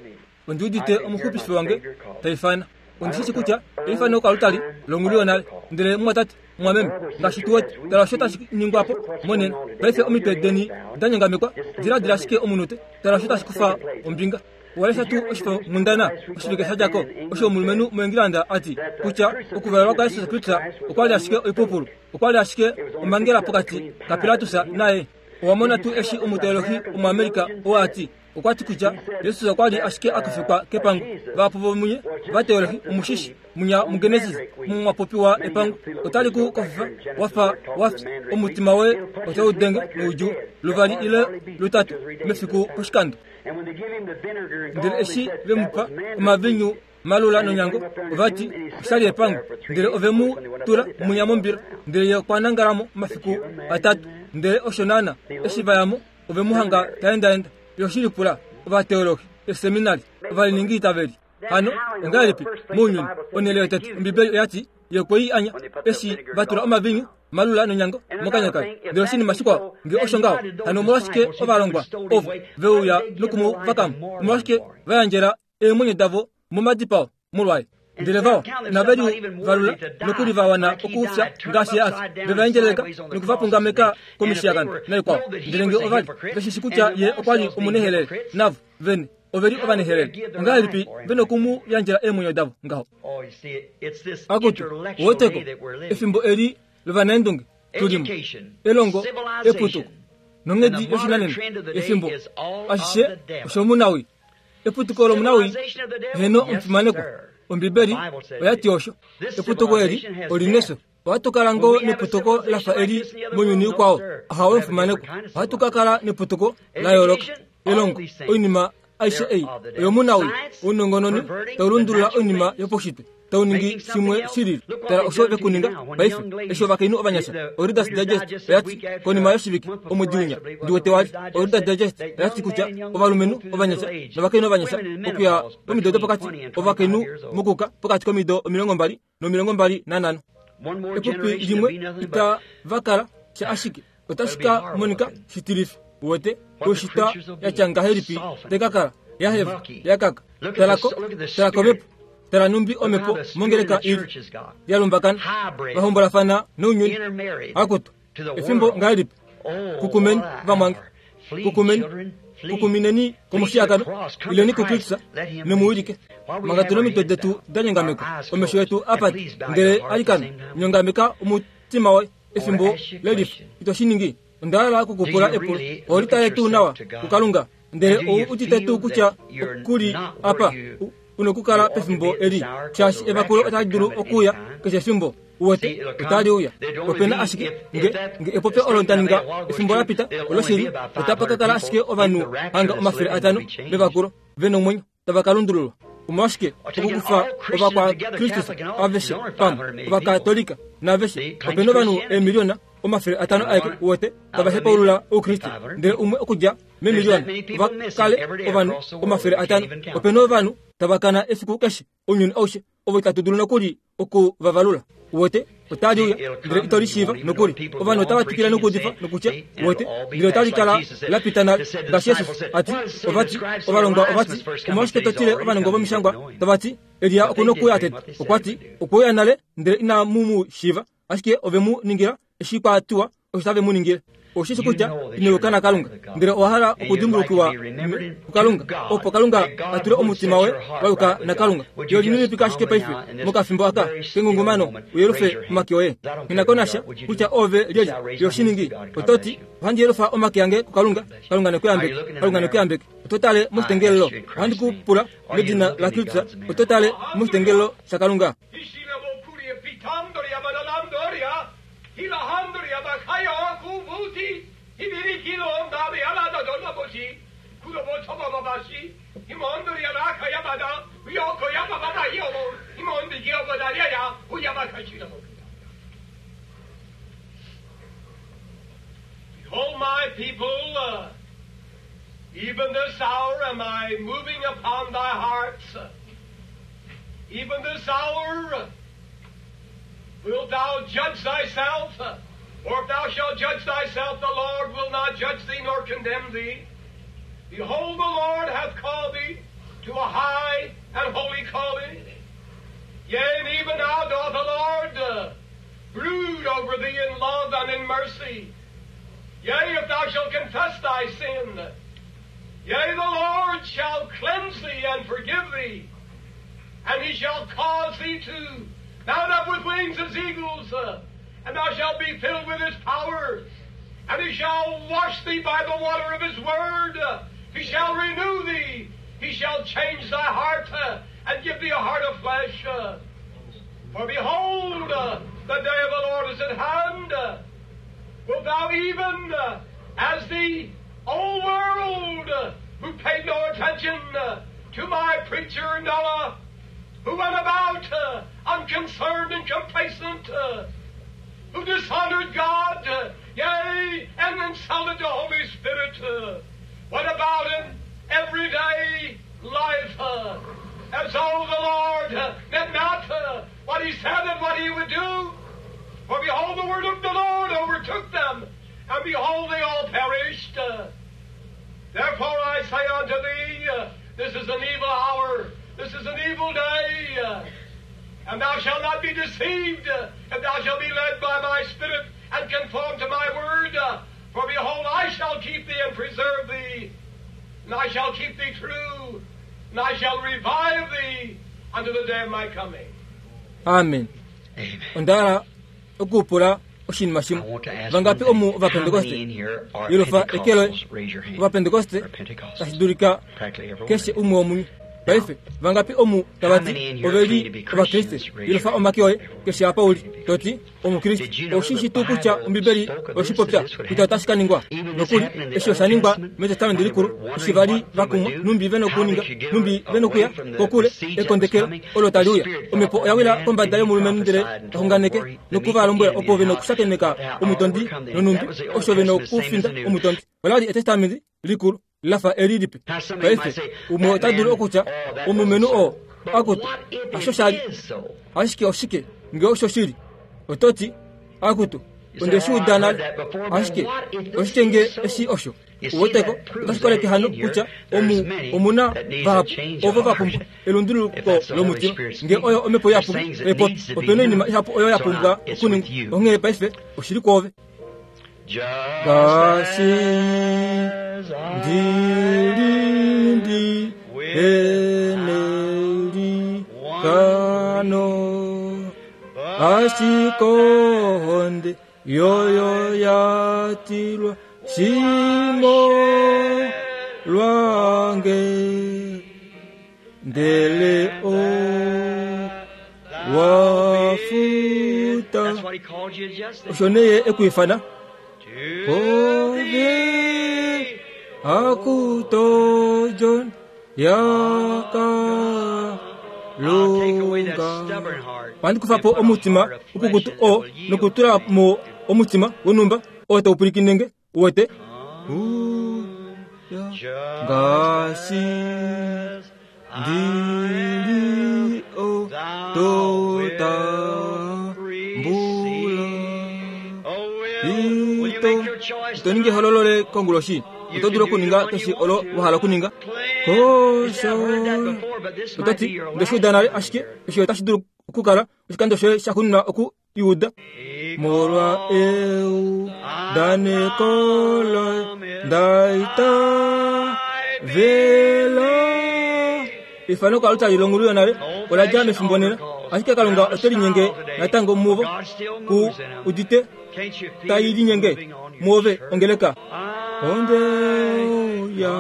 Ondi udite omuxupifi wange taifana. Ondishishi kutya eifano okalutali longulu yonale, ndele mumwatate mumwameme ngaashi tu wete, tala osho tashi ningwapo monena. Paife omitwe deni danyongamekwa, diladila ashike omunute, tala osho tashi kufa ombinga. Walesha tuu oshifo nghundana oshivike sha dja ko osho omulumenhu muEngilanda ati kutya okuvalelwa kwaJesus Kristus okwa li ashike oipupulu, okwa li ashike omhangela pokati kaPilatus naye. Owa mona tuu eshi omuteolohi omuAmerika oo ati okwa ti kutya Jesus okwa li ashike a kofikwa kepango. Vahapu vomunye vateolohi omushishi munya muGenesis mwa popiwa epango otali ku kofifa wafa wafya, omutima woye otau denge noudjuu luvali ile lutatu mefiku poshikando. Ndele eshi ve mu pa omavinyu malula nonyango, ovati oshali epango, ndele ove mu tula munya mombila, ndele ye okwa nangalamo omafiku atatu. Ndele osho naana eshi vayamo ove mu hanga taendaenda. Yoshilipula ovateolohi eseminari ovaliningi itaveli. Hano ongahelipi mounyuni onhele yotete Ombibeli oyati ye okwe i anya eshi va tula omavinyu malula nonyango mokanya kaye. Ndele oshinima shikwao nge osho ngaho, hano omolwashike ovalongwa ovo veuya nokumuvakamo? Omolwashike va yandjela eemwenyo davo momadipao molwaye? Ndele vao inave valula nokuli va wana okufya ngaashi ye afya, ve va endjeleleka nokuvapungameka komishiyakano naikwao. Ndele nge ova li veshishi kutya ye okwa li omunehelele, navo vene ove li ovanehelele, ongahelipi ve nokumu yandjela eemwenyo davo ngaho? Akutu woteko efimbo eli lovanaendunge tulimo, elongo, eputuko nonghedi yoshinanena efimbo ashishe oshomunawi. Eputuko lomunawi heno omufimanekwa. Ombibeli oyati osho. Eputuko eli olineso. Ohatu kala ngoo neputuko lafa eli mounyuni ukwao. Ahawe omufimanekwa. Ohatu ka kala neputuko la yooloka. Elongo, oinima aishe ei oyomunawi. Ounongononi tau lundulula oinima yopaushitwe, tau ningi shimwe shilili. Tala osho vekuninga paife eshi ovakainhu ovanyasha. OReader's Digest oyati konima yoshivike omwedi winya ndiwete wali. OReader's Digest oyati kutya ovalumenhu ovanyasha novakainhu ovanyasha okuya pomido dopokati, ovakainhu mokuka pokati komido omilongo mbali nomilongo mbali nanhano, epupi limwe itava kala sha ashike otashi ka monika shitilifi. Uwete oshitwa yatya ngahelipi tekakala yaheva yakaka. Talako, tala komhepo, tala numbi omhepo mongeleka ili yalumbakana vahombolafana nounyuni. Akutu efimbo ngahelipi kukumeni vamwange, kukumeni, kukumineni komushiyakano, ileni kuKristus nemuwilike. Manga tuna omitwe detu danyongamekwa, omesho yetu apate, ndele alikana nyongameka omutima woye efimbo lelifa. Ito shi ningi. Onda hala okukupula epulo. Oholitale tuu nawa kuKalunga, ndele ou udite tuu kutya okuli apa unokukala pefimbo eli, shaashi evakulo otali dulu okuuya keshe efimbo. Uwete otali uya. Opena ashike nge nge epopyo olo nda ninga efimbo lapita oloshili, otapa ka kala ashike ovanhu hanga omafele atano vevakulo vena omwenyo tava ka lundululwa. Omolwashike okukufa ovakwakristus aveshe pamwe ovakatolika naveshe opena ovanhu eemiliona omafele atano aeke wote tava hepaulula oukriste ndele umwe okudja memiliona ovakale ovanhu omafele atano opena ovanhu tava kana efiku keshe ounyuni aushe ovo itatu dulu nokuli okuvavalula wote otali uya ndele ito lishiiva nokuli ovanhu otava twikile nokuudifa nokutya wote ndele otali kala lapita nale ngaashi Jesus ati ovati ovalongwa ovati omolwashike totile ovanongo vomishangwa tavati Elia okuna okuuya tete okwati okweuya nale ndele inamu mu shiiva ashike ove mu ningila eshi kwatiwa osho tave mu ningile oshishi kutya ino na Kalunga ndele owa hala okudimbulukiwa kuKalunga opo Kalunga a tule omutima woye wa yuka naKalunga yo lininipika ashike paife mokafimbo aka kengungumano uyelufe omake oye nghinako nasha kutya ove lyelye yo shiningi ototi ohandi yelufa omake ange kuKalunga Kalunga nekuyambeke Kalunga nekuyambeke oto tale moshitengelelo ohandi ku pula medina la Kristus oto tale moshitengelelo shaKalunga Behold, my people, uh, even this hour am I moving upon thy hearts. Even this hour wilt thou judge thyself? For if thou shalt judge thyself, the Lord will not judge thee nor condemn thee. Behold, the Lord hath called thee to a high and holy calling. Yea, and even now doth the Lord uh, brood over thee in love and in mercy. Yea, if thou shalt confess thy sin, yea, the Lord shall cleanse thee and forgive thee, and he shall cause thee to mount up with wings as eagles, uh, and thou shalt be filled with his power, and he shall wash thee by the water of his word. Uh, he shall renew thee. He shall change thy heart uh, and give thee a heart of flesh. Uh, for behold, uh, the day of the Lord is at hand. Uh, wilt thou even, uh, as the old world, uh, who paid no attention uh, to my preacher Noah, who went about uh, unconcerned and complacent, uh, who dishonored God, uh, yea, and insulted the Holy Spirit, uh, went about in everyday life uh, as though the Lord uh, meant not uh, what he said and what he would do. For behold, the word of the Lord overtook them, and behold, they all perished. Uh, therefore I say unto thee, uh, this is an evil hour, this is an evil day, uh, and thou shalt not be deceived, uh, if thou shalt be led by my Spirit and conform to my word. Uh, for behold, I shall keep thee and preserve thee, and I shall keep thee true, and I shall revive thee unto the day of my coming. Amen. Onda okupula oshinima shimwe vangapi omu ovapentekoste yelufa ekelo ovapentekoste tashi dulika keshe umwe womunyu paife vangapi omu tavati oveli ovakriste yelufa omake oye keshe apa uli toti omukriste oshishi tuu kutya ombibeli oshipopya kutya otashi ka ningwa nokuli eshi osha ningwa metestamenti likulu eshi vali vakumwa numbi vena okuninga numbi vena okuya kokule ekondekelo olo tali uya omhepo oya wila kombada yomulumenhu ndele taxunganeke nokuvalombwela opo vena okushakeneka omutondi nonumbi osho vena okufinda omutondi olali etestamenti likulu lafa eli lipe paife umwe ota dulu okutya omulumenhu oo akutu asho shali ashike oshike nge osho shili ototi akutu onde shi uda nale ashike oshike nge eshi osho uweteko otashi koleke hano kutya omu omuna vahapu ovo va pumbwa elunduluko lomutima nge oyo omhepo yapumbwa epopi opena oinima ihapu oyo ya pumbwa okuningwa onghee paife oshili kwoove ngaashi ndilindi eneli kano ashikohonde yoyo yatilwa shimo lwange ndele o wafuta osho neye ekuifana ove akutojon yaka Kalunga ohandi kufa po omutima ukukutu oo nokutula mo omutima wonhumba oo tau pwilikine nge uwete ngaashi ndili ototambula ito ito ningi ehololo le konguloshi oto dulu okuninga keshe olo wa hala okuninga kosho otati ndeshiuda nale ashike eshi otashi dulu okukala oshikando shoye shaxuuninwa oku iuda molwa eudaneko loye ndaitavela efano koaltari longulu yonale ola dja mefimbo nena ashike Kalunga ote linyenge natango muvo ku udite tai linyenge muove ongeleka ondeuya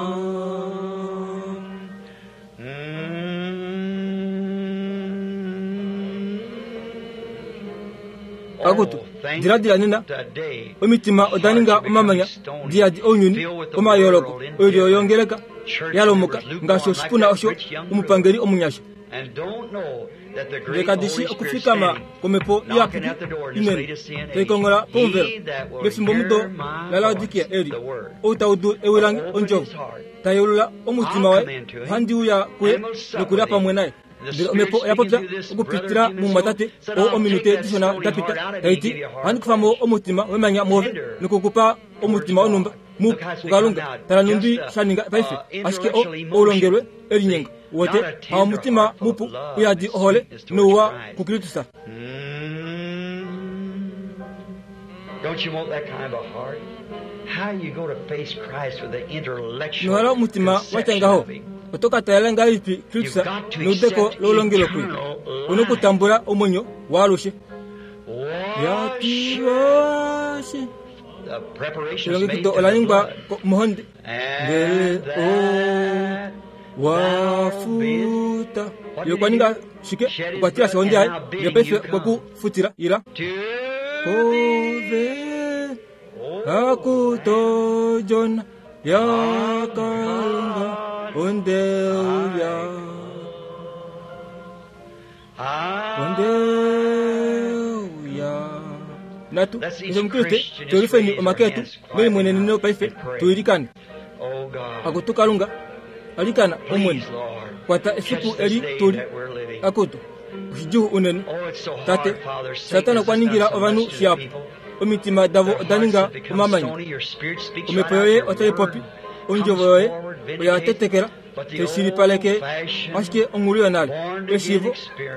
akutu diladila nena omitima oda ninga omamanya diyadi ounyuni omayooloko oilyo yongeleka yalomoka ngaashi oshipuna osho omupangeli omunyasha ndele kadishi okufikama kwomhepo iyapuki inene taikongola pomuvelo mefimbo mudo laLaodikia eli ou taudu ewi lange ondjovo tayeulula omutima waye ohandi uya kuye nokulya pamwe naye ndele omhepo oya popya okupitila mumwatate oo ominute dishona dapita taiti ohandi kufa mo omutima wemanya mwoove nokukupa omutima wonhumba mupu kuKalunga tala nhumbi sha ninga paife ashike o oulongelwe elinyengo wote ha omutima mupu uyadi ohole nouwa kuKristus. Inohala omutima watya ngaho oto ka talela ngahelipi Kristus neudeko loulongelwe kuye una okutambula omwenyo waalushe yatilwashi elongekido ola ningwa mohonde ndele o wafuta ye okwa ninga shike okwa tilashi ohonde yaye ndele paife okwe ku futila ila kove akutojona yaKalunga ondeuya ondeuya natu keshe omukriste tuelifeni omake etu melimweneneno paife tuilikane akutu Kalunga alikana omwene kwata efiku eli tuli akutu oshidjuu unene tate Satana okwa ningila ovanhu shihapu omitima davo oda ninga omamanya omhepo yoye otai popi ondjovo yoye oya tetekela teshilipaleke ashike onghulu yonale eshiivo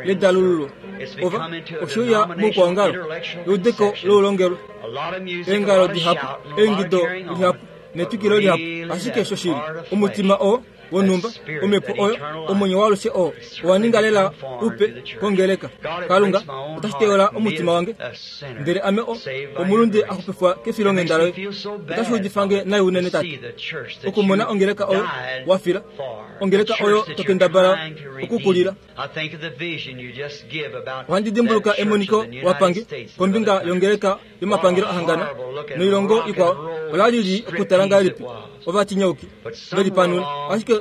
ledalululo ova oshiuya moukwaongalo eudeko loulongelwe eengalo dihapu eingido lihapu netwikilo lihapu ashike shoshili omutima oo wonhumba omhepo oyo omwenyo waalushe oo owa ninga lela upe kongeleka Kalunga otashi teyola omutima wange ndele ame omulunde axupifwa kefilonghenda loye otashi udifange nai unene tate okumona ongeleka oyo wafila ongeleka oyo tokendabala okukulila ohandi dimbuluka emoniko wapange kombinga yongeleka yomapangelo ahangana noilongo ikwao ola lili okutala ngahelipi ovatinyauki velipanula ashike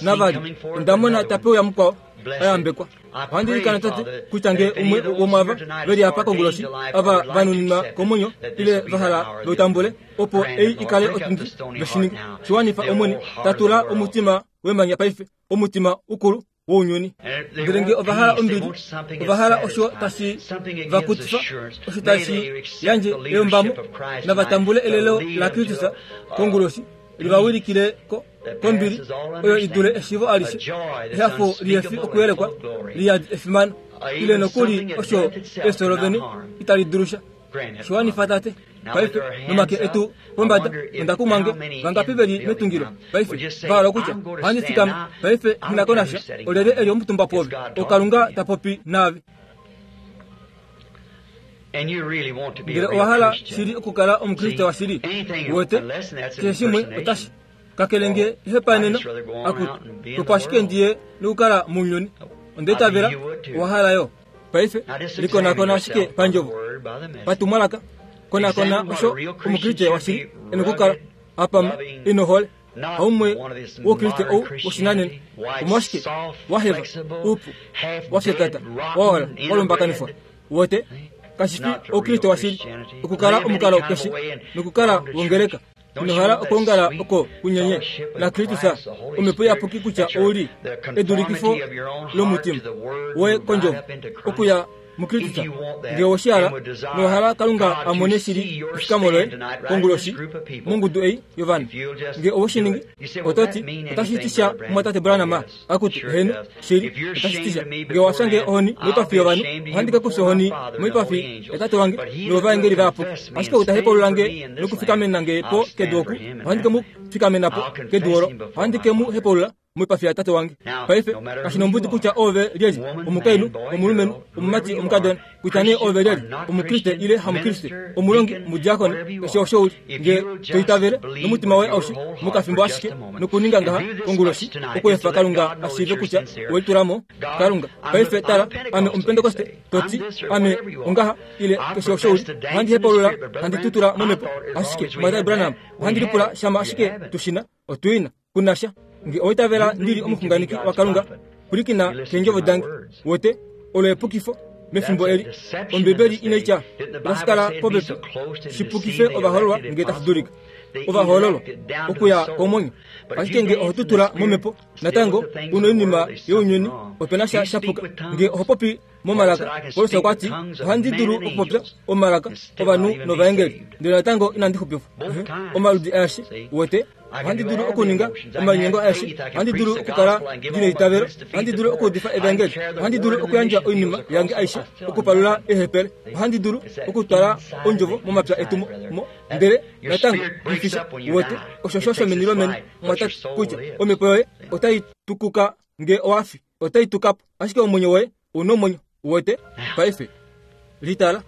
navali ondamona tapeuya mukwao ayambekwa ohandi ilikana tate kutya nge umwe womwava veli apa konguloshi ava vanuninwa komwenyo ile vahala veutambule opo ei ikale otundi veshininga shiwanifa omwene tatula omutima wemanya paife omutima ukulu wounyuni ndele nge ovahala ombili ovahala osho tashi vakutifa osho tashi yandje eyombamo navatambule elelo laKristus konguloshi livawilikile kombili oyo idule eshiivo alishe ehafo lihefi okuyelekwa liyadi efimano ile nokuli osho efyo lovene itali dulusha shiwanifa tate paife nomake etu pombada ondakumwange vangapi veli metungilo paife vahala okutya ohandi fikama paife nghinakonasha olyelye eli omutumba pwoove oKalunga tapopi naave ndele owahala shili okukala omukriste washili wete keshe shimwe otashi kakele nge ihepaeneno akutu opo ashike ndiye nokukala mounyuni ondeitavela owahala yo paife likonakona ashike pandjovo patumwalaka konakona osho omukriste washili ena okukala apama inohole Haumwe woukriste ou woshinanena omwashike waheva upu washetata waola walombakanifwa wote kashifi oukriste washili okukala omukalo keshe nokukala wongeleka inohala okuongala oko kunyenye na Kristus omhepo iyapuki kutya ouli edulikifo lomutima woye kondjovo okuya muKristus ngee woshihala nowahala Kalunga amone shili efikamo loye konguloshi mongudu ei yovanhu ngee owoshiningi ototi otashi ti sha mumwatate Branham akuti heno shili otashi ti sha ngee washange ohoni moipafi yovanhu ohandi ka kufya ohoni moipafi yatate wange novaengeli vayapuki ashike ou ta hepalula nge nokufikamena nge po kedu oku ohandi ke mu fikamena po kedu olo ohandi ke mu hepalula moipafi yatate wange. Paife kashi nombudi kutya ove lyelye omukainhu omulumenhu omumati omukadona kutya nee ove lyelye omukriste ile hamukriste omulongi omudiakoni keshe osho uli ngee toitavele nomutima woye aushe mokafimbo ashike nokuninga ngaha konguloshi okuefa Kalunga ashiive kutya welitulamo Kalunga. Paife tala ame omupentekoste toti ame ongaha ile keshe osho uli ohandi hepalula handi tutula momhepo ashike mumwatate Branham ohandi lipula shama ashike tushina otuina kunasha nge oitavela ndili omuxunganeki waKalunga pwilikina keendjovo dange wote olo epukifo mefimbo eli Ombibeli inaitya otashi kala popepi shipukife ovahoololwa nge tashi dulika ovahoololwa okuya komwenyo ashike nge oho tutula momhepo natango una oinima younyuni opena sha shapuka nge oho popi momalaka Paulus okwa ti ohandi dulu okupopya omalaka ovanhu novaengeli ndele natango inandi xupifwa omaludi aeshe wote ohandi dulu okuninga omalinyengo aeshe ohandi dulu okukala ndina eitavelo ohandi dulu okuudifa evangeli ohandi dulu okuyandja oinima yange aishe okupalula eehepele ohandi dulu okutwala ondjovo momapya etu mo ndele natango mfisha wote osho sho shomeni lomeni mwatate kutya omhepo yoye otai tukuka nge owafi otai tukapo ashike omwenyo woye una omwenyo wote. Paife litala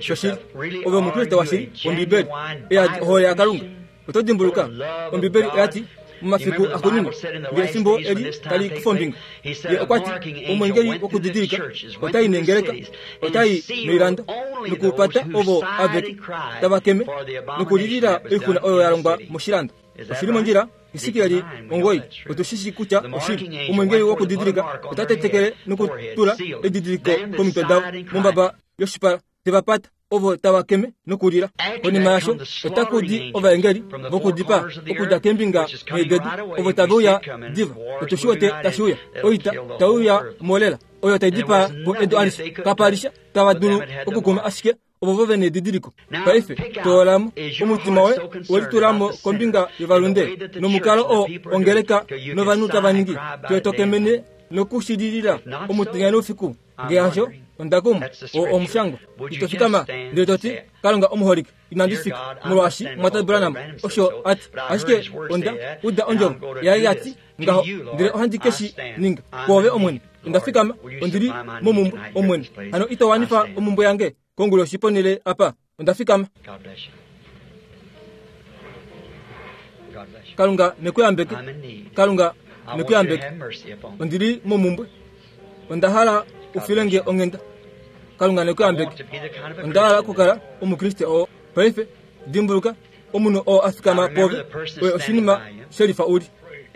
shoshili ove omukriste washili Ombibeli eyadi ohole yaKalunga oto dimbuluka Ombibeli oyati momafiku axuuninwa nge efimbo eli tali kufa ombinga ye okwa ti omwengeli wokudidilika otai nengeleka otai noilando nokupata ovo aveke tava keme nokulilila oixuna oyo ya longwa moshilando. Oshili mondjila Esekiel omugoyi otushishi kutya oshili omwengeli wokudidilika ota tetekele nokutula edidiliko komitwe davo mombaba yoshipala tevapata ovo tava keme nokulila. Konima yasho otaku di ovaengeli vokudipaa okudja keembinga nhee ovo tave uya diva otushi wete tashi uya oita tauya molela oyo tai dipaa po edu alishe kapalisha tava dulu okukuma ashike ovo vo vene edidiliko. Paife toolamo omutima woye welitulamo kombinga yovalunde nomukalo oo ongeleka novanhu tava ningi toetokemene nokushililila omutenya noufiku nge hasho ondakuma oo omushangwa ito fikama ndele toti Kalunga omuholike inandi fika molwaashi mumwatate Branham osho ati ashike onda uda ondjovo yaye yati ngaho ndele ohandi keshi ninga kwoove Omwene onda fikama ondili momumbwe Omwene hano ito wanifa omumbwe yange konguloshi ponele apa onda fikama. Kalunga nekuyambeke Kalunga nekuyambeke ondili momumbwe onda hala ufilenge onghenda Kalunga nekuyambeke onda hala okukala omukriste oo. Paife dimbuluka omunhu oo afikama pove oye oshinima shelifa uli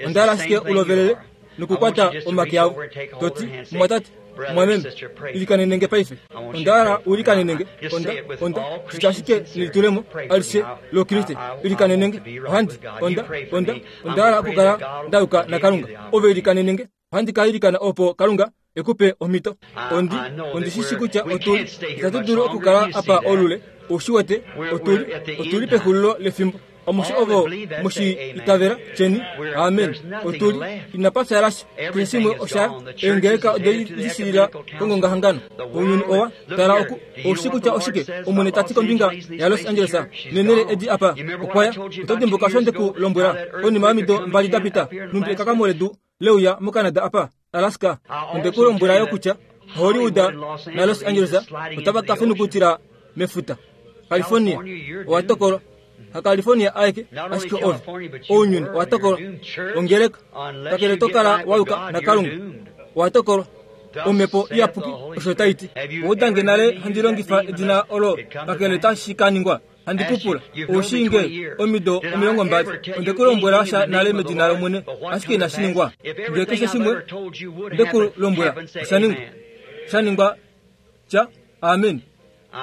onda hala ashike ulovelele nokukwata omake avo toti mumwatate mwameme ilikanenenge paife onda hala uilikanenenge onda onda shitya ashike nelitulemo alishe lokriste ilikanenenge ohandi onda onda onda hala okukala ndayuka naKalunga ove ilikanenenge ohandi ka ilikana opo Kalunga ekupe omhito ondi ondishishi kutya otuli itatu dulu okukala apa olule oushi wete otuli otuli pexulilo lefimbo omushi ovo mushi itavela cheni amen otuli inapa fyalasha keshe shimwe osha eengeleka odelishilila kongongahangano ounyuni owa tala oku oushi kutya oshike Omwene tati kombinga ya Los Angeles nenele edi apa okwaya oto dimbuka osho ndeku lombwela konima yomido mbali dapita numbi ekakamo ledu leuya moCanada apa Alaska ondeku lombwela yo kutya Hollywood na Los Angeles otava ka fenukutila mefuta California owa tokolwa ha California aeke ashike ove ounyuni owa tokolwa ongeleka kakele tokala wayuka naKalunga owa tokolwa omhepo iyapuki osho taiti oudange nale handi longifa edina olo kakele tashi ka ningwa Handi kupula ushinge omido omilongo mbali onde kulombwela sha nale medina lomwene ashike inashi ningwa. Ngee keshe shimwe nde kulombwela oshaningwa shaningwa tya amen.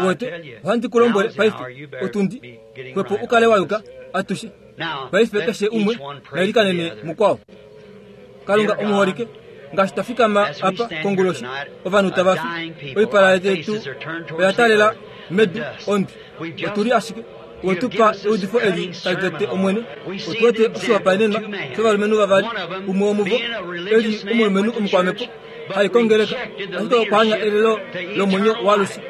Wete ohandi kulombwele paife otundi kwepo ukale wayuka atushe paife keshe umwe nailikanene mukwao. Kalunga omuholike ngaashi twafikama apa konguloshi ovanhu tava fi oipala yetu oya talela medu ondi otuli ashike wetupa eudifo eli tali tete omwene. Otuwete oshihopaenenwa shovalumenhu vavali, umwe womuvo eli omulumenhu omukwamepo haikongeleka ashike okwaanya elelo lomwenyo waalushe,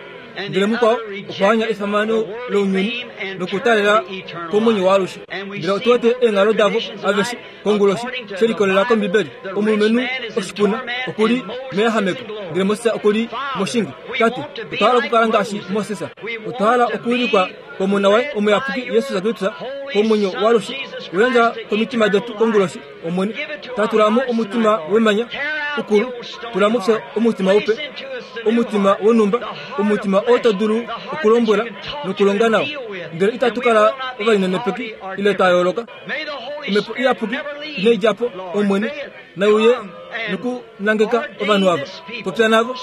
ndele mukwao okwaanya efamano lounyuni nokutalela komwenyo waalushe. Ndele otuwete eenghalo davo aveshe konguloshi shelikolela kombibeli. Omulumenhu oshipuna okuli meyahameko, ndele Moses okuli moshinge. Tate, otwa hala okukala ngaashi Moses. Otwa hala okuwilikwa komona waye omuyapuki Yesus Kristus komwenyo waalushe. Uyandja komitima detu konguloshi omwene. Tatulamo omutima wemanya ukulu, tulamo fye omutima upe, omutima wonumba, omutima oo to dulu okulombwela nokulonga nao, ndele itatu kala ovalinenepeki ile twa yooloka. Omhepo iyapuki inai dja po omwene, nauye nokunangeka ovanhu ava. Popya navo,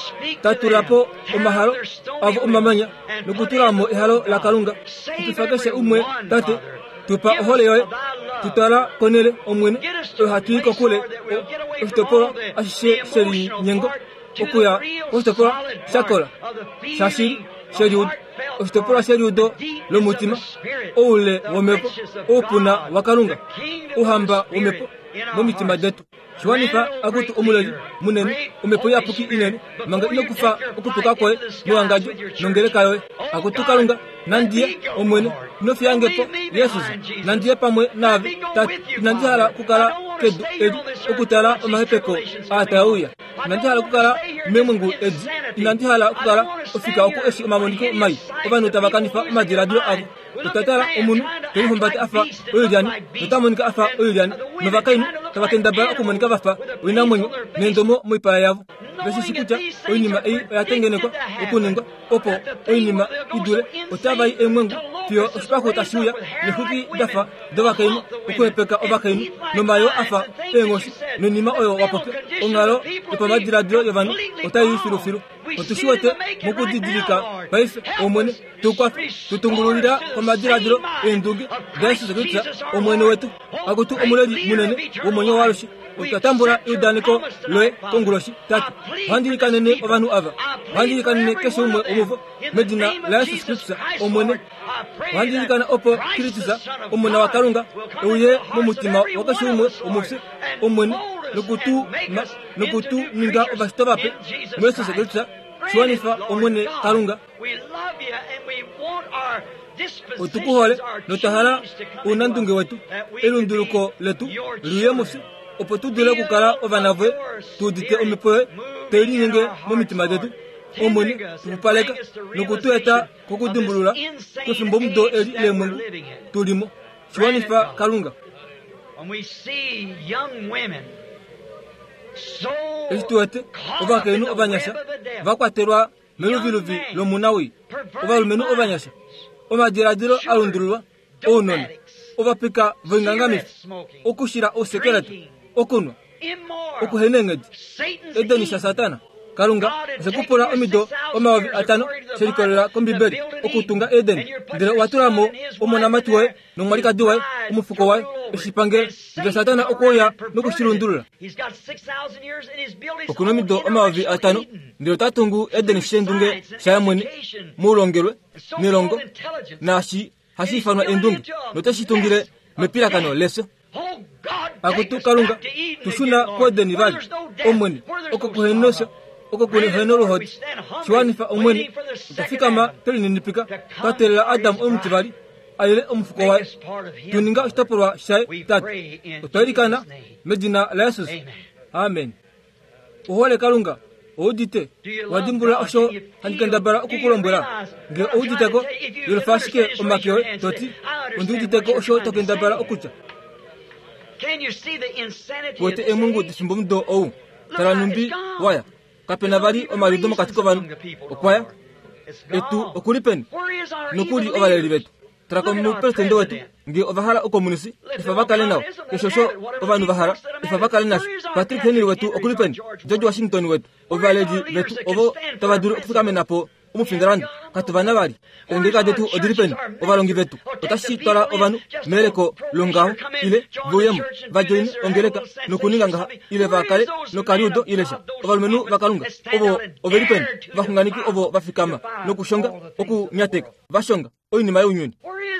tatula po omahalo avo omamanya nokutulamo ehalo laKalunga. Tupifa keshe umwe tate, tupa ohole yoye, tutwala konele omwene oyo hatu i kokule oshitopolwa ashishe shelinyengo okuya koshitopolwa shakola shashili sheliudo, oshitopolwa sheliudo lomutima, oule womhepo, oupuna waKalunga, ouhamba womhepo momitima detu. Shiwanifa akutu omuleli munene, omhepo iyapuki inene, manga inokufa okutuka kwoye mewangadjo nongeleka yoye. Akutu Kalunga, nandiye omwene, inofiyangepo Yesus, nandiye pamwe naave tate. Inandi hala okukala kedu edi okutala omahepeko aatauya. Inandi hala okukala memwengu edi. Inandi hala okukala ofika oku eshi omamoniko mai ovanhu tava kanifa omadiladilo avo. Otatala omunhu telihumbata afa oilyani nota monika afa oilyani, novakainhu tava kendabala okumonika vafa oinamwenyo neendomo moipala yavo. Veshishi kutya oinima ei oya tengenekwa okuningwa opo oinima idule otava i eemwengu fiyo oshipaxu tashi uya nexwiki dafa dovakainhu okuhepeka ovakainhu nomayoo afa eenghoshi noinima oyo wapopya. Onghalo yopamadiladilo yovanhu otai i filufilu. Otu shi wete mokudidilika paife omwene, tukwafe tutungululila komadiladilo eendunge daYesus Kristus omwene wetu. Akutu omuleli munene womwenyo waalushe, otwa tambula eudaneko loye konguloshi tate. Ohandi ilikanene ovanhu ava, ohandi ilikanene keshe umwe womuvo medina laYesus Kristus omwene. Ohandi ilikana opo Kristus omona waKalunga euye momutima wakeshe umwe womufye omwene nokutu nokutu ninga ovashitwa vape muYesus Kristus. Shiwanifa omwene Kalunga. Otukuhole notwa hala ounandunge wetu elunduluko letu liuye mufye opo tu dule okukala ovana voye, tu udite omhepo yoye tai linyenge momitima detu omwene, tupupaleka nokutu eta kokudimbulula kwefimbomudo eli leemwengu tulimo. Shiwanifa Kalunga. Eshi tu wete ovakainhu ovanyasha vakwatelwa meluviluvi lomunawii, ovalumenhu ovanyasha, omadiladilo alundululwa, ounona, ovapika voingangamifi, okushila ousekeleta, okunwa, okuheneenghedi, edeni shaSatana. Kalunga oshekupula omido omayovi atano shelikolela kombibeli okutunga Eden, ndele owa tulamo omonamati waye nomwalikadi waye omufuko waye eshipangelo, ndele Satana okwoya nokushilundulula. Okuna omido omayovi atano ndele ota tungu Eden shendunge shaye mwene moulongelwe nelongo naashi hashi ifanwa endunge, noteshi tungile mepilakano lefyo. Akutu Kalunga, tushuna kuEdeni vali omwene, oko kuhenefyo, oko kuhena oluhodi. Shiwanifa omwene, otwa fikama twelininipika twa teelela Adam omutivali alile omufuko waye, tuninga oshitopolwa shaye tate. Otwa ilikana medina laYesus, amen. Ohole Kalunga, oudite wadimbulula osho handi kendabala okukulombwela. Ngee ouditeko yelufa ashike omake yoye toti ondiuditeko osho tokendabala okutya. Wete emwengu defimbomudo ou tala numbi waya kapena vali omaliudo mokati kovanhu okwaya etu okuli peni nokuli ovaleli vetu. Tala komupresidente wetu nge ova hala okomunisi efa va kale nao keshe osho ovanhu va hala efa va kale nasho. Patrick Henry wetu okuli peni? George Washington wetu, ovaleli vetu ovo tava dulu okufikamena po omufindalandu katu vana vali. Eengeleka detu odili peni? Ovalongi vetu otashi twala ovanhu meleko longaho ile vouyemo va joine ongeleka nokuninga ngaha ile va kale nokaliudo ile sha. Ovalumenhu vaKalunga ovo oveli peni? Vaxunganeki ovo va fikama nokushonga okunyateka vashonga oinima younyuni.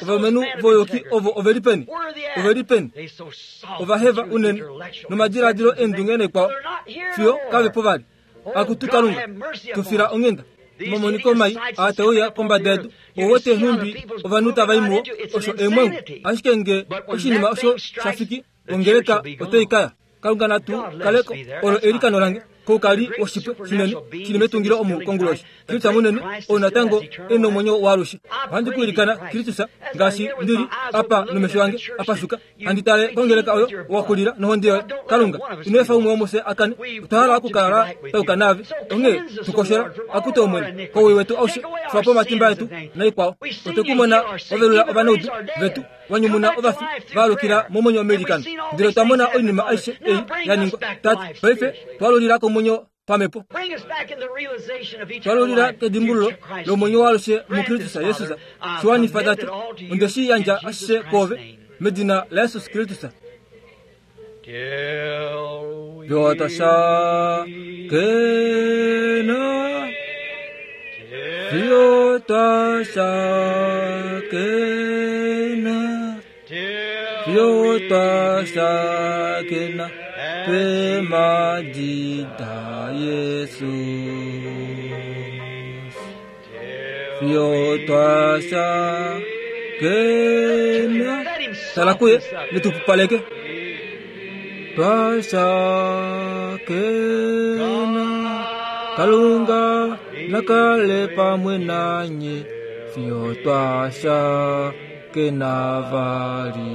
Ovalumenhu voyoki ovo oveli peni? Oveli peni? Ovaheva unene nomadiladilo eendunge nekwao fiyo kavepo vali. Akutu Kalunga, tufila onghenda. Omamoniko mai aatauya kombada yedu owete nhumbi ovanhu tava i muwo osho eemwengu. Ashike nge oshinima osho shafiki ongeleka otai kaya. Kalunga natu kaleko olo eilikano lange koukali woshipwe shinene shili metungilo omu konguloshi. Kristus munene ou natango e nomwenyo waalushe. Ohandi ku ilikana Kristus ngaashi ndili apa nomesho ange apashuka handi tale kongeleka oyo wakulila nohonde yoye. Kalunga ino efa umwe womufye akane. Otwa hala okukala tauka naave onghee tukoshela akute Omwene kowii wetu aushe xwapo omatimba etu naikwao. Otwe kumona wavelula ovanaudu vetu wanyumuna ovafi vaalukila momwenyo womeilikano. Ndele otwa mona oinima aishe ei ya ningwa. Tate, paife twalulila komwenyo pamhepo, twalulila kedimbululo lomwenyo waalushe muKristus Jesus. Shiwanifa Tate, onde shi yandja ashishe kwoove medina laJesus Kristus. Fiyo fiyo twashakena, fiyo twashakena pemadida Yesus. Fiyo twashakena. Tala kuye netupupaleke. Twashakena Kalunga nakale pamwe nanye fiyo twashakena vali.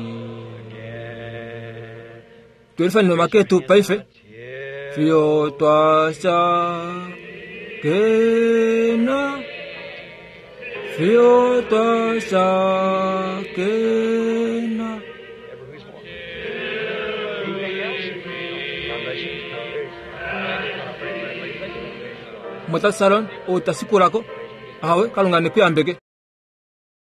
Twelifanile maketu paife fiyo twashakena, fiyo twashakena. Mwata Salon ou tasikulako ahawe Kalunga nekuyambeke.